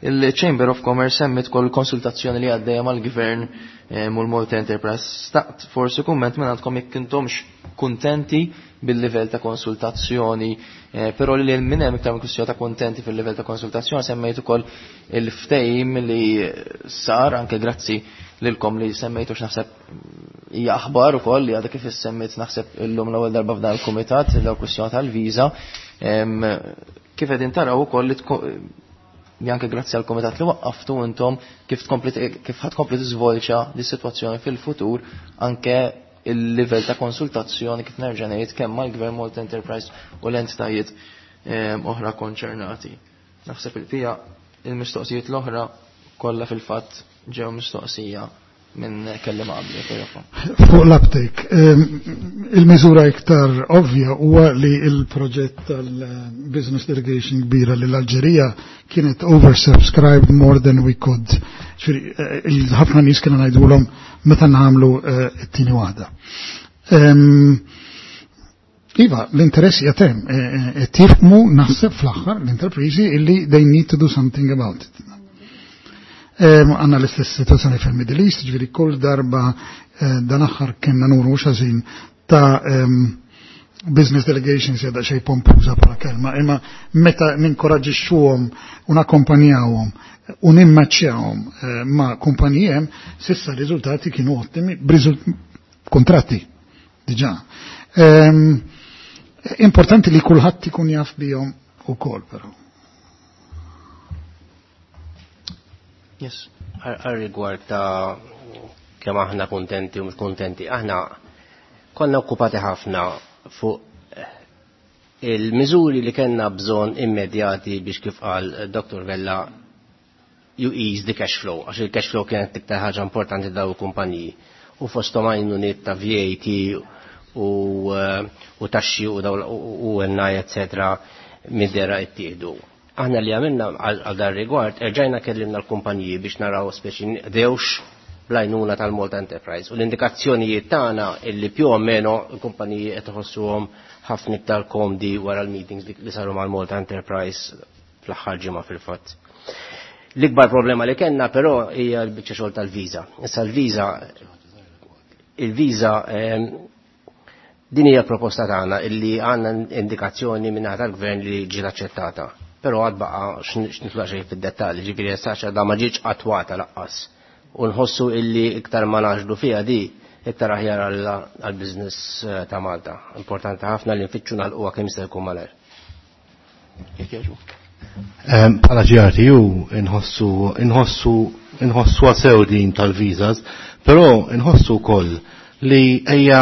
il-Chamber of Commerce semmit kol konsultazzjoni li għaddejja mal-Gvern u l-Malta Enterprise. Staqt forsi kumment minn għandkom jekk intomx kuntenti bil-livell ta' konsultazzjoni, eh, però li minn hemm iktar kwistjoni ta' kuntenti fil-livell ta' konsultazzjoni semmejt ukoll il-ftehim li sar anke grazzi lilkom li semmejtu x'naħseb hija aħbar ukoll li għadha kif issemmit naħseb illum l-ewwel darba f'dan il-kumitat daw kwistjoni tal-viża. Kif qegħdin taraw ukoll li li anke grazzi għal komitat li waqqaftu intom kif tkompli kif ħad tkompli tiżvolġa di sitwazzjoni fil-futur anke il-livell ta' konsultazzjoni kif nerġa' ngħid kemm mal-Gvern Malta Enterprise u l-entitajiet oħra konċernati. Naħseb il-pija il-mistoqsijiet l-oħra kollha fil-fatt ġew mistoqsija minn kelliem qabli. Fuq l-uptake, il-miżura iktar ovvja huwa li il-proġett tal-business delegation kbira li l-Alġerija kienet oversubscribed more than we could. Ħafna nies kienu ngħidulhom meta nagħmlu eh, t-tieni waħda. Iva, l-interess jatem, eh, eh, tifhmu naħseb fl-aħħar l-interprizi illi they need to do something about it. Għanna l-istess situazzjoni fil-Middle East, ġifieri kull darba eh, dan aħħar kienna nuru xazin ta' business delegations jadda xej pompuża bħala kelma, imma meta ninkoraġixxuhom u nakkompanjawhom u nimmaċċjawhom eh, ma' kumpanijem, sissa riżultati kienu ottimi, kontratti diġà. Importanti li kulħadd ikun jaf bihom ukoll però. Yes. Għal rigward ta' kemm aħna kontenti u mhux kontenti, aħna konna okkupati ħafna fuq il-miżuri li kellna bżonn immedjati biex kif qal Dr. Vella you ease the cash flow, għax il-cash flow kienet iktar ħaġa importanti daw il-kumpaniji. U fosthom għajnuniet ta' VAT u, u taxxi u daw u NI, eccetera, mid-dera ittieħdu. Aħna li għamilna għal dar rigward, erġajna kellimna l-kumpaniji biex naraw speċi dewx bl-għajnuna tal-Malta Enterprise. U l-indikazzjonijiet tagħna illi più o meno l-kumpaniji qed iħossuhom ħafna iktar komdi wara l-meetings li saru mal-Malta Enterprise fl-aħħar ġimgħa fil-fatt. L-ikbar problema li kellna però hija l-biċċa xogħol tal-viża. Issa l-viża il-viża din hija proposta tagħna illi għandna indikazzjoni minn tal-gvern li ġiet aċċettata. Però għad baqa x'nitla xejn fid-dettalji, ġifieri issa da ma ġietx attwata laqqas. U nħossu illi iktar ma naġlu fiha di iktar aħjar għall-business ta' Malta. Importanti ħafna li nfittxu nagħlquha kemm jista' jkun malajr. Jekk jogħġbok. Bħala GRTU inħossu inħossu inħossu sew din tal-visas, però inħossu wkoll li ejja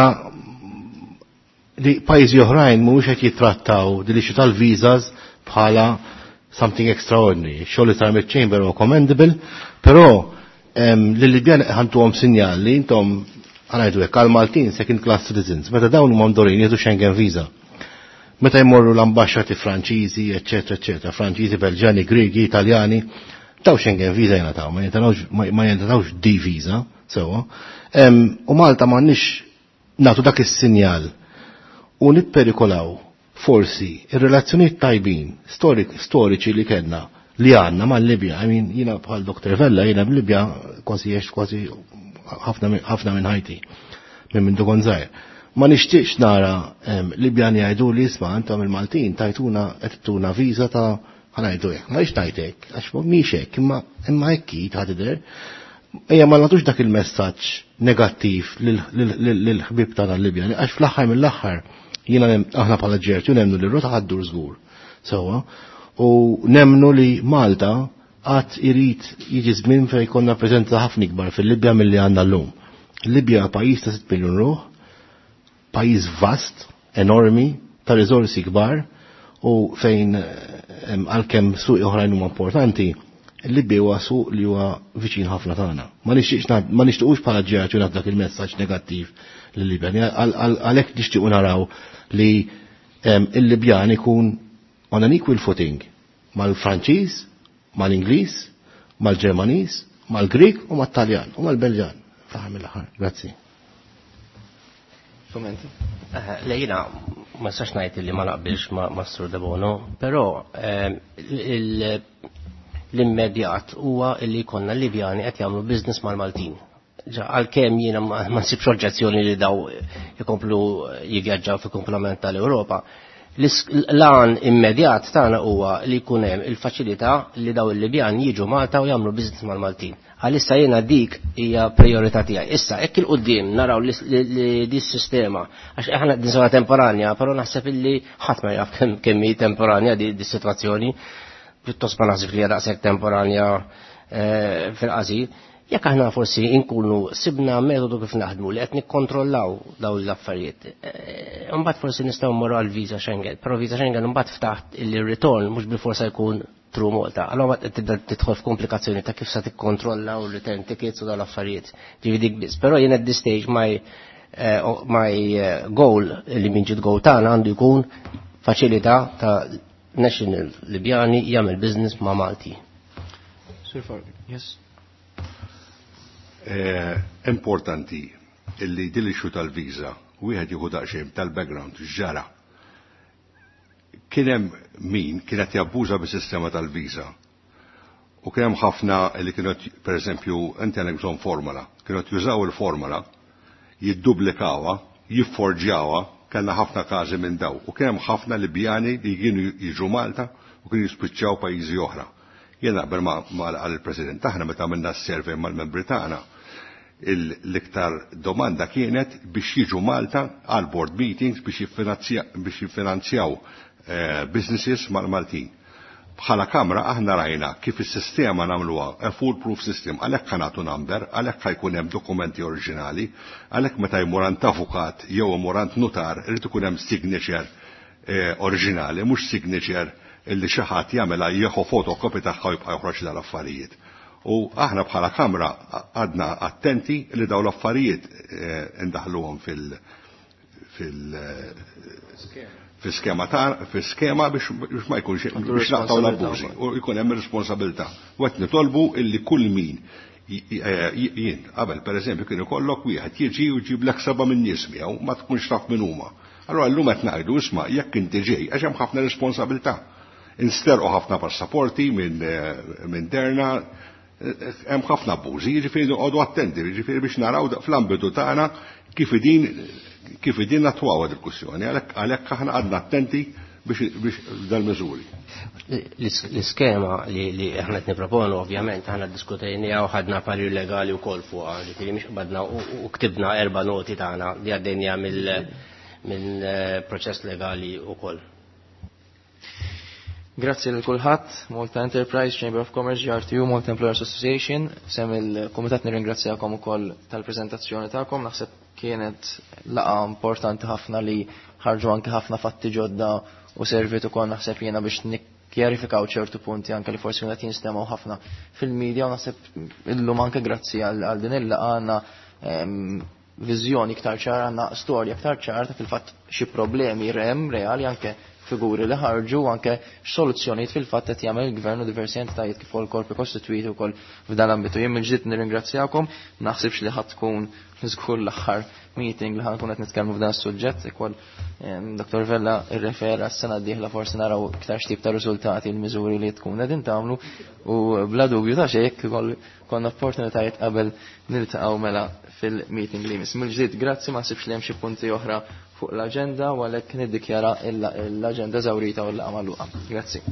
li pajjiżi oħrajn mhuwiex qed jittrattaw din l-issue tal-visas bħala something extraordinary. Xogħol li sar mill-Chamber huwa commendable, però lil-Libjan ħantuhom sinjal li intom ħanajdu hekk għal Maltin second class citizens, meta dawn huma mdorin jieħdu Schengen visa. Meta jmorru l-ambasċati Franċiżi, eċetera, eċetera, Franċiżi, Belġani, Grigi, Italjani, daw Schengen visa jingħataw, ma jingħatawx D visa, sewwa. U Malta m'għandniex nagħtu dak is-sinjal. U nipperikolaw forsi ir-relazzjonijiet tajbin storiċi li kellna li għandna mal-Libja. I mean, jiena bħal Doktor Vella, jiena b'Libja kważi għext kważi ħafna minn ħajti, minn minn kont żgħir. Ma nixtieqx nara Libjani jgħidu li isma' intom il-Maltin tajtuna qed tuna viża ta' ħa ngħidu hekk. Ma rridx ngħid hekk, għax mhix hekk, imma imma hekk hi ta' tidher. Ejja ma nagħtux dak il-messaġġ negattiv lill-ħbieb tagħna l-Libjani, għax fl-aħħar mill-aħħar jiena aħna bħala G R T U nemmnu li r-rota ħa ddur żgur. Sewwa, u nemmnu li Malta għad irid jiġi żmien fejn jkollna preżenza ħafna ikbar fil-Libja milli għandna llum. Libja pajjiż ta' sitt miljun ruħ, pajjiż vast, enormi, ta' riżorsi kbar u fejn għalkemm suq oħrajn huma importanti, Libja huwa suq li huwa viċin ħafna tagħna. Ma nixtieqx ma nixtiequx bħala G R T U dak il-messaġġ negattiv lil-Libjan. Għalhekk nixtiequ naraw li il-Libjan ikun on an equal footing mal-Franċiż, mal-Ingliż, mal-Ġermaniż, mal-Grik u mat-Taljan u mal-Belġan. Fl-aħħar mill-aħħar. Grazzi. Kommenti? Le, jiena ma nistax ngħid li ma naqbilx ma' Sur Debono, però l-immedjat huwa li jkollna Libjani qed jagħmlu business mal-Maltin. Għalkemm jiena ma nsibx oġġezzjoni li daw ikomplu jivvjaġġaw fi komplement tal-Ewropa, l-għan immedjat tagħna huwa li jkun hemm il-faċilità li daw il-Libjan jiġu Malta u jagħmlu business mal-Maltin. Għalissa jiena dik hija priorità tiegħi. Issa hekk 'il quddiem naraw li di s-sistema, għax aħna din sena temporanja, però naħseb illi ħadd ma jaf kemm hi temporanja di s-sitwazzjoni, pjuttost ma naħseb li hija daqshekk temporanja fil-qasir. Jekk aħna forsi inkunu sibna metodu kif naħdmu li qed nikkontrollaw dawn l-affarijiet, imbagħad forsi nistgħu mmorru għal visa Schengen, però visa Schengen imbagħad ftaħt il-return mhux bil-forsa jkun through Malta. Allora tibda tidħol f'komplikazzjoni ta' kif sa tikkontrolla u return tickets u dawn l-affarijiet. Ġifieri dik biss. Però jien at this stage my my goal li minn ġid goal tagħna għandu jkun faċilità ta' national Libjani jagħmel business ma' Malti. Sir Fargan, yes. Importanti illi din l-issue tal-viża wieħed jieħu daqsxejn tal-background ġara. Kien hemm min kienet jabbuża bis-sistema tal-viża. U kien hemm ħafna li kienu, pereżempju, inti għandek bżonn formola, kienu jużaw il-formola, jiddublikawha, jifforġjawha, kellna ħafna każi minn daw. U kien hemm ħafna Libjani li kienu jiġu Malta u kienu jispiċċaw pajjiżi oħra. Jien naqbel ma' il-President, aħna meta għamilna s-survey mal-membri tagħna, l-iktar domanda kienet biex jiġu Malta għal board meetings biex jiffinanzjaw businesses mal-Maltin. Bħala kamra aħna rajna kif is-sistema nagħmluha a foolproof system, għalhekk ħa nagħtu number, għalhekk ħa jkun hemm dokumenti oriġinali, għalhekk meta jmur għand avukat jew imur għand nutar irid ikun hemm signature oriġinali, mhux signature illi xi ħadd jagħmilha, jieħu fotokopi tagħha u jibqa' joħroġ dal-affarijiet. U aħna bħala kamra għadna attenti li daw l-affarijiet indaħluhom fil fil fil-skema ta' fil-skema biex ma jkunx biex naqtaw l-abbużi u jkun hemm responsabilità. U qed nitolbu illi kull min jien qabel, pereżempju, kien ikollok wieħed jiġi u jġiblek seba' minn nies miegħu, ma tkunx taf min huma. Allura llum qed ngħidu, isma', jekk inti ġej, għax hemm ħafna responsabilità. Insterqu ħafna passaporti minn minn Derna, hemm ħafna abbużi, jiġifieri noqogħdu attenti, jiġifieri biex naraw fl-ambitu tagħna kif idin kif idin nattwaw il-kwistjoni, għalhekk aħna għadna attenti biex dal-miżuri. L-iskema li aħna qed nipproponu, ovvjament aħna ddiskutejniha u ħadna parir legali wkoll fuqha, ġifieri mhix qbadna u ktibna erba' noti tagħna, li għaddejniha mill proċess legali wkoll. Grazzi lil kulħadd, Malta Enterprise, Chamber of Commerce, G R T U, Malta Employers Association, f'isem il-Kumitat nirringrazzjakom ukoll tal-preżentazzjoni tagħkom. Naħseb kienet laqgħa importanti ħafna li ħarġu anke ħafna fatti ġodda u servit ukoll, naħseb jiena, biex nikkjarifikaw ċertu punti anke li forsi kienet jinstemgħu ħafna fil-medja, u naħseb illum anke grazzi għal din il-laqgħa għandna viżjoni iktar ċara, għandna storja iktar ċara ta' fil-fatt xi problemi rem reali anke. figuri li ħarġu anke x'soluzzjonijiet fil-fatt qed jagħmel il-gvern u diversi entitajiet kif ukoll korpi kostitwiti wkoll f'dan l-ambitu. Jien mill-ġdid nirringrazzjakom, naħsibx li ħadd tkun żgur l-aħħar meeting li ħankun qed nitkellmu f'dan is-suġġett ukoll Dottor Vella rrefera s-sena d-dieħla forsi naraw iktar x'tip ta' riżultati l-miżuri li tkun qegħdin tagħmlu u bla dubju ta' xejn jekk konna opportunitajiet qabel niltaqgħu mela fil-meeting li jmiss. Mill-ġdid grazzi, ma nsibx li hemm xi punti oħra fuq l-aġenda u għalhekk niddikjara l-aġenda żawrita u l-laqgħa magħluqa. Grazzi.